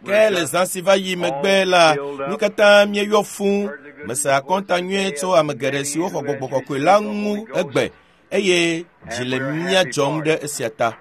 Ke le zã si va yi megbe la, mí katã míeyɔ fũu. Mese akɔnta nyuie tso ame geɖe siwo xɔ gbɔgbɔ kɔkɔe la ŋu egbe eye dzi le mía dzɔm ɖe esia ta.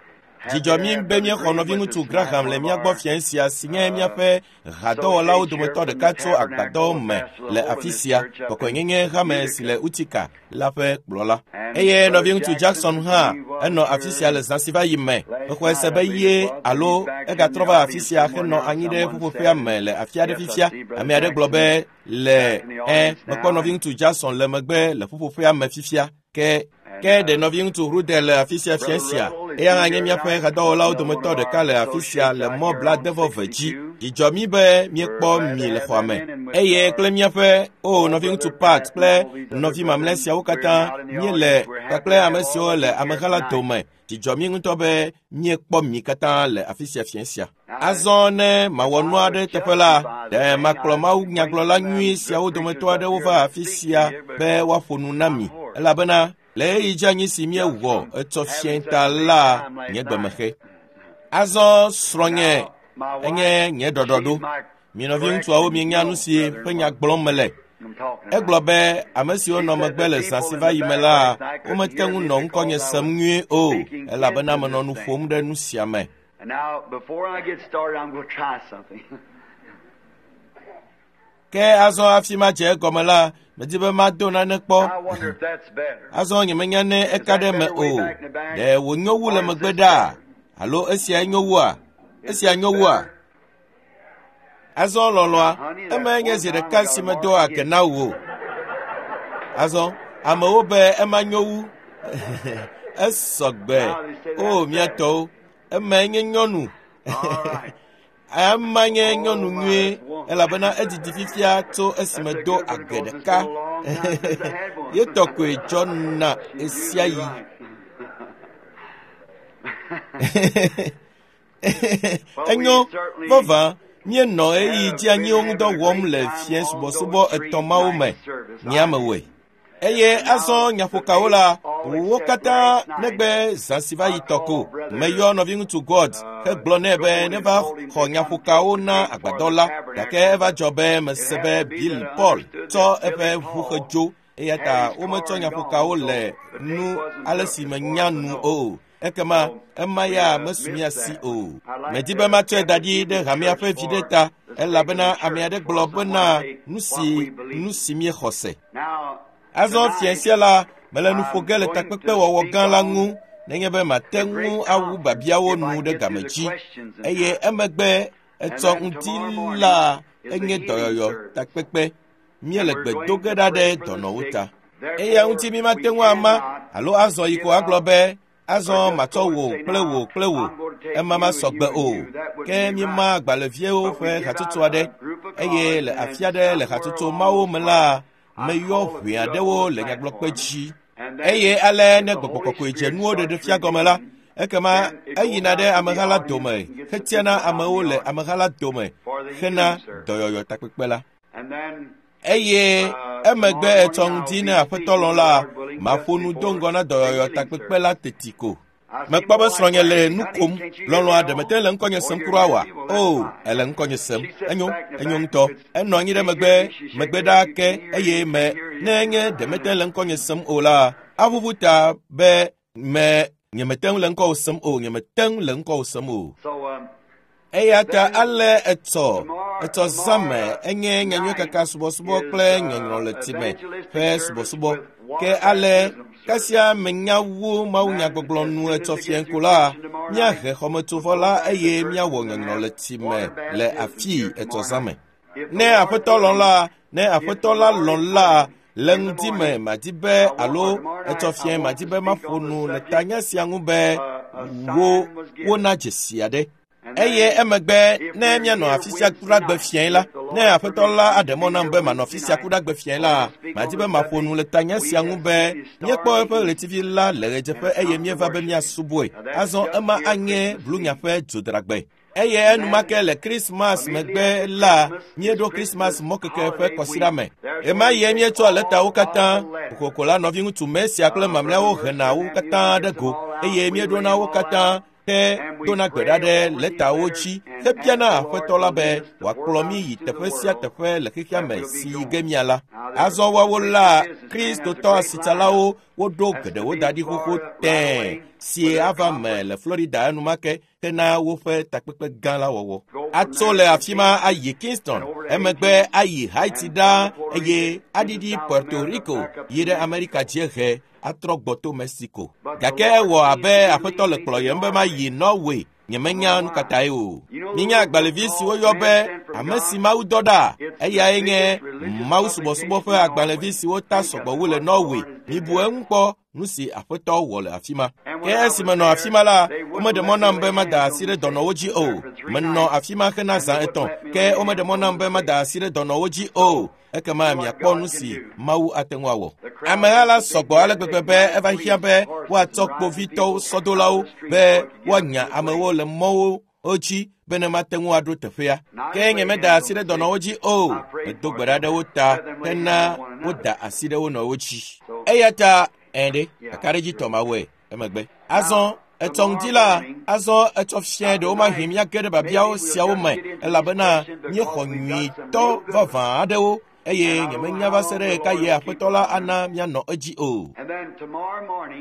Dzidzɔ mí be míexɔ nɔviŋutsu Graham le mía gbɔ fiẽ sia si nye míaƒe hadɔwɔlawo dometɔ ɖeka tso agbadɔ me le afi sia, kɔkɔenyenye hame si le Utica la ƒe kplɔla. Eye nɔviŋutsu Jackson hã enɔ afi sia le zã si va yi me. Mexɔe se be ye alo egatrɔ va afi sia henɔ anyi ɖe ƒuƒoƒea me le afi aɖe fifia. Ame aɖe gblɔ be le ẽ mekpɔ nɔviŋutsu Jackson le megbe le ƒuƒoƒea me fifia. Ke ke ɖe nɔviŋutsu Rude le afi sia fiẽ sia. Eya hã nye míaƒe hadɔwɔlawo dometɔ ɖeka le afi sia le mɔ blaadevɔ-eve dzi. Dzidzɔ mí be míekpɔ mi le xɔa me. Eye kple míaƒe o nɔviŋutsu Pat kple nɔvi mamlɛ siawo katã míele kpakple ame siwo le ameha la dome. Dzidzɔ mí ŋutɔ be míekpɔ mi katã le afi sia fiẽ sia. Azɔ ne mawɔ nu aɖe teƒe la, ɖe makplɔ Mawu nyagblɔla nyui siawo dometɔ aɖewo va afi sia be woaƒo nu na mi elabena le ɣeyiɣi dzeanyi si míewɔ etsɔ fiẽ ta la nye gbemexe. Azɔ srɔ̃nye enye nye ɖɔɖɔɖo. Mi nɔviŋutsuawo mienya nu si ƒe nya gblɔm mele. Egblɔ be ame siwo nɔ megbe le zã si va yi me la, womete ŋu nɔ ŋkɔnye sem nyuie o elabena menɔ nu ƒom ɖe nu sia me. And now, before I get started, I'm going to try something. Ke azɔ hafi madze egɔme la, medi be mado nane kpɔ. I wonder if that's better. Azɔ nyemenya ne eka ɖe eme o. Ɖe wònyo wu le megbe ɖaa? Alo esia nyo wua? Esia nyo wua? Azɔ lɔlɔ̃a, emae nye zi ɖeka si medo age na wò. Azɔ amewo be ema nyo wu. Esɔ gbe. O mía tɔwo, emae nye nyɔnu. All right. Ema nye nyɔnu nyuie elabena edidi fifia tso esime do age ɖeka. Ye tɔ koe dzɔna ɣesiaɣi. Enyo vavã míenɔ ɣeyiɣi dzeanyiwo ŋu dɔ wɔm le fiẽ subɔsubɔ etɔ̃ mawo me. Nye amewɔe. Eye azɔ nyaƒokawo la, wo katã negbe zã si va yi tɔ ko. Meyɔ nɔviŋutsu God hegblɔ nɛ be neva xɔ nyaƒokawo na agbadɔ la gake eva dzɔ be mese be Bill Paul tsɔ eƒe ʋu hedzo eya ta wometsɔ nyaƒokawo le nu ale si menya nu o. Ekema ema ya mesu mía si o. Medi be matsɔe da ɖi ɖe hamea ƒe viɖe ta elabena ame aɖe gblɔ bena nu si nu si míexɔ se. Now, Azɔ fiẽ sia la, mele nu ƒo ge le takpekpe wɔwɔ gã la ŋu nenye be mate ŋu awu biabiawo nu ɖe game dzi eye emegbe etsɔ ŋdi la enye dɔyɔyɔ takpekpe. Míele gbe do ge ɖa ɖe dɔnɔwo ta. Eya ŋuti mímate ŋu ama alo azɔ yi ko agblɔ be azɔ matsɔ wò kple wò kple wò ema masɔ gbe o. Ke míema agbalẽviawo ƒe hatsotso aɖe eye le afi aɖe le hatsotso mawo me la, meyɔ ʋe aɖewo le nyagblɔkpe dzi. Eye ale ne gbɔgbɔ kɔkɔe dze nuwo ɖeɖe fia gɔme la, ekema eyina ɖe ameha la dome hetiana amewo le ameha la dome hena dɔyɔyɔ takpekpe la. And then, Eye emegbe etsɔ ŋdi ne aƒetɔ lɔ̃ la, maƒo nu do ŋgɔ na dɔyɔyɔ takpekpe la teti ko. Mekpɔ be srɔ̃nye le nu kom. Lɔlɔ̃a ɖe mete le ŋkɔnye sem kura oa? O, ele ŋkɔnye sem. Enyo, enyo ŋutɔ. Enɔ anyi ɖe megbe, megbe ɖaa ke eye me ne nye ɖe mete le ŋkɔnye sem o la, aʋuʋu ta be me nyemete ŋu le ŋkɔwò sem o, nyemete ŋu le ŋkɔwò sem o. so, Eya ta ale etsɔ etsɔ zã me enye nyanyuiekaka subɔsubɔ kple nyɔnyrɔ le time ƒe subɔsubɔ. Ke ale kasia menya wu mawunyagbɔgblɔ nu etsɔ fiẽ ko la, míahe xɔmetsovɔ la eye míawɔ nyɔnyrɔ le time le afii etsɔ zã me. Ne aƒetɔ lɔ̃ la, ne aƒetɔ la lɔ̃ la, le ŋdi me madi be alo etsɔ fiẽ madi be maƒo nu le tanya sia ŋu be wo wona dzesi aɖe. Eye emegbe ne míanɔ afi sia kuɖagbe fiẽ la, ne aƒetɔ la aɖe mɔ nam be manɔ afi sia kuɖagbe fiẽ la, madi be maƒo nu le tanya sia ŋu be míekpɔ eƒe ɣletivi la le ɣedzeƒe eye míeva be míasubɔe. Azɔ ema anye blunya ƒe dzodragbe. Eye enumake le Krismas megbe la, míeɖo Krismas mɔkeke ƒe kɔsiɖa me. Ɣemaɣie míetsɔ lɛtawo katã, kokoko la nɔviŋutsu Mesia kple mamlɛawo hena wo katã ɖe go eye míeɖona wo katã. Hedona gbe ɖa ɖe lɛtawo dzi hebiana Aƒetɔ la be wòakplɔ mí yi teƒe sia teƒe le xexea me si yi ge míala. Azɔ woawo la, Kristotɔ asitsalawo woɖo geɖewo da ɖi xoxo tẽe si ava me le Florida enumake hena woƒe takpekpe gã la wɔwɔ. Atso le afi ma ayi Kingston, emegbe ayi Haiti ɖaa eye aɖiɖi Puerto Rico yi ɖe Amerika dziehe atrɔ gbɔ to Mexico. Gake ewɔ abe Aƒetɔ le kplɔyem be mayi Norway. Nyemenya nu ka tae o. Minya agbalẽvi si woyɔ be Ame si Mawu dɔ ɖa. Eyae nye mawusubɔsubɔ ƒe agbalẽvi si wota sɔgbɔ wu le Norway. Mibu eŋu kpɔ nu si Aƒetɔ wɔ le afi ma. Ke esi menɔ afi ma la, womeɖe mɔ nam be mada asi ɖe dɔnɔwo dzi o. Menɔ afi ma hena zã 3, ke womeɖe mɔ nam be mada asi ɖe dɔnɔwo dzi o. Ekema miakpɔ nu si Mawu ate ŋu awɔ. Ameha la sɔgbɔ ale gbegbe be eva hiã be woatsɔ kpovitɔwo sɔdolawo be woanya amewo le mɔwo dzi be ne mate ŋu aɖo teƒea. Ke nyemeda asi ɖe dɔnɔwo dzi o. Medo gbe ɖa ɖe wo ta hena woda asi ɖe wo nɔewo dzi. Eya ta ɛ̃ ɖe, kakaɖedzitɔ mawɔe emegbe. Azɔ etsɔ ŋdi la, azɔ etsɔ fiẽ ɖewomahi míage ɖe biabiawo siawo me elabena míexɔ nyuitɔ vavã aɖewo eye nyemenya va se ɖe ɣekaɣie Aƒetɔ la ana míanɔ edzi o.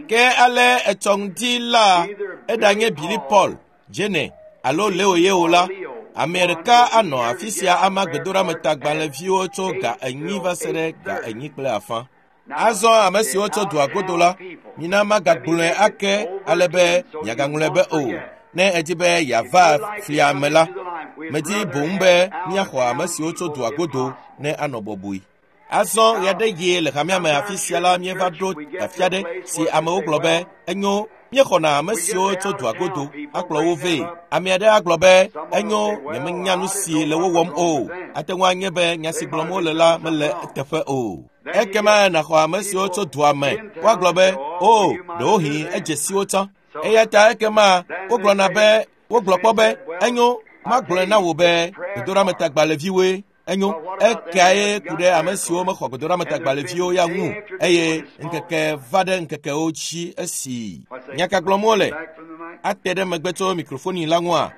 Ke ale etsɔ ŋdi la, eɖanye Billy Paul, Jene alo Leo ye o la, ame ɖeka anɔ afi sia ama gbedoɖametagbalẽviwo tso 4:00 va se ɖe 4:40. Azɔ ame siwo tso dua godo la, mina magagblɔe ake ale be miagaŋlɔe be o. Ne edi be yeava flia me la, medi boŋ be míaxɔ ame siwo tso dua godo ne anɔ bɔbɔe. Azɔ ɣeaɖeɣi le hamea me afi sia la míeva ɖo afi aɖe si amewo gblɔ be enyo míexɔna ame siwo tso dua godo akplɔ wo vɛ. Ame aɖe agblɔ be enyo nyemenya nu si le wo wɔm o. Ate ŋu anye be nya si gblɔm wole la mele eteƒe o. Ekema nàxɔ ame siwo tso dua me. Woagblɔ be o ɖewohĩ edze si wo tsã. Eya ta ekema wogblɔna be wogblɔ kpɔ be enyo magblɔe na wò be gbedoɖametagbalẽviwoe. Enyo ekae ku ɖe ame siwo mexɔ gbedoɖametagbalẽviwo ya ŋu eye ŋkeke va ɖe ŋkekewo dzi esi nya ka gblɔm wole ate ɖe megbe tso mikrofoni la ŋua.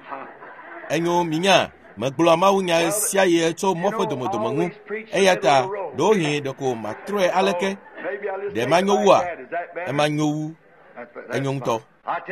Enyo minya megblɔa mawunya sia ɣi tso mɔ ƒe domedome ŋu eya ta ɖewohĩ ɖeko matrɔe aleke ɖe manyo wua emanyo wu enyo ŋutɔ.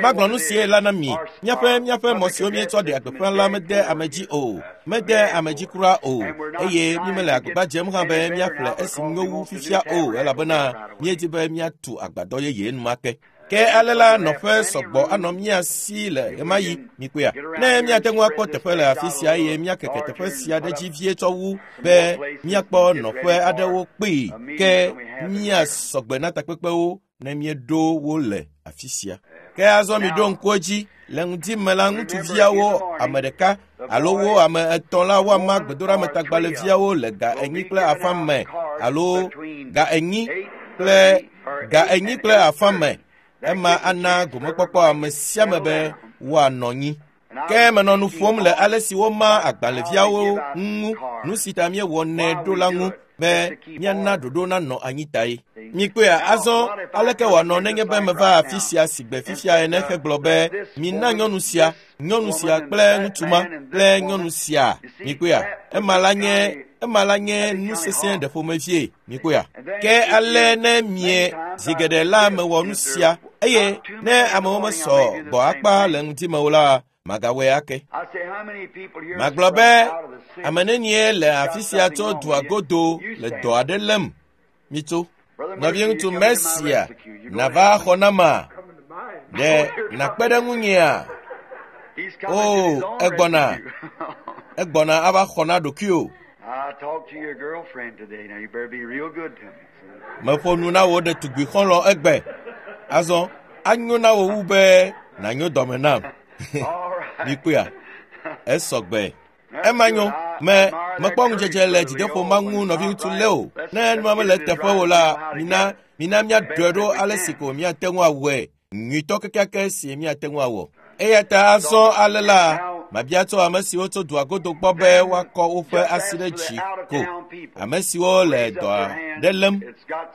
Magblɔ nu sie la na mi. Míaƒe mɔ siwo míetsɔ ɖea gbeƒã la mede ame dzi o. Mede ame dzi kura o. Eye mímele agbagba dzem hã be míaƒle esi nyo wu fifia o elabena míedi be míatu agbadɔ yeye enumake. Ke ale la nɔƒe sɔgbɔ anɔ mía si le ɣemaɣi mikpɔea. Ne míate ŋu akpɔ teƒe le afi sia eye míakeke teƒe sia ɖe dzi vie tsɔ wu be míakpɔ nɔƒe aɖewo kpee ke míasɔgbe na takpekpewo ne míeɖo wo le afi sia. Ke azɔ miɖo ŋku edzi le ŋdi me la ŋutsuviawo ame ɖeka alo wo ame 3 la woama gbedoɖametagbalẽviawo le 4:30 me alo 4:40 me. Ema ana gomekpɔkpɔ ame sia ame be woanɔ anyi. Ke menɔ nu ƒom le ale si woma agbalẽviawo ŋu, nu si ta míewɔnɛ ɖo la ŋu be míana ɖoɖo nanɔ anyi tae. Mikpɔea azɔ aleke wòanɔ nenye be meva afi sia sigbe fifia ene hegblɔ be mina nyɔnu sia kple ŋutsu ma kple nyɔnu sia. Mikpɔea ema la nye nu sesẽ ɖe ƒomevie. Mikpɔea ke ale ne mie zi geɖe la mewɔ nu sia eye ne amewo mesɔ gbɔ akpa le ŋdi me o la magawɔe ake. Magblɔ be ame nenie le afi sia tso dua godo le dɔ aɖe lém. Mitso. Nɔviŋutsu Mesia nava xɔ nama. Ɖe nàkpe ɖe ŋunyea? O, egbɔna. Egbɔna ava xɔ na ɖokuiwò. Meƒo nu na wò ɖetugbui xɔlɔ̃ egbe. Azɔ anyo na wò wu be nànyo dɔme nam. Mikpɔea? Esɔgbe. Ema nyo. Mekpɔ ŋudzedze le dzideƒo ma ŋu nɔviŋutsu Leo. Ne nua mele eteƒe o la, mina míaɖɔe ɖo ale si ko míate ŋu awɔe nyuitɔ kekeake si míate ŋu awɔ. Eya ta azɔ ale la, Mabia tso ame siwo tso dua godo gbɔ be woakɔ woƒe asi ɖe dzi ko. Ame siwo le dɔa ɖe lém.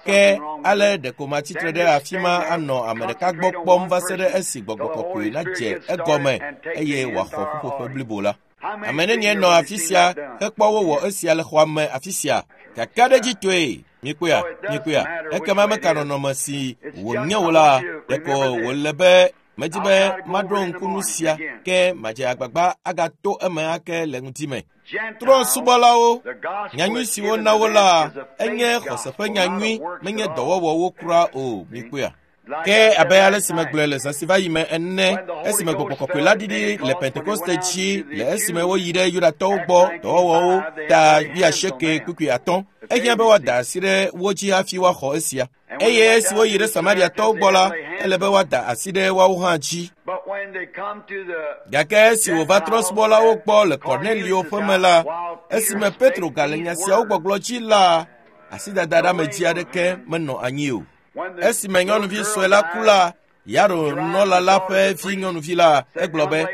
Ke ale ɖeko matsitre ɖe afi ma anɔ ame ɖeka gbɔ kpɔm va se ɖe esi gbɔgbɔ kɔkɔe nadze egɔme eye wòaxɔ ƒuƒoƒe blibo la. Ame nenie nɔ afi sia hekpɔ wowɔ esia le xɔa me afi sia? Kakaɖedzitɔe, mikpɔea, mikpɔea, ekema meka nɔnɔme si wònye o la, ɖeko wòle be medi be maɖo ŋku nu sia ke madze agbagba agato eme ake le ŋdi me. Trɔ̃subɔlawo, nyanyui si wona wo la, enye xɔse ƒe nyanyui, menye dɔwɔwɔwo kura o, mikpɔea. Ke abe ale si megblɔe le zã si va yi me ene, esime gbɔgbɔ kɔkɔe la ɖiɖi le Pentekoste dzi le esime woyi ɖe Yudatɔwo gbɔ dɔwɔwɔwo ta 85:5, ehiã be woada asi ɖe wo dzi hafi woaxɔ esia. Eye esi woyi ɖe Samariatɔwo gbɔ la, ele be woada asi ɖe woawo hã dzi. Gake esi wòva trɔ̃subɔlawo gbɔ le Kornelio ƒe me la, esime Petro gale nya siawo gbɔgblɔ dzi la, asidada ɖe ame dzi aɖeke menɔ anyi o. Esime nyɔnuvi sue la ku la, Yairo nunɔla la ƒe vi nyɔnuvi la, egblɔ be,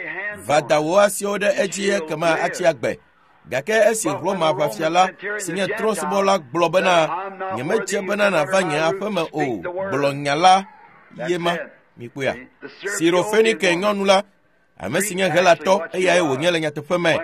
va da wò asiwo ɖe edzi ekema atsi agbe. Gake esi Roma ʋafia la, si nye trɔ̃subɔla gblɔ bena, nyemedze bena nàva nye aƒeme o, gblɔ nya la ye ma. Mikpɔea? Sirofenike nyɔnu la, ame si nye Helatɔ, eyae wònye le nyateƒe me.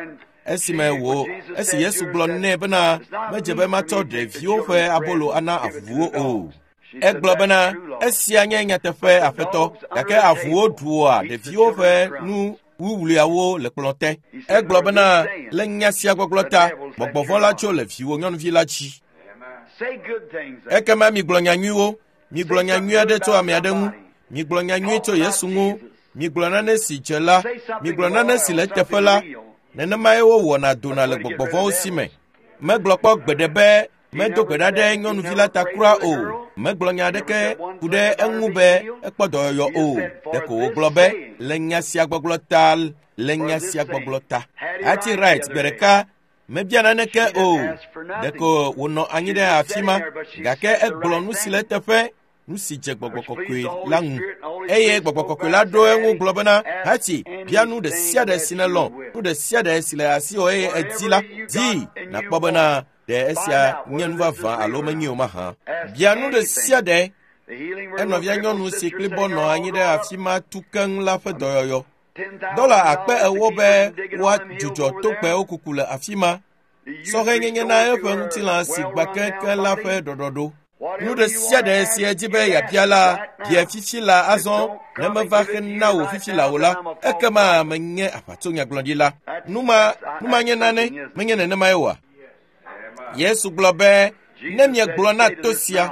Esime wò, esi Yesu gblɔ nɛ bena, medze be matsɔ ɖeviwo ƒe abolo ana avuwo o. Egblɔ bena, esia nye nyateƒe, Aƒetɔ, gake avuwo ɖua ɖeviwo ƒe nu wuwluiawo le kplɔ̃ te. Egblɔ bena, le nya sia gbɔgblɔ ta, gbɔgbɔ vɔ̃ la tso le viwò nyɔnuvi la dzi. Ekema migblɔ nya nyuiwo, migblɔ nya nyui aɖe tso ame aɖe ŋu, migblɔ nya nyui tso Yesu ŋu, migblɔ nane si dze la, migblɔ nane si le eteƒe la. Nenemae wowɔna dona le gbɔgbɔ vɔ̃wo si me. Megblɔ kpɔ gbeɖe be medo gbe ɖa ɖe nyɔnuvi la ta kura o. Megblɔ nya aɖeke ku ɖe eŋu be ekpɔ dɔyɔyɔ o. Ɖeko wògblɔ be le nya sia gbɔgblɔ ta, le nya sia gbɔgblɔ ta. Hattie Wright gbe ɖeka mebia naneke o. Ɖeko wònɔ anyi ɖe afi ma, gake egblɔ nu si le eteƒe, nu si dze gbɔgbɔ kɔkɔe la ŋu. Eye gbɔgbɔ kɔkɔe la ɖo eŋu gblɔ bena, Hattie, bia nu ɖe sia ɖe si nèlɔ̃, nu ɖe sia ɖe si le asiwò eye èdi la, dii nàkpɔ bena ɖe esia nye nu vavã alo menye o mahã. Bia nu ɖe sia ɖe. Enɔvia nyɔnu si kplibɔ nɔ anyi ɖe afi ma tu keŋ la ƒe dɔyɔyɔ. Dɔla 40,000 be woadzudzɔ togbɛwo kuku le afi ma. Sɔhɛnyenye na eƒe ŋutilã si gbã keŋkeŋ la ƒe ɖɔɖɔɖo. Nu ɖe sia ɖe si edzi be yeabia la, bia fifi la azɔ. Ne meva hena wò fifi la o la, ekema menye aʋatsonyagblɔɖila. Nu ma nye nane, menye nenemae oa? Yesu gblɔ be, ne miegblɔ na to sia,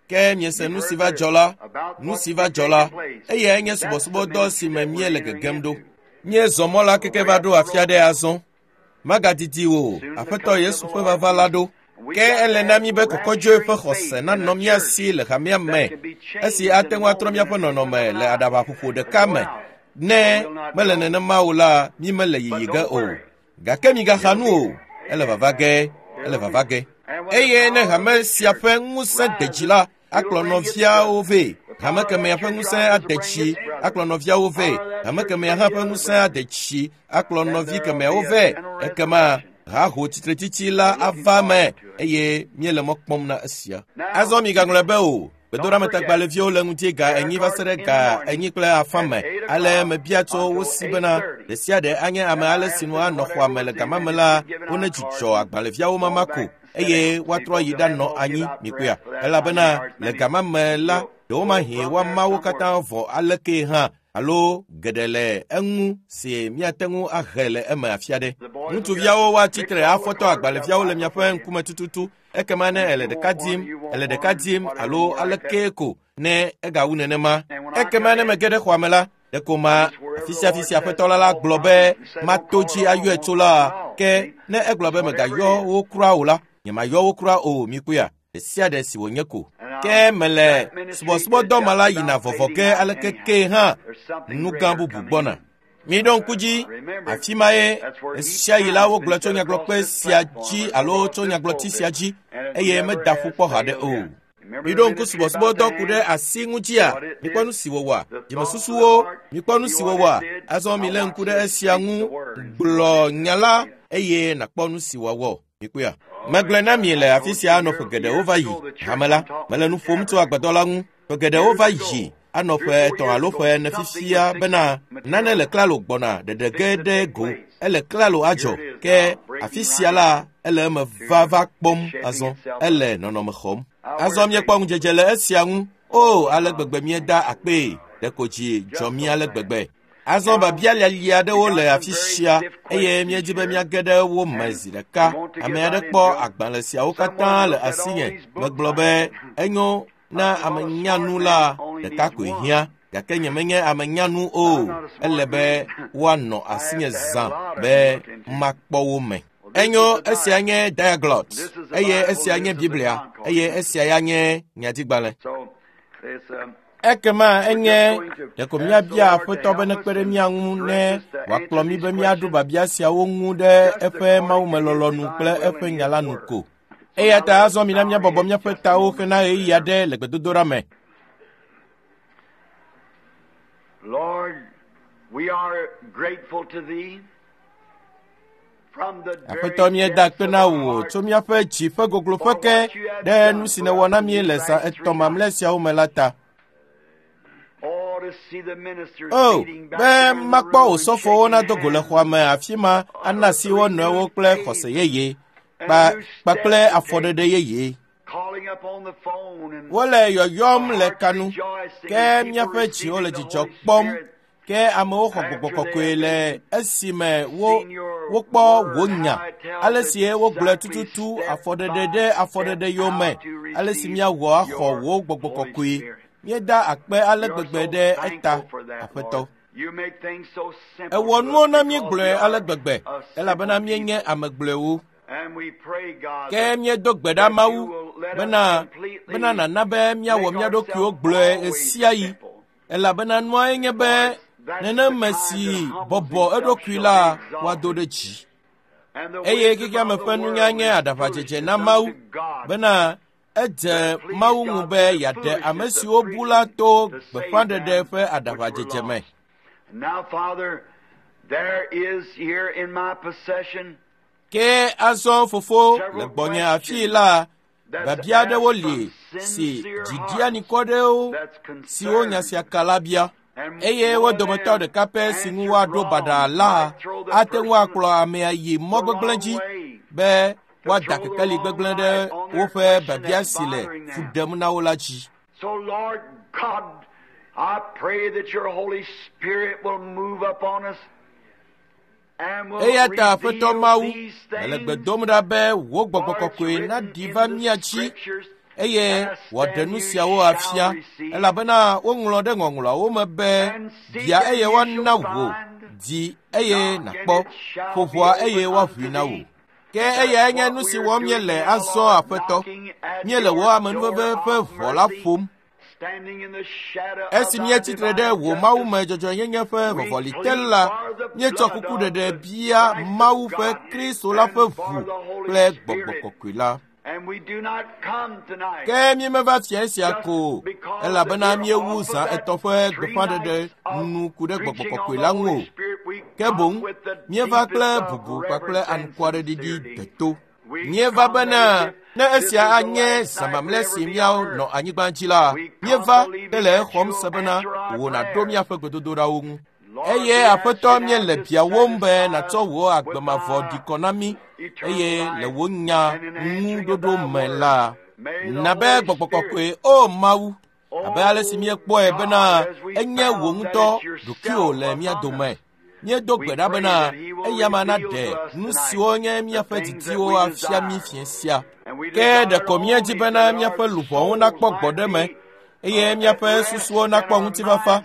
ke miese nu si va dzɔ la, nu si va dzɔ la, eyae nye subɔsubɔdɔ si me míele gegem ɖo. Míezɔ mɔ la keke va ɖo afi aɖe azɔ. Magadidi o, Aƒetɔ Yesu ƒe vava la ɖo. Ke ele na mí be kɔkɔdzoe ƒe xɔse nanɔ mía si le hamea me, esi ate ŋu atrɔ míaƒe nɔnɔme le aɖabaƒoƒo ɖeka me. Ne mele nenema o la, mí mele yiyi ge o. Gake migaxa nu o, ele vava ge, ele vava ge. Eye ne hame sia ƒe ŋusẽ de dzi la, akplɔ nɔviawo vɛ. Hame kemɛa ƒe ŋusẽ ade dzi, akplɔ nɔviawo vɛ. Hame kemɛa hã ƒe ŋusẽ ade dzi, akplɔ nɔvi kemɛawo vɛ. Ekema haho tsitretsitsi la ava me eye míele mɔ kpɔm na esia. Azɔ migaŋlɔe be o, gbedoɖametagbalẽviwo le ŋuti 4:00 va se ɖe 4:30 me. Ale mebia tso wo si bena ɖe sia ɖe anye ame ale si nu anɔ xɔa me le gama me la, wonedzudzɔ agbalẽviawo mama ko eye woatrɔ yi ɖanɔ anyi mikpɔea. Elabena le gama me la, ɖewomahi woama wo katã vɔ alekee hã alo geɖe le eŋu si míate ŋu ahe le eme afia ɖe. Ŋutsuviawo woatsi tre afɔtɔ agbalẽviawo le miaƒe ŋkume tututu. Ekema ne ele ɖeka dim, ele ɖeka dim alo alekee ko ne egawu nenema. Ekema ne mege ɖe xɔa me la, ɖeko ma afi sia afi si aƒetɔ la gblɔ be mato dzi ayɔe tso la, ke ne egblɔ be megayɔ wo kura o la, nyemayɔ wo kura o, mikpɔea, ɖe sia ɖe si wònye ko. Ke mele subɔsubɔdɔ ma la yina vɔvɔ ge aleke kee hã, nu gã bubu gbɔna. Miɖo ŋku dzi, afi ma ye ɣesiaɣi la wogblɔ tso nyagblɔkpe sia dzi alo tso nyagblɔti sia dzi eye meda ƒu kpɔ haɖe o. Miɖo ŋku subɔsubɔdɔ ku ɖe asi ŋutia. Mikpɔ nu si wòwɔa. Dzimesusuwo, mikpɔ nu si wòwɔa. Azɔ milé ŋku ɖe esia ŋu. Gblɔ nya la eye nàkpɔ nu si wòawɔ. Mikpɔea? Megblɔe na mi le afi sia anɔ ƒe geɖewo va yi. Hame la, mele nu ƒom tso agbadɔ la ŋu. Ƒe geɖewo va yi anɔ ƒe 3 alo ƒe 4 fifia bena nane le klalo gbɔna ɖeɖe ge ɖe go. Ele klalo adzɔ. Ke afi sia la, ele eme vava kpɔm azɔ. Ele nɔnɔme xɔm. Azɔ míekpɔ ŋudzedze le esia ŋu. O, ale gbegbe míeda akpee. Ɖeko dzi dzɔ mí ale gbegbe. Azɔ biabia lialia aɖewo le afi sia eye míedi be míage ɖe wo me zi ɖeka. Ame aɖe kpɔ agbalẽ siawo katã le asinye. Megblɔ be enyo na ame nyanu la ɖeka koe hiã. Gake nyemenye ame nyanu o. Ele be woanɔ asinye zã be makpɔ wo me. Enyo, esia nye Diaglott, eye esia nye Biblia, eye esia ya nye nyadigbalẽ. Ekema enye ɖeko míabia Aƒetɔ be nekpe ɖe mía ŋu ne wòakplɔ mí be míaɖo biabia siawo ŋu ɖe eƒe mawumelɔlɔ̃nu kple eƒe nya la nu ko. Eya ta azɔ mina míabɔbɔ míaƒe tawo hena ɣeyiɣi aɖe le gbedodoɖa me. Lord, we are grateful to thee. Aƒetɔ, míeda akpe na wò tso míaƒe dzi ƒe gogloƒe ke ɖe nu si nèwɔ na mí le zã 3 mamlɛ siawo me la ta. O, be makpɔ osɔfowo nado go le xɔa me afi ma ana asi wo nɔewo kple xɔse yeye kpakple afɔɖeɖe yeye. Wole yɔyɔm le kanu, ke míaƒe dziwo le dzidzɔ kpɔm. Ke amewo xɔ gbɔgbɔ kɔkɔe le esime wokpɔ wò nya. Ale si wogblɔe tututu afɔɖeɖe ɖe afɔɖeɖe yome, ale si míawɔ axɔ wò gbɔgbɔ kɔkɔe. Míeda akpe ale gbegbe ɖe eta, Aƒetɔ. Ewɔ nuwo na mí gblɔe ale gbegbe, elabena míenye ame gblɔewo. Ke míedo gbe ɖa Mawu bena nàna be míawɔ mía ɖokuiwo gblɔe ɣesiaɣi. Elabena nuae nye be neneme si bɔbɔ eɖokui la woado ɖe dzi. Eye xexeame ƒe nunya nye aɖaʋadzedze na Mawu bena edze Mawu ŋu be yeaɖe ame siwo bu la to gbeƒãɖeɖe ƒe aɖaʋadzedze me. Ke azɔ fofo le gbɔnye afii la, biabia aɖewo li si dziɖianikɔ ɖewo siwo nya sia ka la bia. Eye wo dometɔ ɖeka pɛ si ŋu woaɖo baɖa la ate ŋu akplɔ amea yi mɔ gbegblẽ dzi be woada kekeli gbegblẽ ɖe woƒe biabia si le fu ɖem na wo la dzi. So, Lord God, I pray that your Holy Spirit will move upon us. Eya ta Aƒetɔ Mawu, mele gbe dom ɖa be wò gbɔgbɔ kɔkɔe naɖi va mía dzi eye wòaɖe nu siawo afia, elabena woŋlɔ ɖe ŋɔŋlɔawo me be bia eye woana wò, di eye nàkpɔ, ƒo ʋɔa eye woaʋui na wò. Ke eyae nye nu si wɔm míele azɔ, Aƒetɔ. Míele wò amenuveve ƒe ʋɔ la ƒom. Esi míetsitre ɖe wò Mawu me dzɔdzɔenyenye ƒe vɔvɔli te la, míetsɔ kukuɖeɖe bia Mawu ƒe Kristo la ƒe ʋu kple gbɔgbɔ kɔkɔe la. Ke míemeva fia esia ko, elabena míewu zã 3 ƒe gbeƒãɖeɖe nu ku ɖe gbɔgbɔ kɔkɔe la ŋu o. Ke boŋ míeva kple bubu kpakple anukwareɖiɖi deto. Míeva bena ne esia anye zã mamlɛ si míanɔ anyigba dzi la, míeva hele exɔm se bena wò nàɖo míaƒe gbedodoɖawo ŋu. Eye Aƒetɔ, míele biawòm be nàtsɔ wò agbe mavɔ ɖi kɔ na mí, eye le wò nya ŋuɖoɖo me la, na be gbɔgbɔ kɔkɔe, o Mawu, abe ale si míekpɔe bena enye wò ŋutɔ ɖokuiwò le mía dome. Míedo gbe ɖa bena eyama naɖe nu siwo nye míaƒe didiwo afia mí fiẽ sia. Ke ɖeko míedi bena míaƒe luʋɔwo nakpɔ gbɔɖeme eye míaƒe susuwo nakpɔ ŋutifafa,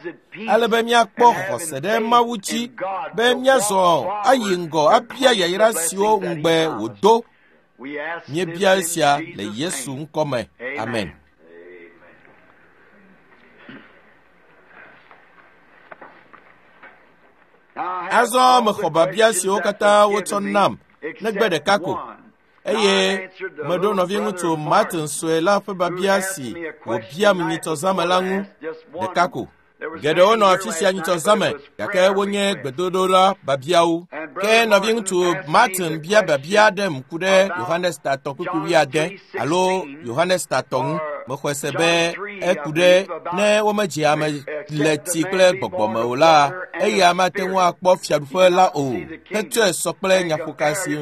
ale be míakpɔ xɔse ɖe Mawu dzi be míazɔ ayi ŋgɔ abia yayra siwo ŋugbe wòdo. Míebia esia le Yesu ŋkɔ me. Amen. Azɔ mexɔ biabia siwo katã wotsɔ nam negbe ɖeka ko. Eye meɖo nɔviŋutsu Martin sue la ƒe biabia si wòbiam nyitsɔzãme la ŋu ɖeka ko. Geɖewo nɔ afi sia nyitsɔzãme gake wonye gbedodoɖa biabiawo. Ke nɔviŋutsu Martin bia biabia aɖem ku ɖe Yohanes tatɔ kpukpui wuiade alo Yohanes tatɔ ŋu. Mexɔe se be eku ɖe ne womedze ame le tsi kple gbɔgbɔ me o la, eya mate ŋu akpɔ fiaɖuƒe la o. Hetsɔe sɔ kple nyaƒoka si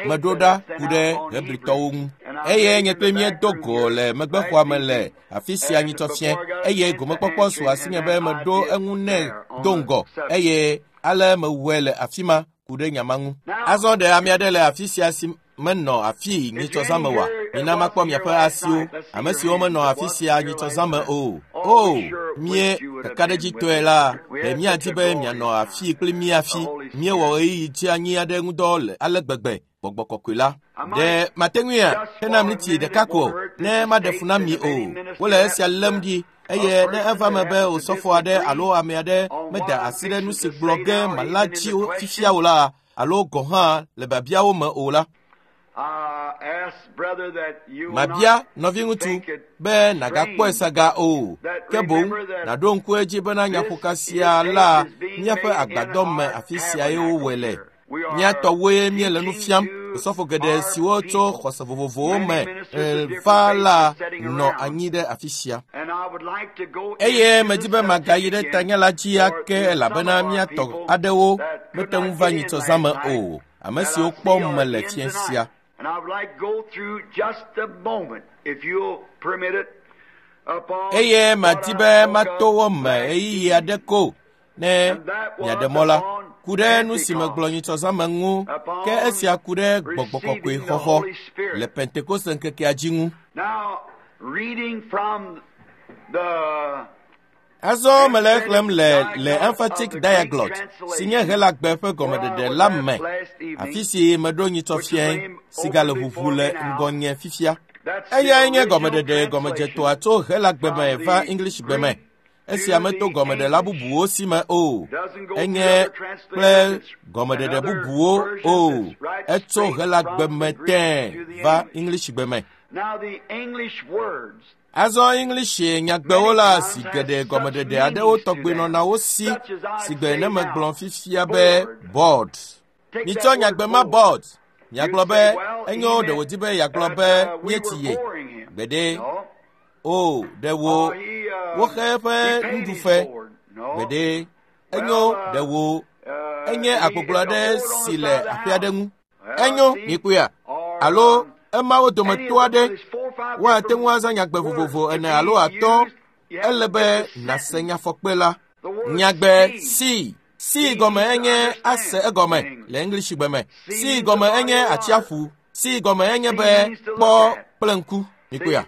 meɖo ɖa ku ɖe Hebritɔwo ŋu. Eye nye kple míedo go le megbexɔa me le afi sia nyitsɔ fiẽ eye gomekpɔkpɔ su asinye be meɖo eŋu nɛ do ŋgɔ eye ale mewɔe le afi ma ku ɖe nya ma ŋu. Azɔ ɖe ame aɖe le afi sia si menɔ afii nyitsɔzãme oa? Mina makpɔ miaƒe asiwo, ame siwo menɔ afi sia nyitsɔzãme o. O, mie kakaɖedzitɔe la, ɖe míadi be mianɔ afii kpli mía hafi. Míewɔ ɣeyiɣi dzeanyi aɖe ŋudɔ le ale gbegbe gbɔgbɔ kɔkɔe la. Ɖe mate ŋuia hena miniti ɖeka ko ne maɖe fu na mi o. Wole esia lém ɖi eye ne eva me be osɔfo aɖe alo ame aɖe meda asi ɖe nu si gblɔ ge mala dzi fifia o la alo gɔ̃ hã le biabiawo me o la, mabia nɔviŋutsu be nàgakpɔe saga o, ke boŋ nàɖo ŋku edzi bena nyaƒoka sia la míaƒe agbadɔ me afi siae wowɔe le. Mía tɔwoe míele nu fiam. Osɔfo geɖe siwo tso xɔse vovovowo me va la nɔ anyi ɖe afi sia. Eye medi be magayi ɖe tanya la dzi ake elabena mía tɔ aɖewo mete ŋu va nyitsɔzãme o. Ame siwo kpɔm mele fiẽ sia. Eye madi be mato wo me ɣeyiɣi aɖe ko ne miaɖe mɔ la, ku ɖe nu si megblɔ nyitsɔzãme ŋu, ke esia ku ɖe gbɔgbɔ kɔkɔe xɔxɔ le Pentekoste ŋkekea dzi ŋu. Azɔ mele exlẽm le le Emphatic Diaglott si nye Helagbe ƒe gɔmeɖeɖe la me, afi si meɖo nyitsɔ fiẽ si gale ʋuʋu le ŋgɔnye fifia. Eyae nye gɔmeɖeɖe gɔmedzetɔa tso Helagbe me va Englishgbe me. Esia meto gɔmeɖela bubuwo si me o. Enye kple gɔmeɖeɖe bubuwo o. Etso Helagbe me tẽe va Englishgbe me. Azɔ English nyagbewo la si geɖe gɔmeɖeɖe aɖewo tɔgbe nɔna wo si si gbe ne megblɔ fifia be board. Mitsɔ nyagbe ma board. Miagblɔ be enyo ɖe wòdi be yeagblɔ be míetsi ye. Gbeɖe. O, ɖe wo woxe eƒe nuɖufe. Gbeɖe. Enyo ɖe wo enye agbogbo aɖe si le aƒe aɖe ŋu. Enyo mikpɔea alo emawo dometɔ aɖe woate ŋu azã nyagbe vovovo ene alo atɔ̃. Ele be nàse nyafɔkpe la. Nyagbe si si gɔme enye ase egɔme le Englishgbe me. Si gɔme enye atsiaƒu. Si gɔme enye be kpɔ kple ŋku. Mikpɔea.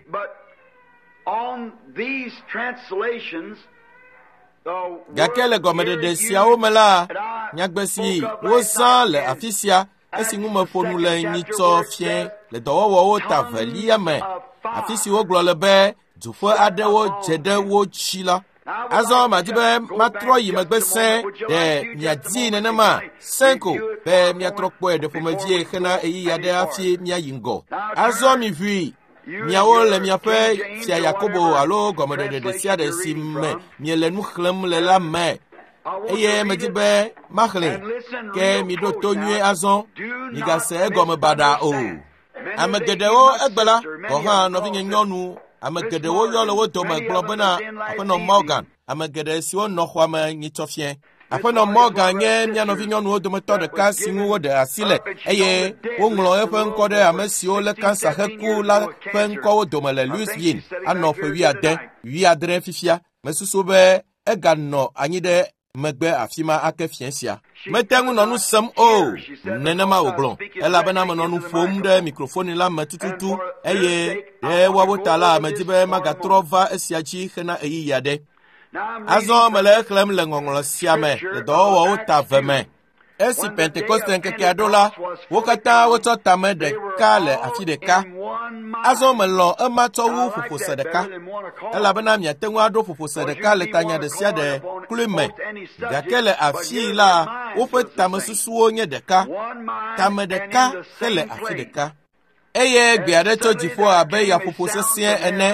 Gake le gɔmeɖeɖe siawo me la, nyagbe si wozã le afi sia esi ŋu meƒo nu le nyitsɔ fiẽ le dɔwɔwɔwo ta velia me, afi si wogblɔ le be dzoƒe aɖewo dze ɖe wo dzi la. Azɔ madi be matrɔ yi megbe sẽ ɖe miadii nenema sẽ ko be miatrɔ kpɔe ɖe ƒomevie hena ɣeyiɣi aɖe hafi míayi ŋgɔ. Azɔ miʋui miawo le miaƒe fia Yakobo alo gɔmeɖeɖe ɖe sia ɖe si me miele nu xlẽm le la me. Eye medi be maxlẽ ke miɖo to nyuie azɔ, migase egɔme baɖa o. Ame geɖewo egbe la, gɔ̃ hã nɔvinye nyɔnu, ame geɖewo yɔ le wo dome gblɔ bena Aƒenɔ Morgan, ame geɖe siwo nɔ xɔa me nyitsɔ fiẽ. Aƒenɔ Morgan nye mía nɔvinyɔnuwo dometɔ ɖeka si ŋu woɖe asi le eye woŋlɔ eƒe ŋkɔ ɖe ame siwo lé kansa heku la ƒe ŋkɔwo dome le Louisville anɔ ƒe 70 fifia. Mesusu be eganɔ anyi ɖe megbe afi ma ake fiẽ sia. Mete ŋu nɔ nu sem o, nenema wògblɔ, elabena menɔ nu ƒom ɖe mikrofoni la me tututu eye ɖe woawo ta la medi be magatrɔ va esia dzi hena ɣeyiɣi aɖe. Azɔ mele exlẽm le ŋɔŋlɔ sia me le dɔwɔwɔwo ta ve me. Esi Pentekoste ŋkekea ɖo la, wo katã wotsɔ tame ɖeka le afi ɖeka. Azɔ melɔ̃ ema tsɔ wu ƒoƒose ɖeka, elabena miate ŋu aɖo ƒoƒose ɖeka le tanya ɖe sia ɖe kloe me. Gake le afii la, woƒe tamesusuwo nye ɖeka. Tame ɖeka hele afi ɖeka. Eye gbe aɖe tso dziƒo abe yaƒoƒo sesĩe ene,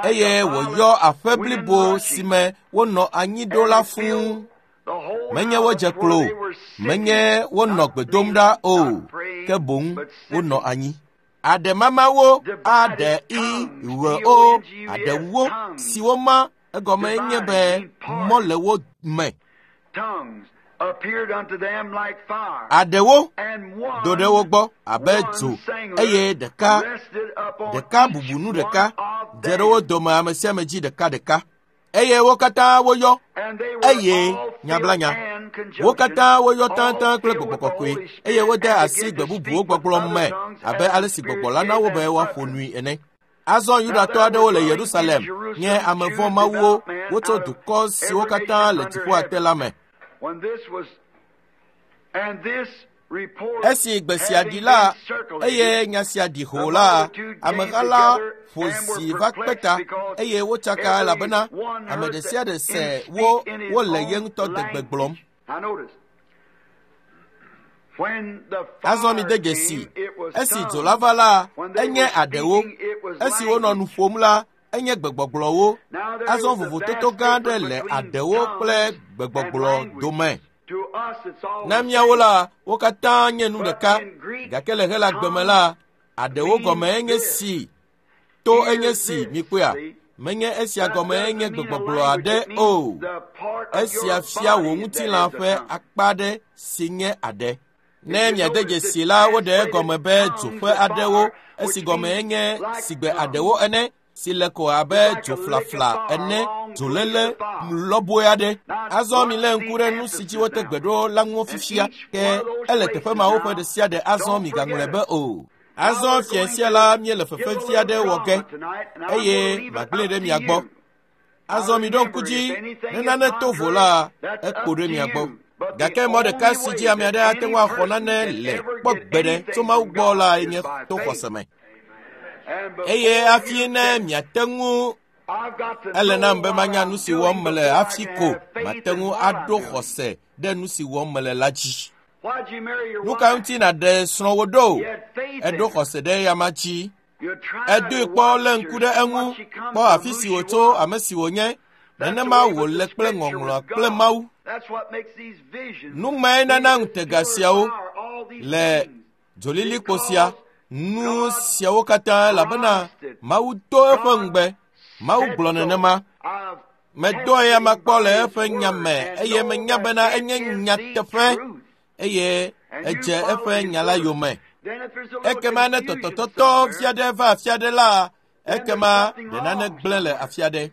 eye wòyɔ aƒe blibo si me wonɔ anyi ɖo la fũu. Menye wodze klo, menye wonɔ gbe dom ɖa o, ke boŋ wonɔ anyi. Aɖemamawo A ɖe I ɣ O aɖewo siwo ma egɔme nye be mɔ le wo me. Aɖewo do ɖe wo gbɔ abe dzo eye ɖeka ɖeka bubu nu ɖeka dze ɖe wo dome ame sia ame dzi ɖeka ɖeka. Eye wo katã woyɔ eye nyablanya. Wo katã woyɔ taŋtaŋ kple gbɔgbɔ kɔkɔe eye wode asi gbe bubuwo gbɔgblɔ me abe ale si gbɔgbɔ la na wo be woaƒo nui ene. Azɔ Yudatɔ aɖewo le Yerusalem nye ame vɔ̃ mawuwo wotso dukɔ siwo katã le dziƒoa te la me. Esi gbe sia ɖi la, eye nya sia ɖi hoo la, ameha la ƒo zi va kpe ta eye wotsaka elabena ame ɖe sia ɖe se wo wole ye ŋutɔ degbe gblɔm. Azɔ mide dzesi, esi dzo la va la, enye aɖewo. Esi wonɔ nu ƒom la, enye gbegbɔgblɔwo. Azɔ vovototo gã aɖe le aɖewo kple gbegbɔgblɔ dome. Na míawo la, wo katã nye nu ɖeka, gake le Helagbe me la, aɖewo gɔme enye si, to enye si, mikpɔea? Menye esia gɔme enye gbegbɔgblɔ aɖe o. Esia fia wò ŋutilã ƒe akpa aɖe si nye aɖe. Ne miade dzesi la, woɖe egɔme be dzo ƒe aɖewo, esi gɔme enye sigbe aɖewo ene, si le ko abe dzoflafla ene, dzoléle lɔbɔe aɖe. Azɔ milé ŋku ɖe nu si dzi wote gbe ɖo la ŋu fifia, ke ele teƒe mawo ƒe ɖe sia ɖe azɔ migaŋlɔe be o. Azɔ fia sia la míele fefe fia ɖe wɔ ge eye magblẽe ɖe mia gbɔ. Azɔ miɖo ŋku dzi ne nane to vo la, ekpo ɖe mia gbɔ. Gake mɔ ɖeka si dzi ame aɖe ate ŋu axɔ nane le kpɔ gbeɖe tso Mawu gbɔ la nye to xɔse me. Eye hafi ne miate ŋu ele nam be manya nu si wɔm mele hafi ko mate ŋu aɖo xɔse ɖe nu si wɔm mele la dzi. Nu ka ŋuti nàɖe srɔ̃wò ɖo? Eɖo xɔse ɖe eyama dzi. Edoe kpɔ lé ŋku ɖe eŋu, kpɔ afi si wòtso, ame si wònye. Nenema wòle kple ŋɔŋlɔa kple Mawu. Nu mae nana ŋutega siawo le dzolilikpo sia, nu siawo katã elabena Mawu do eƒe ŋugbe. Mawu gblɔ nenema. Medo eyama kpɔ le eƒe nya me eye menya bena enye nyateƒe eye edze eƒe nya la yome. Ekema ne tɔtɔtɔtɔ fia ɖe va afia ɖe la, ekema ɖe nane gblẽ le afia ɖe.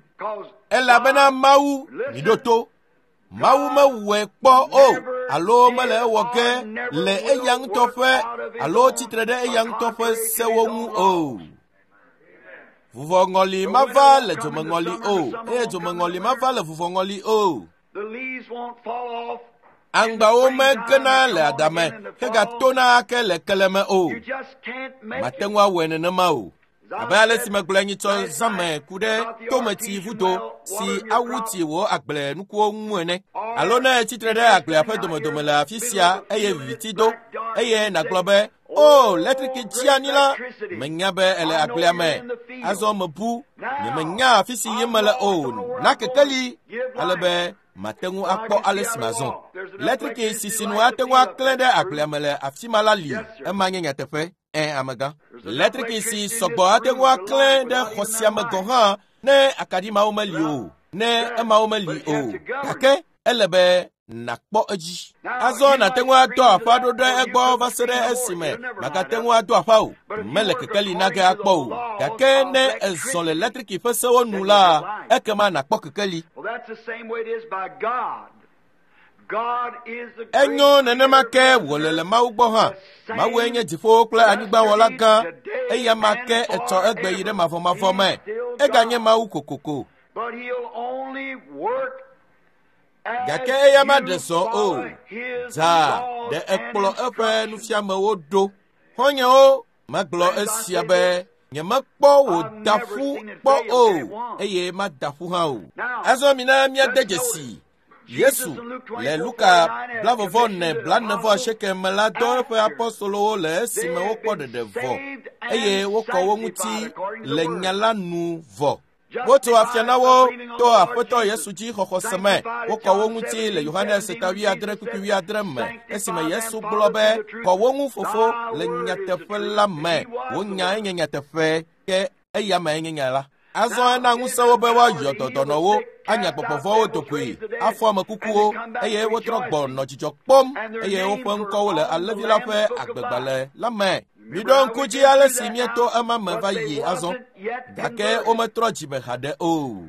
Elabena Mawu, miɖo to, Mawu mewɔe kpɔ o alo mele ewɔ ge le eya ŋutɔ ƒe alo tsitre ɖe eya ŋutɔ ƒe sewo ŋu o. Vuvɔŋɔli mava le dzomeŋɔli o eye dzomeŋɔli mava le vuvɔŋɔli o. Aŋgbawo megena le adame hegatona ake le keleme o. Mate ŋu awɔe nenema o. Abe ale si megblɔe nyitsɔ zãme ku ɖe tometsi vudo si awu tsi wò agble nukuwo ŋu ene. Alo ne etsitre ɖe agblea ƒe domedome le afi sia eye viviti do eye nàgblɔ be, O, letriki dzi anyi la, menya be ele agblea me. Azɔ mebu, nyemenya afi si yim mele o. Na kekeli ale be mate ŋu akpɔ ale si mazɔ. Letriki si sinu ate ŋu aklẽ ɖe agblea me le afi ma la li. Ema nye nyateƒe. Ẽ, amegã. Letriki si sɔgbɔ ate ŋu aklẽ ɖe xɔ sia me gɔ̃ hã ne akaɖi mawo meli o, ne emawo meli o. Gake ele be nàkpɔ edzi. Azɔ nàte ŋu adɔ aƒa ɖo ɖe egbɔ va se ɖe esime màgate ŋu ado aƒa o. Mele kekeli na ge akpɔ o. Gake ne ezɔ le letriki ƒe sewo nu la, ekema nàkpɔ kekeli. Enyo nenema ke wòle le Mawu gbɔ hã. Mawue nye dziƒowo kple anyigbawɔla gã. Eya ma ke etsɔ egbe yi ɖe mavɔmavɔ me. Eganye Mawu kokoko. Gake eya maɖe zɔ o. Dza ɖe ekplɔ eƒe nufiamewo ɖo. Xɔ̃nyewo, megblɔ esia be nyemekpɔ wò da ƒu kpɔ o eye mada ƒu hã o. Azɔ mina míade dzesi. Yesu le Luka 24:48 me la dɔ eƒe apɔstolowo le esime wokpɔ ɖeɖe vɔ. eye wokɔ wo ŋuti le nya la nu vɔ. Wotso afia na wo to Aƒetɔ Yesu dzi xɔxɔ se me. Wokɔ wo ŋuti le Yohanes ta 70:70 me esime Yesu gblɔ be kɔ wo ŋu fofo le nyateƒe la me. Wo nyae nye nyateƒe ke eya mee nye nya la. Azɔ ena ŋusẽ wo be woayɔ dɔdɔnɔwo, anya gbɔgbɔvɔwo dogoe, afɔ ame kukuwo, eye wotrɔ gbɔ nɔ dzidzɔ kpɔm, eye woƒe ŋkɔwo le Alẽvi la ƒe agbegbalẽ la me. Miɖo ŋku dzi ale si míeto ema me va yi azɔ, gake wometrɔ dzime haɖe o.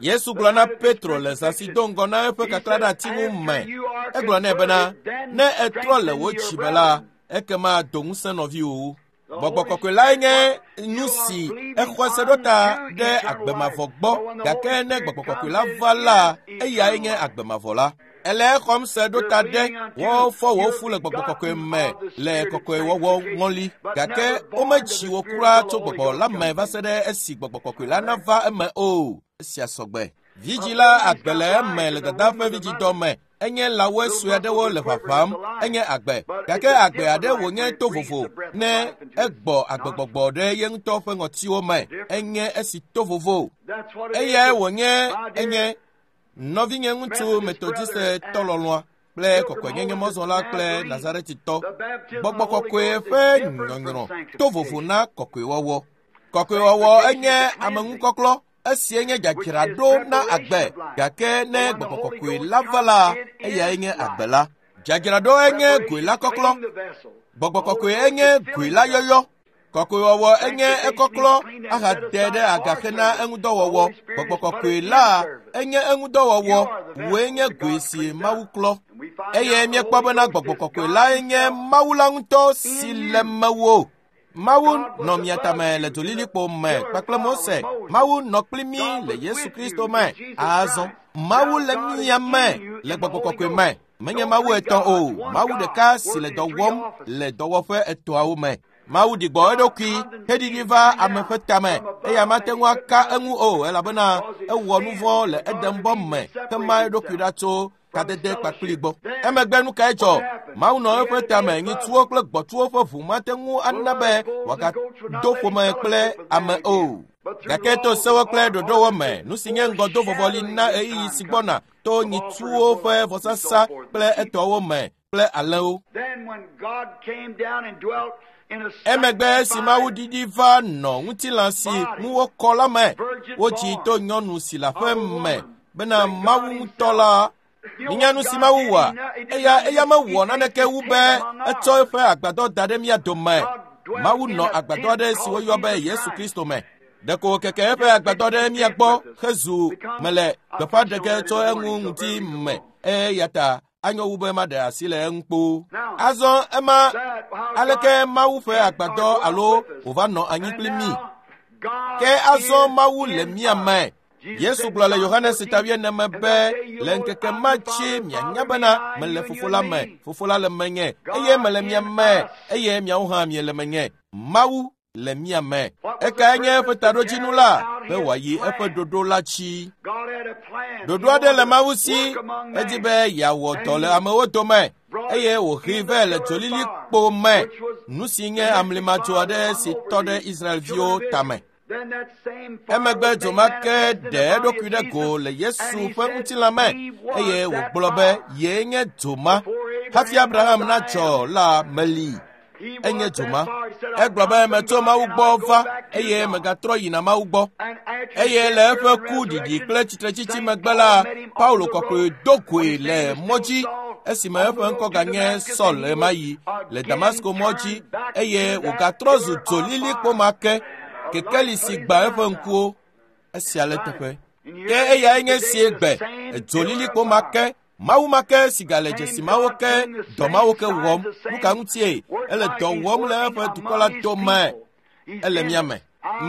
Yesu gblɔ na Petro le zã si do ŋgɔ na eƒe kaklã ɖe ati ŋu me. Egblɔ nɛ bena, ne ètrɔ le wò dzime la, ekema do ŋusẽ nɔviwòwo. Gbɔgbɔ kɔkɔe lae nye nu si exɔ se ɖo ta ɖe agbemavɔ gbɔ, gake ne gbɔgbɔ kɔkɔe la va la, eyae nye agbemavɔ la. Ele exɔm se ɖo ta ɖe wofɔ wò fu le gbɔgbɔ kɔkɔe me le kɔkɔewɔwɔ ŋɔli, gake wometsi wò kura tso gbɔgbɔ la me va se ɖe esi gbɔgbɔ kɔkɔe la nava eme o. Esia sɔgbe. Vidzĩ la agbe le eme le dada ƒe vidzidɔ me. Enye lãwoe sue aɖewo le ʋaʋãm, enye agbe, gake agbe aɖe wònye to vovo ne egbɔ agbegbɔgbɔ ɖe ye ŋutɔ ƒe ŋɔtiwo me. Enye esi to vovo. Eyae wònye enye nɔvinye ŋutsu Metodiste lɔlɔ̃a kple kɔkɔenyenye mɔzɔla kple Nazaretitɔ. Gbɔgbɔ kɔkɔe ƒe nyɔnyrɔ to vovo na kɔkɔewɔwɔ. Kɔkɔewɔwɔ enye ameŋukɔklɔ. Esie nye dzadzraɖo na agbe, gake ne gbɔgbɔ kɔkɔe la va la, eyae nye agbe la. Dzadzraɖo enye goe la kɔklɔ. Gbɔgbɔ kɔkɔe enye goe la yɔyɔ. Kɔkɔewɔwɔ enye ekɔklɔ ahade ɖe aga hena eŋudɔwɔwɔ. Gbɔgbɔ kɔkɔe la enye eŋudɔwɔwɔ. Wòe nye goe si Mawu klɔ. Eye míekpɔ bena gbɔgbɔ kɔkɔe lae nye Mawu la ŋutɔ si le mewò. Mawu nɔ mia tame le dzolilikpo me kpakple Mose. Mawu nɔ kpli mí le Yesu Kristo me. Azɔ Mawu le mia me le gbɔgbɔ kɔkɔe me. Menye Mawu etɔ̃ o, Mawu ɖeka si le dɔ wɔm le dɔwɔƒe etɔ̃awo me. Mawu ɖi gbɔ eɖokui heɖiɖi va ame ƒe tame eye mate ŋu aka eŋu o elabena ewɔ nu vɔ̃ le Edenbɔ me hema eɖokui ɖa tso kadede kpakpli gbɔ. Emegbe nu kae dzɔ? Mawu nɔ eƒe tame nyitsuwo kple gbɔtsuwo ƒe ʋu mate ŋu ana be wòagado ƒome kple ame o. Gake to sewo kple ɖoɖowo me, nu si nye ŋgɔdo vɔvɔli na ɣeyiɣi si gbɔna to nyitsuwo ƒe vɔsasa kple etɔwo me kple alẽwo. Emegbe esi Mawu ɖiɖi va nɔ ŋutilã si ŋu wokɔ la me, wodzi to nyɔnu si le aƒe me bena Mawu ŋutɔ la. Minya nu si Mawu wɔa? Eya mewɔ naneke wu be etsɔ eƒe agbadɔ da ɖe mía dome. Mawu nɔ agbadɔ aɖe si woyɔ be Yesu Kristo me. Ɖeko wòkeke eƒe agbadɔ ɖe mía gbɔ hezu mele gbeƒã ɖe ge tso eŋu ŋuti me eya ta anyo wu be maɖe asi le eŋu kpoo. Azɔ ema aleke Mawu ƒe agbadɔ alo wòva nɔ anyi kpli mí? Ke azɔ Mawu le mía me. Yesu gblɔ le Yohanes ta 4 me be le ŋkeke ma dzi mianya bena mele fofo la me, fofo la le menye, eye mele mia me, eye miawo hã miele menye. Mawu le mia me. Ekae nye eƒe taɖodzinu la? Be wòayi eƒe ɖoɖo la dzi. Ɖoɖo aɖe le Mawu si, edi be yeawɔ dɔ le amewo dome, eye wòhee vɛ le dzolilikpo me, nu si nye amlimadzo aɖe si tɔ ɖe Israelviwo tame. Emegbe dzo ma ke ɖe eɖokui ɖe go le Yesu ƒe ŋutilã me eye wògblɔ be yee nye dzo ma. Hafi Abraham nadzɔ la meli. Enye dzo ma. Egblɔ be metso Mawu gbɔ va eye megatrɔ yina Mawu gbɔ. Eye le eƒe ku ɖiɖi kple tsitretsitsi megbe la, Paulo kɔkɔe do goe le mɔ dzi esime eƒe ŋkɔ ganye Saul ɣemaɣi le Damasko mɔ dzi eye wògatrɔ zu dzolilikpo ma ke. Kekeli si gbã eƒe ŋkuwo, esia le teƒe. Ke eyae nye sie gbe, edzolilikpo ma ke, Mawu ma ke si gale dzesi mawo ke, dɔ mawo ke wɔm. Nu ka ŋutie? Ele dɔ wɔm le eƒe dukɔ la dome. Ele mía me.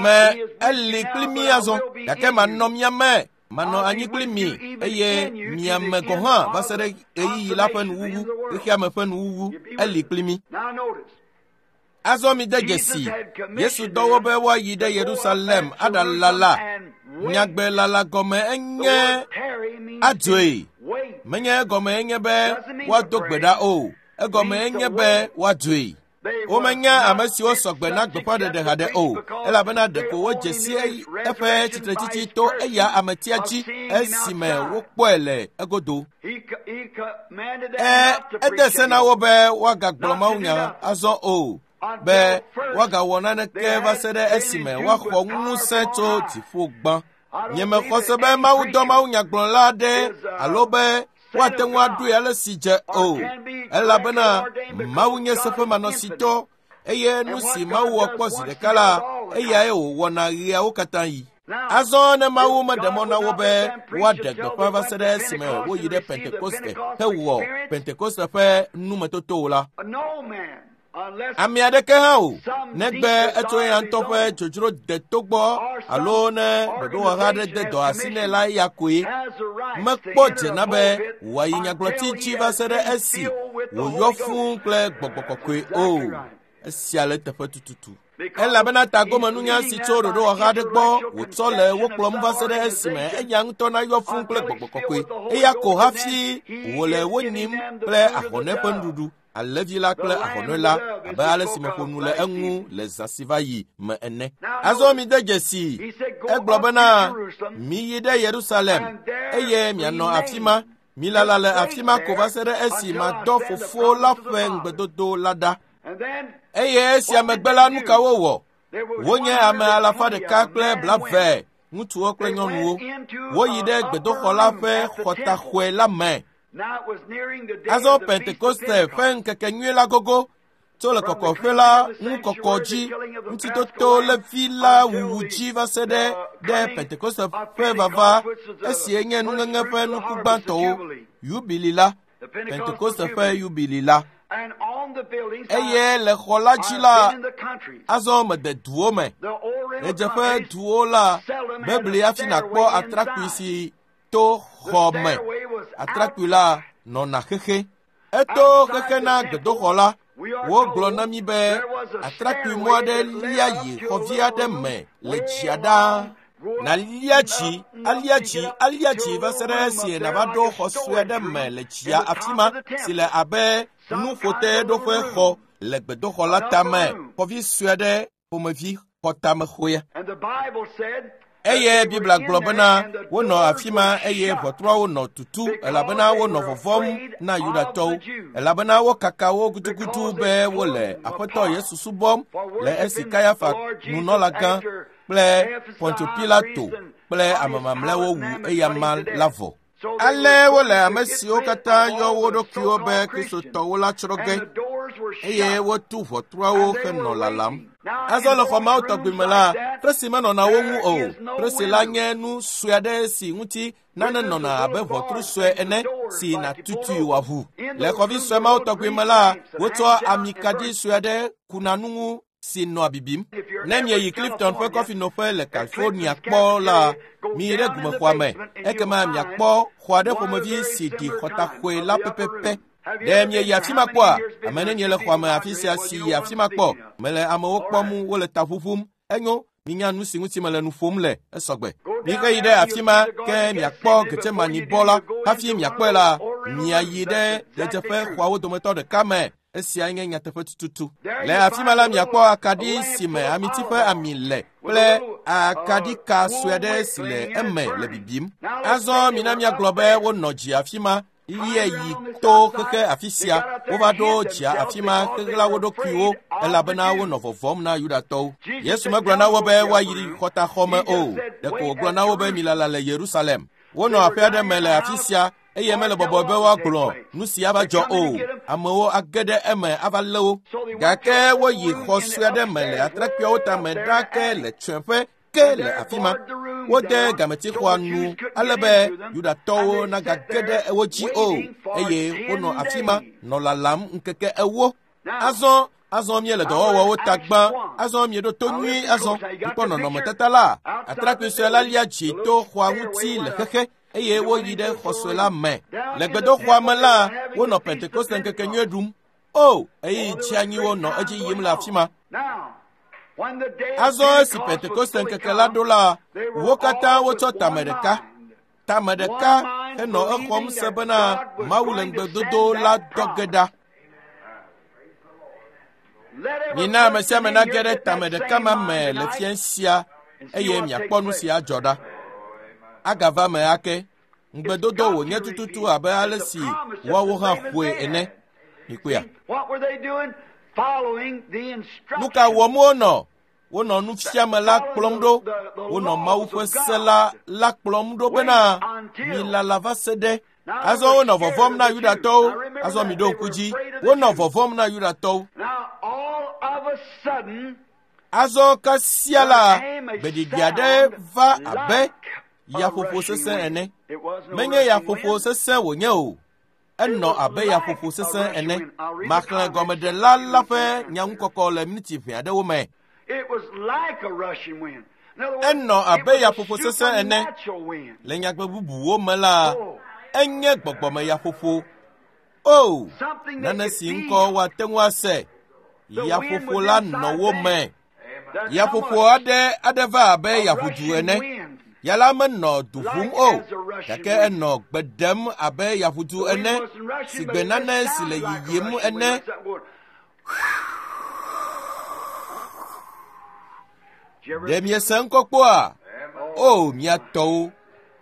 Me eli kpli mí azɔ, gake manɔ mía me. Manɔ anyi kpli mi eye mia me gɔ̃ hã va se ɖe ɣeyiɣi la ƒe nuwuwu, xexea me ƒe nuwuwu. Eli kpli mí. Azɔ mi de dzesi, Yesu dɔ wo be woayi ɖe Yerusalem aɖalala. Nyagbe lala gɔme enye adzoe. Menye egɔme enye be woado gbe ɖa o. Egɔme enye be woadzoe. Womenya ame siwo sɔgbe na gbeƒãɖeɖe haɖe o, elabena ɖeko wodze si eƒe tsitretsitsi to eya ametia dzi esime wokpɔe le egodo. Ede se na wo be woagagblɔ mawunya azɔ o, be woagawɔ naneke va se ɖe esime woaxɔ ŋusẽ tso dziƒo gbã. Nyemexɔ se be Mawu dɔ mawunyagblɔla aɖe alo be woate ŋu aɖoe ale si dze o, elabena Mawu nye seƒemanɔsitɔ eye nu si Mawu wɔ kpɔ zi ɖeka la, eyae wòwɔna ɣeawo katã yi. Azɔ ne Mawu meɖe mɔ na wo be woaɖe gbeƒã va se ɖe esime woyi ɖe Pentekoste hewɔ Pentekoste ƒe numetotowo la, ame aɖeke hã o, negbe etso eya ŋutɔ ƒe dzodzro deto gbɔ alo ne ɖoɖowɔha aɖe de dɔ asi nɛ la eya koe. Mekpɔ dze na be wòayi nyagblɔti dzi va se ɖe esi wòyɔ fũu kple gbɔgbɔ kɔkɔe o. Esia le teƒe tututu. Elabena tagomenunya si tso ɖoɖowɔha aɖe gbɔ wòtsɔ le wo kplɔm va se ɖe esime eya ŋutɔ nayɔ fũu kple gbɔgbɔ kɔkɔe. Eya ko hafi wòle wo nyim kple ahɔnɛ ƒe nuɖuɖu, alẽvi la kple ahɔnɛ la, abe ale si meƒo nu le eŋu le zã si va yi me ene. Azɔ mide dzesi, egblɔ bena, miyi ɖe Yerusalem, eye mianɔ afi ma. Milala le afi ma ko va se ɖe esi madɔ Fofo la ƒe ŋugbedodo la ɖa. Eye esia megbe la, nu ka wowɔ? Wonye ame 120, ŋutsuwo kple nyɔnuwo. Woyi ɖe gbedoxɔ la ƒe xɔtaxɔe la me. Azɔ Pentekoste ƒe ŋkekenyui la gogo, tso le kɔkɔƒe la ŋukɔkɔ dzi, ŋutitoto levi la wuwu dzi va se ɖe ɖe Pentekoste ƒe vava, esie nye nuŋeŋe ƒe nuku gbãtɔwo, yubili la, Pentekoste ƒe yubili la. Eye le xɔ la dzi la, azɔ mede duwo me. Ɣedzeƒe duwo la, bebli hafi nàkpɔ atrakpui si to xɔ me. Atrakpui la nɔna xexe. Eto xexe na gbedoxɔ la. Wogblɔ na mí be atrakpui mɔ aɖe lia yi xɔvi aɖe me le dzia ɖaa. Nàlia dzi, alia dzi, alia dzi va se ɖe esi nàva ɖo xɔ sue aɖe me le dzia afi ma si le abe nuƒoteɖoƒe xɔ le gbedoxɔ la tame, xɔvi sue aɖe ƒomevi xɔtamexɔea. Eye Biblia gblɔ bena wonɔ afi ma eye ʋɔtruawo nɔ tutu elabena wonɔ vɔvɔ̃m na Yudatɔwo, elabena wokaka wo gudugudu be wole Aƒetɔ Yesu subɔm le esi Kayafa nunɔlagã kple Pontio Pilato kple ame mamlɛawo wu eyama la vɔ. Ale wole ame siwo katã yɔ wo ɖokuiwo be Kristotɔwo la tsrɔ̃ ge, eye wotu ʋɔtruawo henɔ lalam. Azɔ le xɔ mawo tɔgbi me la, presi menɔna wo ŋu o. Presi la nye nu sue aɖe si ŋuti nane nɔna abe ʋɔtru sue ene si nàtutui wòaʋu. Le xɔvi sue mawo tɔgbi me la, wotsɔa amikaɖi sue aɖe kuna nu ŋu si nɔa bibim. Ne mieyi Clifton ƒe kɔfinoƒe le California kpɔ la, miyi ɖe gumexɔa me, ekema miakpɔ xɔ aɖe ƒomevi si ɖi xɔtaxɔe la pɛpɛpɛ. Ɖe mieyi afi ma kpɔa? Ame nenie le xɔa me afi sia si yi afi ma kpɔ? Mele amewo kpɔm wole ta ʋuʋum. Enyo, minya nu si ŋuti mele nu ƒom le, esɔgbe. Miheyi ɖe afi ma ke miakpɔ Getsemanibɔ la. Hafi miakpɔe la, miayi ɖe ɣedzeƒe xɔawo dometɔ ɖeka me. Esia nye nyateƒe tututu. Le afi ma la, miakpɔ akaɖi si me amiti ƒe ami le kple akaɖika sue aɖe si le eme le bibim. Azɔ mina míagblɔ be wonɔ dzi afi ma lie yi to xexe afi sia. Wova ɖo dzia afi ma xexla wo ɖokuiwo elabena wonɔ vɔvɔ̃m na Yudatɔwo. Yesu megblɔ na wo be woayi xɔtaxɔ me o. Ɖeko wògblɔ na wo be milala le Yerusalem. Wonɔ aƒe aɖe me le afi sia eye mele bɔbɔe be woagblɔ nu si ava dzɔ o. Amewo age ɖe eme ava lé wo. Gake woyi xɔ sue aɖe me le atrakpuiawo tame ɖaa ke le tsɔ̃eƒe ke le afi ma. Wode gametixɔa nu ale be Yudatɔwo nagage ɖe wo dzi o eye wonɔ afi ma nɔ lalam ŋkeke 40. Azɔ míele dɔwɔwɔwo ta gbã. Azɔ mieɖo to nyuie azɔ. Mikpɔ nɔnɔmetata la. Atrakpui sue la lia dzi to xɔa ŋuti le xexe eye woyi ɖe xɔ sue la me. Le gbedoxɔa me la, wonɔ Pentekoste ŋkekenyui ɖum. O, ɣeyiɣi tsianyiwo nɔ edzi yim le afi ma. Azɔ esi Pentekoste ŋkeke la ɖo la, wo katã wotsɔ tame ɖeka. Tame ɖeka henɔ exɔm se bena Mawu le ŋugbedodo la dɔ ge ɖa. Mina ame sia ame nage ɖe tame ɖeka ma me le fia sia eye miakpɔ nu si adzɔ ɖa. Agava me ake. Ŋugbedodo wònye tututu abe ale si woawo hã ƒoe ene. Mikpɔea? Nu ka wɔm wonɔ? Wonɔ nufiame la kplɔm ɖo. Wonɔ Mawu ƒe se la la kplɔm ɖo bena milala va se ɖe. Azɔ wonɔ vɔvɔ̃m na Yudatɔwo. Azɔ miɖo ŋku dzi. Wonɔ vɔvɔ̃m na Yudatɔwo. Azɔ kasia la, gbeɖiɖi aɖe va abe yaƒoƒo sesẽ ene. Menye yaƒoƒo sesẽ wònye o. Enɔ abe yaƒoƒo sesẽ ene. Maxlẽ gɔmeɖela la ƒe nyaŋukɔkɔ le miniti ʋɛ aɖewo me. Enɔ abe yaƒoƒo sesẽ ene. Le nyagbe bubuwo me la, enye gbɔgbɔme yaƒoƒo. O, nane si ŋkɔ woate ŋu ase. Yaƒoƒo la nɔ wo me. Yaƒoƒo aɖe va abe yaʋudu ene. Ya la menɔ du ʋum o, gake enɔ gbe ɖem abe yaʋudu ene, si gbe nane si le yiyim ene. Ɖe miese ŋkɔ kpɔa? O, mia tɔwo,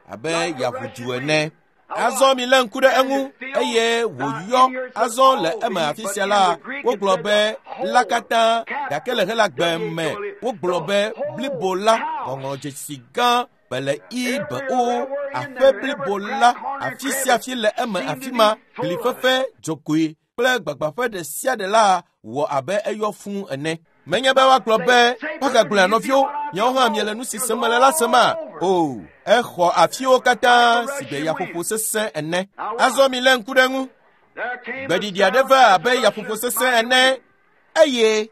abe yaʋudu ene. Azɔ milé ŋku ɖe eŋu eye wòyɔ. Azɔ le eme afi sia la, wogblɔ be la katã, gake le Helagbe me wogblɔ be blibo la, ŋɔŋlɔdzesi gã bele i be o, aƒe blibo la, afi sia afi le eme afi ma, glifefe, dzogoe kple gbagbaƒe ɖe sia ɖe la wɔ abe eyɔ fũu ene. Menye be woagblɔ be woagagblɔe nɔviwo, miawo hã miele nu si sem mele la sema? O, exɔ afiwo katã si gbe yaƒoƒo sesẽ ene. Azɔ milé ŋku ɖe ŋu. Gbeɖiɖi aɖe va abe yaƒoƒo sesẽ ene eye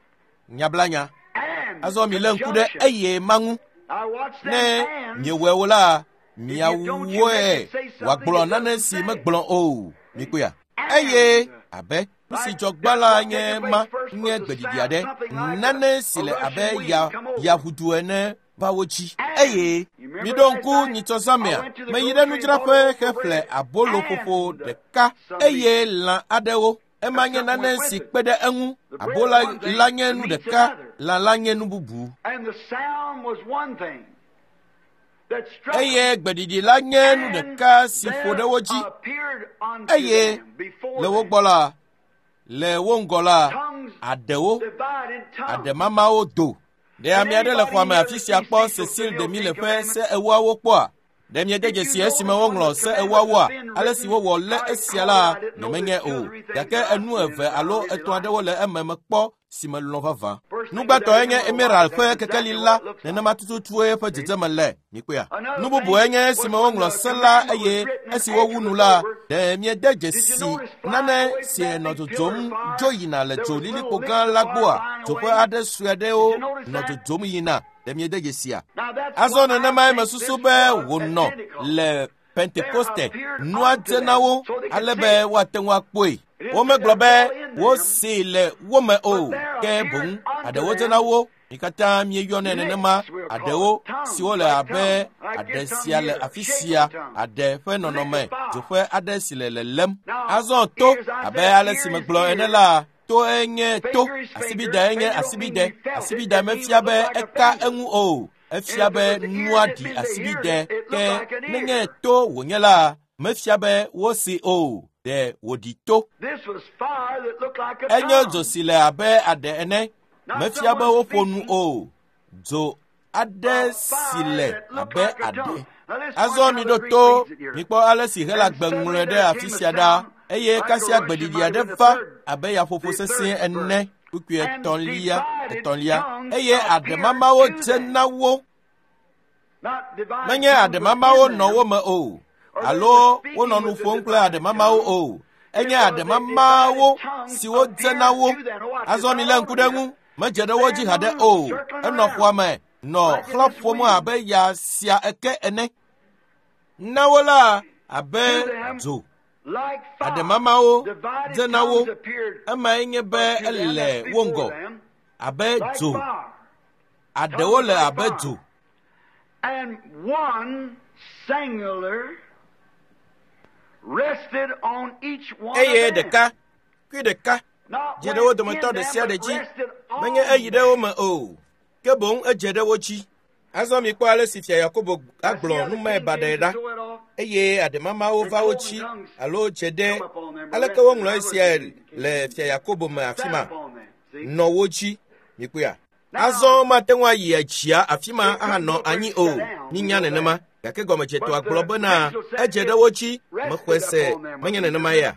nyablanya. Azɔ milé ŋku ɖe eye ma ŋu. Ne miewɔe o la, miawɔe wòagblɔ nane si megblɔ o. Mikpɔea? Eye abe nu si dzɔ gbã la nye ma nye gbeɖiɖi aɖe, nane si le abe yaʋudu ene va wo dzi. Eye miɖo ŋku nyitsɔzãmea, meyi ɖe nudzraƒe heƒle aboloƒoƒo ɖeka eye lã aɖewo. Ema nye nane si kpe ɖe eŋu. Abola la nye nu ɖeka, lã la nye nu bubu. Eye gbeɖiɖi la nye nu ɖeka si ƒo ɖe wo dzi. Eye le wo gbɔ la, le wo ŋgɔ la, aɖewo, aɖemamawo do. Ɖe ame aɖe le xɔa me afi sia kpɔ Cecil Demille ƒe se ewoawo kpɔa? Ɖe miede dzesi esime woŋlɔ se ewoawoa? Ale si wowɔ lé esia la, nyemenye o. Gake enu eve alo etɔ̃ aɖewo le eme mekpɔ si melɔ̃ vavã. Nugbãtɔe nye emerald ƒe kekeli la, nenema tututue eƒe dzedzeme le. Mikpɔea? Nu bubue nye esime woŋlɔ se la eye esi wowu nu la, ɖe miede dzesi nane si nɔ dzodzom dzo yina le dzo lilikpo gã la gbɔa? Dzoƒe aɖe sue aɖewo nɔ dzodzom yina. Ɖe miede dzesia? Azɔ nenemae mesusu be wònɔ le Pentekoste. Nua dze na wo ale be woate ŋu akpɔe. Womegblɔ be wosee le wo me o, ke boŋ aɖewo dze na wo. Mi katã mieyɔnɛ nenema, aɖewo siwo le abe aɖe sia le afi sia, aɖe ƒe nɔnɔme, dzoƒe aɖe si le lelém. Azɔ to, abe ale si megblɔ ene la, toe nye to, asibide nye asibide. Asibide mefia be eka eŋu o, efia be nua ɖi asibide, ke nenye to wònye la, mefia be wosi o, ɖe wòɖi to. Enye dzo si le abe aɖe ene, mefia be woƒo nu o, dzo aɖe si le abe aɖe. Azɔ miɖo to, mikpɔ ale si Helagbe ŋlɔe ɖe afi sia ɖa. Eye kasia gbeɖiɖi aɖe va abe yaƒoƒo sesẽ ene, kpukpui etɔ̃lia. Eye aɖemamawo dze na wo. Menye aɖemamawo nɔ wo me o, alo wonɔ nu ƒom kple aɖemamawo o. Enye aɖemamawo siwo dze na wo. Azɔ milé ŋku ɖe ŋu, medze ɖe wo dzi haɖe o. Enɔ xɔa me nɔ xlã ƒom abe ya sia eke ene. Na wo la abe dzo. Aɖemamawo dze na wo. Emae nye be ele wo ŋgɔ abe dzo. Aɖewo le abe dzo. Eye ɖeka, kui ɖeka. Dze ɖe wo dometɔ ɖe sia ɖe dzi. Menye eyi ɖe wo me o, ke boŋ edze ɖe wo dzi. Azɔ mikpɔ ale si fia Yakobo agblɔ numae baɖae ɖa eye aɖemamawo va wo dzi alo dze ɖe aleke woŋlɔ esiae le fia Yakobo me afi ma nɔ wo dzi mikpɔea. Azɔ mate ŋu ayi dzia afi ma ahanɔ anyi o minya nenema gake gɔmedzetɔa gblɔ bena edze ɖe wo dzi mexɔe se menye nenema ya.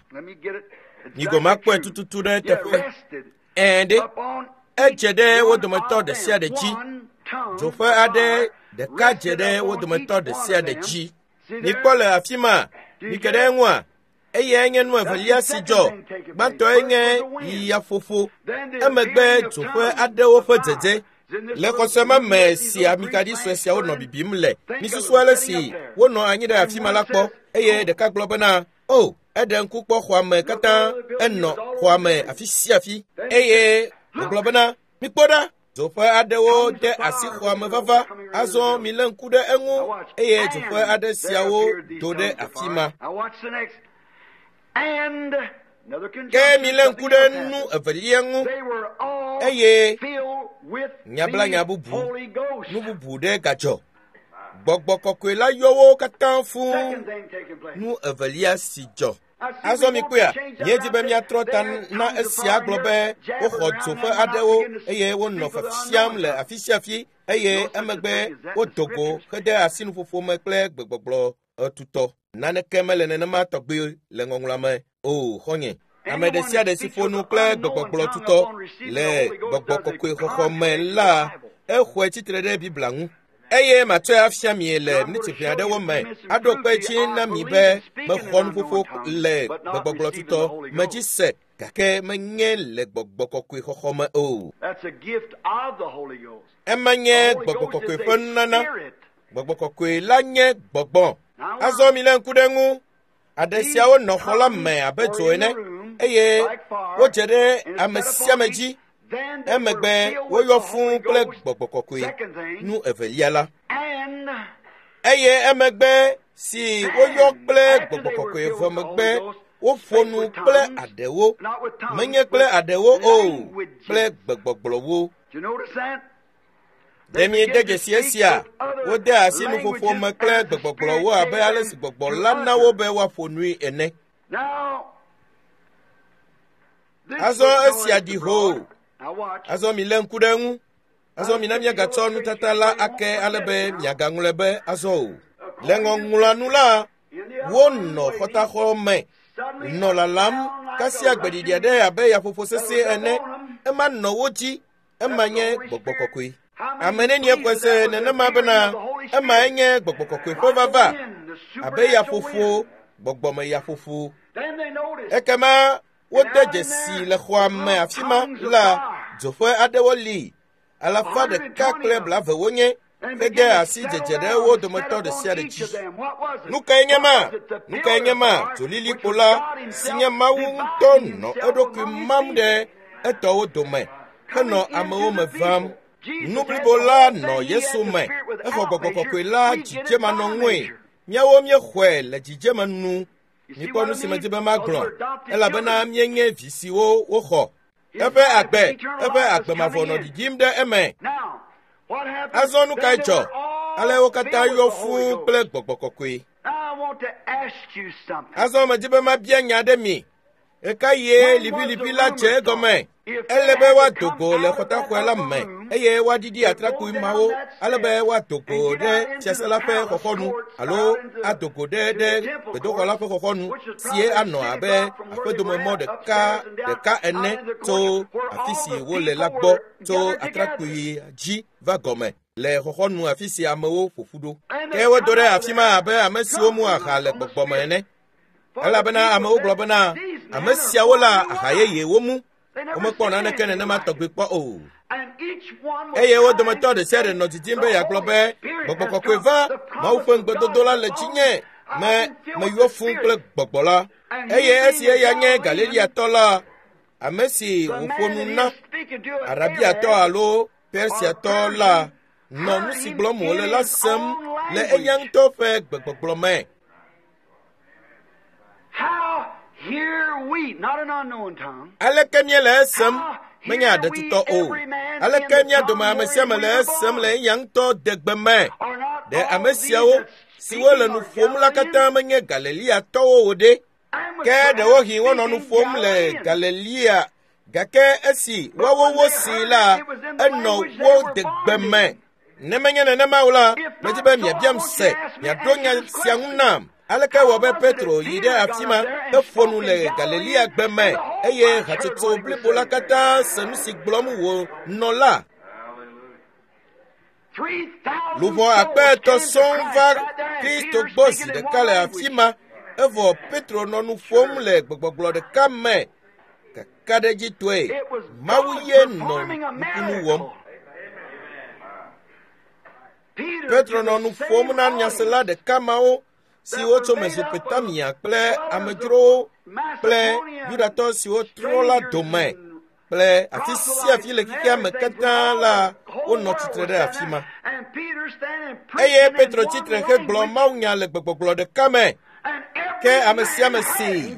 Migɔme akpɔe tututu ɖe teƒe. Ɛ̃ ɖe edze ɖe wo dometɔ ɖe sia ɖe dzi. Dzoƒe aɖe ɖeka dze ɖe wo dometɔ ɖe sia ɖe dzi. Mikpɔ le afi ma, mike ɖe eŋua, eyae nye nu evelia si dzɔ. Gbãtɔe nye yiyaƒoƒo, emegbe dzoƒe aɖewo ƒe dzedze. Le xɔse me si amikaɖi sue siawo nɔ bibim le, misusu ale si wonɔ anyi ɖe afi ma la kpɔ eye ɖeka gblɔ bena, o, eɖe ŋku kpɔ xɔa me katã, enɔ xɔa me afi sia afi eye wògblɔ bena, mikpɔ ɖa, dzoƒe aɖewo de asi xɔa me vava, azɔ milé ŋku ɖe eŋu eye dzoƒe aɖe siawo do ɖe afi ma. Ke milé ŋku ɖe nu evelia ŋu eye nyablanya bubu, nu bubu ɖe gadzɔ. Gbɔgbɔ kɔkɔe la yɔ wo katã fũu. Nu evelia si dzɔ. Azɔ mikpɔea, míedi be míatrɔ ta na esia gblɔ be woxɔ dzoƒe aɖewo eye wonɔ fiafiam le afi sia afi eye emegbe wodo go hede asi nuƒoƒo me kple gbegbɔgblɔ tutɔ. Naneke mele nenema tɔgbi le ŋɔŋlɔa me o, xɔnye. Ame ɖe sia ɖe si ƒo nu kple gbegbɔgblɔ tutɔ le gbɔgbɔ kɔkɔe xɔxɔ me la, exɔe tsitre ɖe Biblia ŋu. Eye matsɔe afia mi le miniti ʋɛ aɖewo me aɖo kpe dzi na mi be mexɔ nuƒoƒo le gbegbɔgblɔ tutɔ me dzi se gake menye le gbɔgbɔ kɔkɔe xɔxɔ me o. Ema nye gbɔgbɔ kɔkɔe ƒe nunana. Gbɔgbɔ kɔkɔe la nye gbɔgbɔ. Azɔ milé ŋku ɖe eŋu. Aɖe siawo nɔ xɔ la me abe dzo ene eye wodze ɖe ame sia ame dzi. Emegbe woyɔ fũu kple gbɔgbɔ kɔkɔe. Nu evelia la. Eye emegbe si woyɔ kple gbɔgbɔ kɔkɔe vɔ megbe woƒo nu kple aɖewo, menye kple aɖewo o, kple gbegbɔgblɔwo. Ɖe miede dzesi esia? Wode asi nuƒoƒo me kple gbegbɔgblɔwo abe ale si gbɔgbɔ la na wo be woaƒo nui ene. Azɔ esia ɖi hoo. Azɔ milé ŋku ɖe eŋu. Azɔ mina míagatsɔ nutata la ake ale be miagaŋlɔe be azɔ o. Le ŋɔŋlɔa nu la, wonɔ xɔtaxɔ me nɔ lalam kasia gbeɖiɖi aɖe abe yaƒoƒo sesẽ ene. Ema nɔ wo dzi. Ema nye gbɔgbɔ kɔkɔe. Ame nenie xɔe se nenema bena emae nye gbɔgbɔ kɔkɔe ƒe vava abe yaƒoƒo, gbɔgbɔme yaƒoƒo. Ekema wode dzesi le xɔa me afi ma la dzoƒe aɖewo li 120 wonye hede asi dzedze ɖe wo dometɔ ɖe sia ɖe dzi. Nu kae nye ma? Nu kae nye ma? Dzolilikpo la si nye Mawu ŋutɔ nɔ eɖokui mam ɖe etɔwo dome henɔ amewo me vam. Nu blibo la nɔ Yesu me. Exɔ gbɔgbɔ kɔkɔe la dzidzemanɔŋue. Míawo míexɔe le dzidzeme nu. Mikpɔ nu si medi be magblɔ elabena míenye vi siwo woxɔ. Eƒe agbe, eƒe agbe mavɔ nɔ ɖiɖim ɖe eme. Azɔ nu kae dzɔ? Ale wo katã yɔ fũu kple gbɔgbɔ kɔkɔe. Azɔ medi be mabia nya ɖe mi. Ɣekaɣie liʋiliʋi la dze egɔme? Ele be woado go le xɔtaxɔe la me eye woaɖiɖi atrakpui mawo ale be woado go ɖe fiase la ƒe xɔxɔnu alo ado go ɖe gbedoxɔ la ƒe xɔxɔnu sie anɔ abe aƒedomemɔ ɖeka ɖeka ene tso afi si wole la gbɔ tso atrakpui dzi va gɔme le xɔxɔnu afi si amewo ƒo ƒu ɖo. Ke wodo ɖe afi ma abe ame siwo mu aha le gbɔgbɔ me ene. Elabena amewo gblɔ bena ame siawo la aha yeye womu. Womekpɔ naneke nenema tɔgbi kpɔ o. Eye wo dometɔ ɖe sia ɖe nɔ didim be yeagblɔ be gbɔgbɔ kɔkɔe va, Mawu ƒe ŋugbedodo la le dzinye, me meyɔ fũu kple gbɔgbɔ la. Eye esi eya nye Galileatɔ la, ame si wòƒo nu na, Arabiatɔ alo Persiatɔ la, nɔ nu si gblɔm wòle la sem le eya ŋutɔ ƒe gbegbɔgblɔ me. Aleke míele esem? Menye aɖetutɔ o. Aleke mía dome ame sia ame le esem le eya ŋutɔ degbe me? Ɖe ame siawo siwo le nu ƒom la katã menye Galileatɔwo o ɖe? Ke ɖewohĩ wonɔ nu ƒom le Galilea, gake esi woawo wosee la, enɔ wo degbe me. Ne menye nenema o la, medi be miabiam se, miaɖo nya sia ŋu nam. Aleke wɔ be Petro yi ɖe afi ma heƒo nu le Galilea gbe me eye hatsotso blibo la katã se nu si gblɔm wònɔ la? Luʋɔ 3,000 sɔŋ va Kristo gbɔ zi ɖeka le afi ma, evɔ Petro nɔ nu ƒom le gbegbɔgblɔ ɖeka me. Kakaɖedzitɔe, Mawu ye nɔ nukunu wɔm. Petro nɔ nu ƒom na nyasela ɖeka mawo siwo tso Mesopotamia kple amedzrowo kple Yudatɔ siwo trɔ la dome kple afi sia afi le xexea me katã la, wonɔ tsitre ɖe afi ma. Eye Petro tsitre hegblɔ mawunya le gbegbɔgblɔ ɖeka me, ke ame sia ame see,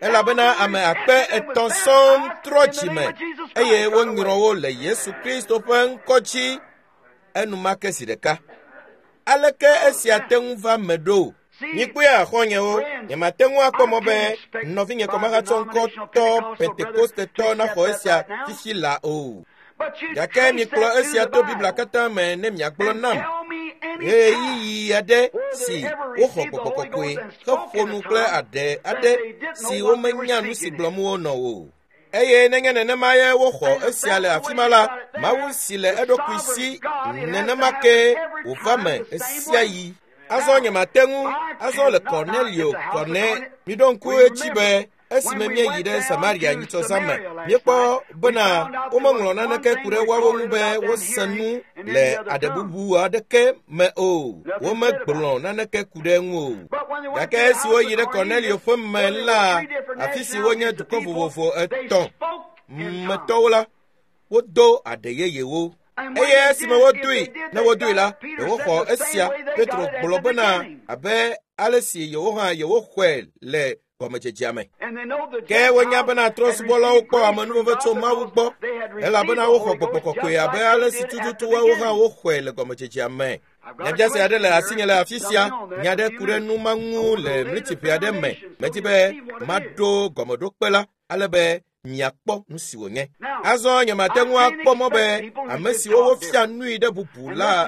elabena ame 3,000 sɔŋ trɔ dzime eye wonyrɔ wo le Yesu Kristo ƒe ŋkɔ dzi enumake zi ɖeka. Aleke esia te ŋu va me ɖo? Mikpɔe xɔ̃nyewo, nyemate ŋu akpɔ mɔ be nɔvinye kɔmahatsɔ ŋkɔtɔ Pentekostetɔ naxɔ esia fifi la o. Gake mikplɔ esia to Biblia katã me ne miagblɔ nam ɣeyiɣi aɖe si woxɔ gbɔgbɔ kɔkɔe heƒo nu kple aɖe aɖe si womenya nu si gblɔm wonɔ o. Eye nenye nenema ye woxɔ esia le afi ma la, Mawu si le eɖokui si nenema ke wòva me ɣesiaɣi. Azɔ nyemate ŋu azɔ le Cornelio Kɔne. Miɖo ŋku edzi be esime míeyi ɖe Samaria nyitsɔzã me, míekpɔ bena womeŋlɔ naneke ku ɖe woawo ŋu be wose nu le aɖe bubu aɖeke me o. Womegblɔ naneke ku ɖe eŋu o. Gake esi woyi ɖe Cornelio ƒe me la, afi si wonye dukɔ vovovo 3 metɔwo la, wodo aɖe yeyewo. Eye esime wodoe, ne wodoe la, yewoxɔ esia. Petro gblɔ bena abe ale si yewo hã yewoxɔe le gɔmedzedzea me. Ke wonya bena trɔ̃subɔlawo kpɔ amenuveve tso Mawu gbɔ, elabena woxɔ gbɔgbɔ kɔkɔe abe ale si tututu woawo hã woxɔe le gɔmedzedzea me. Nyabiase aɖe le asinye le afi sia, nya ɖe ku ɖe nu ma ŋu le mlitiƒe aɖe me. Medi be maɖo gɔmeɖokpe la ale be miakpɔ nu si wònye. Azɔ nyemate ŋu akpɔ mɔ be ame siwo wofia nui ɖe bubu la,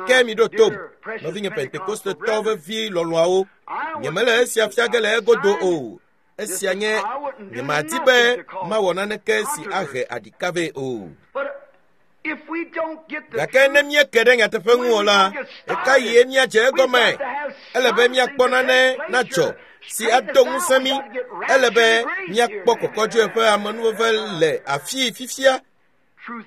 ke miɖo tom, nɔvinye Pentekostetɔ vevi lɔlɔ̃awo. Nyemele esia fia ge le egodo o. Esia nye nyemadi be mawɔ naneke si ahe aɖika vɛ o. Gake ne míeke ɖe nyateƒe ŋu o la, ɣekaɣie míadze egɔme? Ele be míakpɔ nane nadzɔ si ado ŋusẽ mí. Ele be míakpɔ kɔkɔdzoe ƒe amenuveve le afii fifia.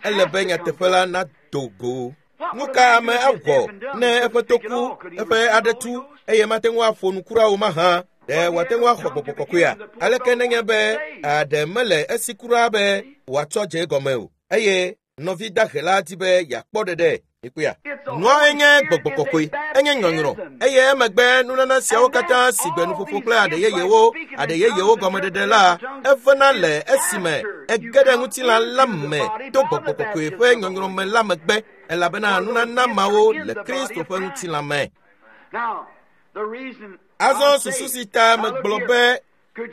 Ele be nyateƒe la nado go. Nu ka ame awɔ ne eƒe to ku, eƒe aɖe tu, eye mate ŋu aƒo nu kura o mahã? Ɖe wòate ŋu axɔ gbɔgbɔ kɔkɔea? Aleke nenye be aɖe mele esi kura be wòatsɔ dze egɔme o, eye nɔvi dahe la di be yeakpɔ ɖeɖe? Mikpɔea? Nua enye gbɔgbɔ kɔkɔe, enye nyɔnyrɔ, eye emegbe nunana siawo katã si gbe nuƒoƒo kple aɖe yeyewo gɔmeɖeɖe la, evena le esime ege ɖe ŋutilã la me to gbɔgbɔ kɔkɔe ƒe nyɔnyrɔ me la megbe, elabena nunana mawo le Kristo ƒe ŋutilã me. Azɔ susu si ta megblɔ be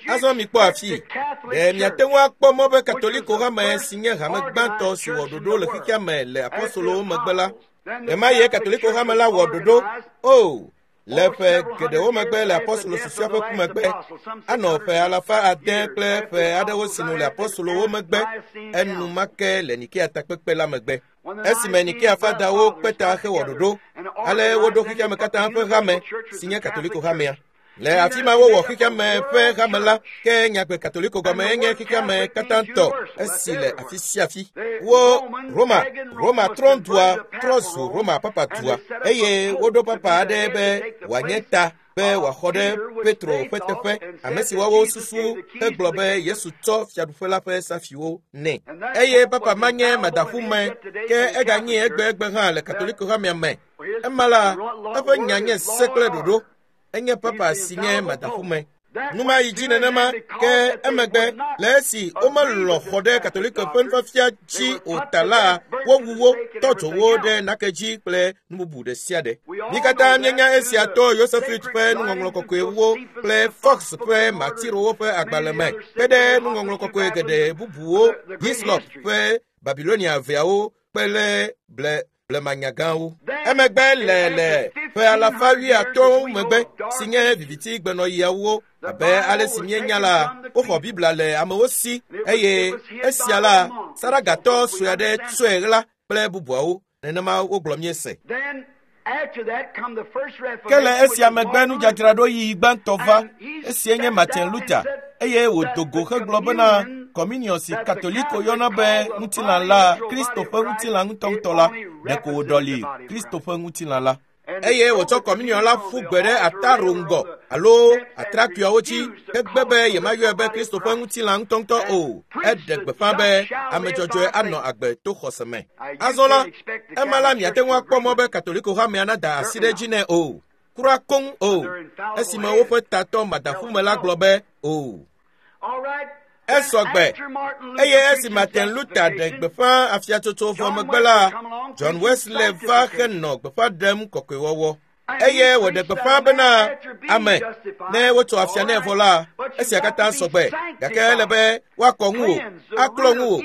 azɔ mikpɔ afi, ɖe miate ŋu akpɔ mɔ be Katoliko hame si nye hame gbãtɔ si wɔ ɖoɖo le xexea me le apostolowo megbe la, ɣemaɣie Katoliko hame la wɔ ɖoɖo? O, le ƒe geɖewo megbe le apostolo susɔea ƒe ku megbe, anɔ ƒe 500 kple ƒe aɖewo sinu le apostolowo megbe, enumake le Nikea takpekpe la megbe. Esime Nikea fadawo kpe ta hewɔ ɖoɖo, ale woɖo xexea me katã ƒe hame si nye Katoliko hamea. Le afi ma wowɔ xexea me ƒe hame la, ke nyagbe Katoliko gɔme enye xexea me katã tɔ, esi le afi sia afi. Wo Roma, Roma trɔ̃dua trɔ zu Roma papa dua, eye woɖo papa aɖe be wòanye ta be wòaxɔ ɖe Petro ƒe teƒe, ame si woawo susu hegblɔ be Yesu tsɔ fiaɖuƒe la ƒe safiwo nɛ. Eye papa ma nye madaƒume, ke eganye egbegbe hã le Katoliko hamea me. Ema la, eƒe nya nye se kple ɖoɖo. Enye papa si nye madaƒume. Nu ma yi dzi nenema ke emegbe le esi womelɔ̃ xɔ ɖe Katoliko ƒe nufiafia dzi o ta la, wowu wo, tɔ dzo wo ɖe nake dzi kple nu bubu ɖe sia ɖe. Mí katã míenya esia to Yosefit ƒe nuŋɔŋlɔ kɔkɔewo kple Fox ƒe Matirowo ƒe agbalẽ me, kpe ɖe nuŋɔŋlɔ kɔkɔe geɖe bubuwo, Hislop ƒe Babilonia veawo kple blemanyagãwo. Emegbe le ƒe alafa 80 megbe si nye viviti gbenɔɣiawo, abe ale si míenya la, woxɔ Biblia le amewo si eye esia la, Saragatɔ sue aɖe tsɔe ɣla kple bubuawo. Nenema wogblɔ míese. Ke le esia megbe nudzadzraɖoɣi gbãtɔ va, esie nye Martin Luther, eye wòdo go hegblɔ bena Communion si Katoliko yɔna be ŋutilã la, Kristo ƒe ŋutilã ŋutɔŋutɔ la, ɖeko wòɖɔli Kristo ƒe ŋutilã la. Eye wòtsɔ Communion la ƒu gbe ɖe ataro ŋgɔ alo atrakpuiawo dzi hegbe be yemayɔe be Kristo ƒe ŋutilã ŋutɔŋutɔ o. Eɖe gbeƒã be ame dzɔdzɔe anɔ agbe to xɔse me. Azɔ la, ema la miate ŋu akpɔ mɔ be Katoliko hamea nada asi ɖe edzi nɛ o. Kura koŋ o. Esime woƒe tatɔ madaƒume la gblɔ be o. Esɔ gbe. Eye esi Martin Luther ɖe gbeƒã afiatsotso vɔ megbe la, John Wesley va henɔ gbeƒã ɖem kɔkɔewɔwɔ. Eye wòɖe gbeƒã bena ame ne wotso afia nɛ vɔ la, esia katã sɔ gbe. Gake ele be woakɔ ŋuwò, aklɔ ŋuwò,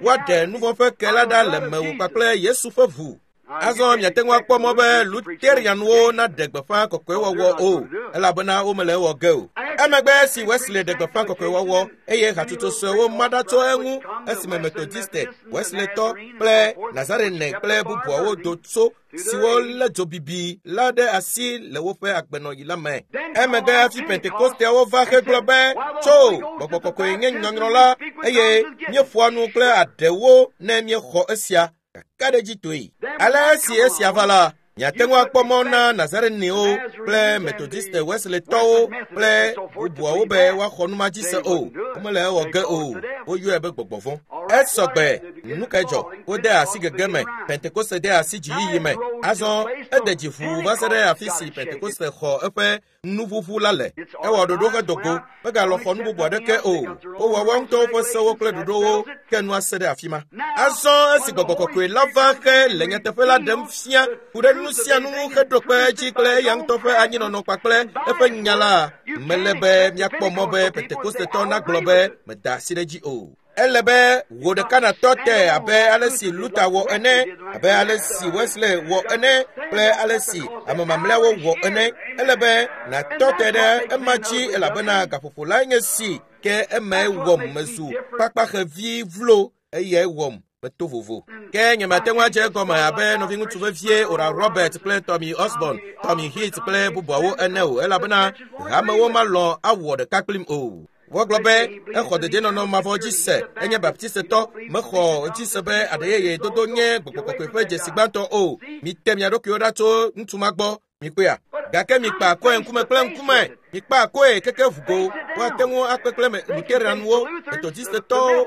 woaɖe nu vɔ̃ ƒe ke la ɖa le mewò kpakple Yesu ƒe ʋu. Azɔ miate ŋu akpɔ mɔ be Lutherianwo naɖe gbeƒã kɔkɔewɔwɔ o, elabena womele ewɔ ge o. Emegbe esi Wesley ɖe gbeƒã kɔkɔewɔwɔ eye hatsotso suewo ma ɖa tso eŋu esime Methodiste, Wesleytɔ kple Nazarene kple bubuawo do tso siwo lé dzobibi la ɖe asi le woƒe agbenɔɣi la me. Emegbe hafi Pentekosteawo va hegblɔ be tso gbɔgbɔ kɔkɔe nye nyɔnyrɔ la eye míeƒoa nu kple aɖewo ne míexɔ esia kakaɖedzitɔe. Ale esi esia va la, miate ŋu akpɔ mɔ na Nazarenewo kple Methodiste Wesleytɔwo kple bubuawo be woaxɔ nu ma dzi se o. Womele ewɔ ge o. Woyɔe be gbɔgbɔ vɔ̃. Esɔ gbe. Nu kae dzɔ? Wode asi gege me. Pentekoste de asi dziyiyi me. Azɔ ede dzi ʋuu va se ɖe afi si Pentekoste xɔ eƒe nuʋuʋu la le. Ewɔ ɖoɖo hedo go. Megalɔ xɔ nu bubu aɖeke o. Wowɔ woa ŋutɔwo ƒe sewo kple ɖoɖowo ke nua se ɖe afi ma. Azɔ esi gbɔgbɔ kɔkɔe la va xe le nyateƒe la ɖem fia ku ɖe nu sia nu ŋu heɖo kpe edzi kple eya ŋutɔ ƒe anyinɔnɔ kpakple eƒe nya la, mele be míakpɔ mɔ be Pentekostetɔ nagblɔ be meda asi ɖe edzi o. Ele be wò ɖeka natɔ te abe ale si Luther wɔ ene, abe ale si Wesley wɔ ene kple ale si ame mamlɛawo wɔ ene. Ele be natɔ te ɖe ema dzi elabena gaƒoƒo lae nye si ke emae wɔm mezu kpakpaxevi vlo eyae wɔm meto vovo. Ke nyemate ŋu adze egɔme abe nɔviŋutsu vevie Oral Robert kple Tommy Osborn, Tommy Heath kple bubuawo ene o elabena hamewo malɔ̃ awɔ ɖeka kplim o. Wogblɔ be exɔ dedienɔnɔ mavɔ dzi se, enye Baptistetɔ, mexɔ dzi se be aɖeyeye dodo nye gbɔgbɔ kɔkɔe ƒe dzesi gbãtɔ o. Mite mia ɖokuiwo ɖa tso ŋutsu ma gbɔ, mikpɔea. Gake mikpa akɔe ŋkume kple ŋkume, mikpa akɔe keke ʋugo. Woate ŋu akpe kple Lutheranwo, Methodistetɔwo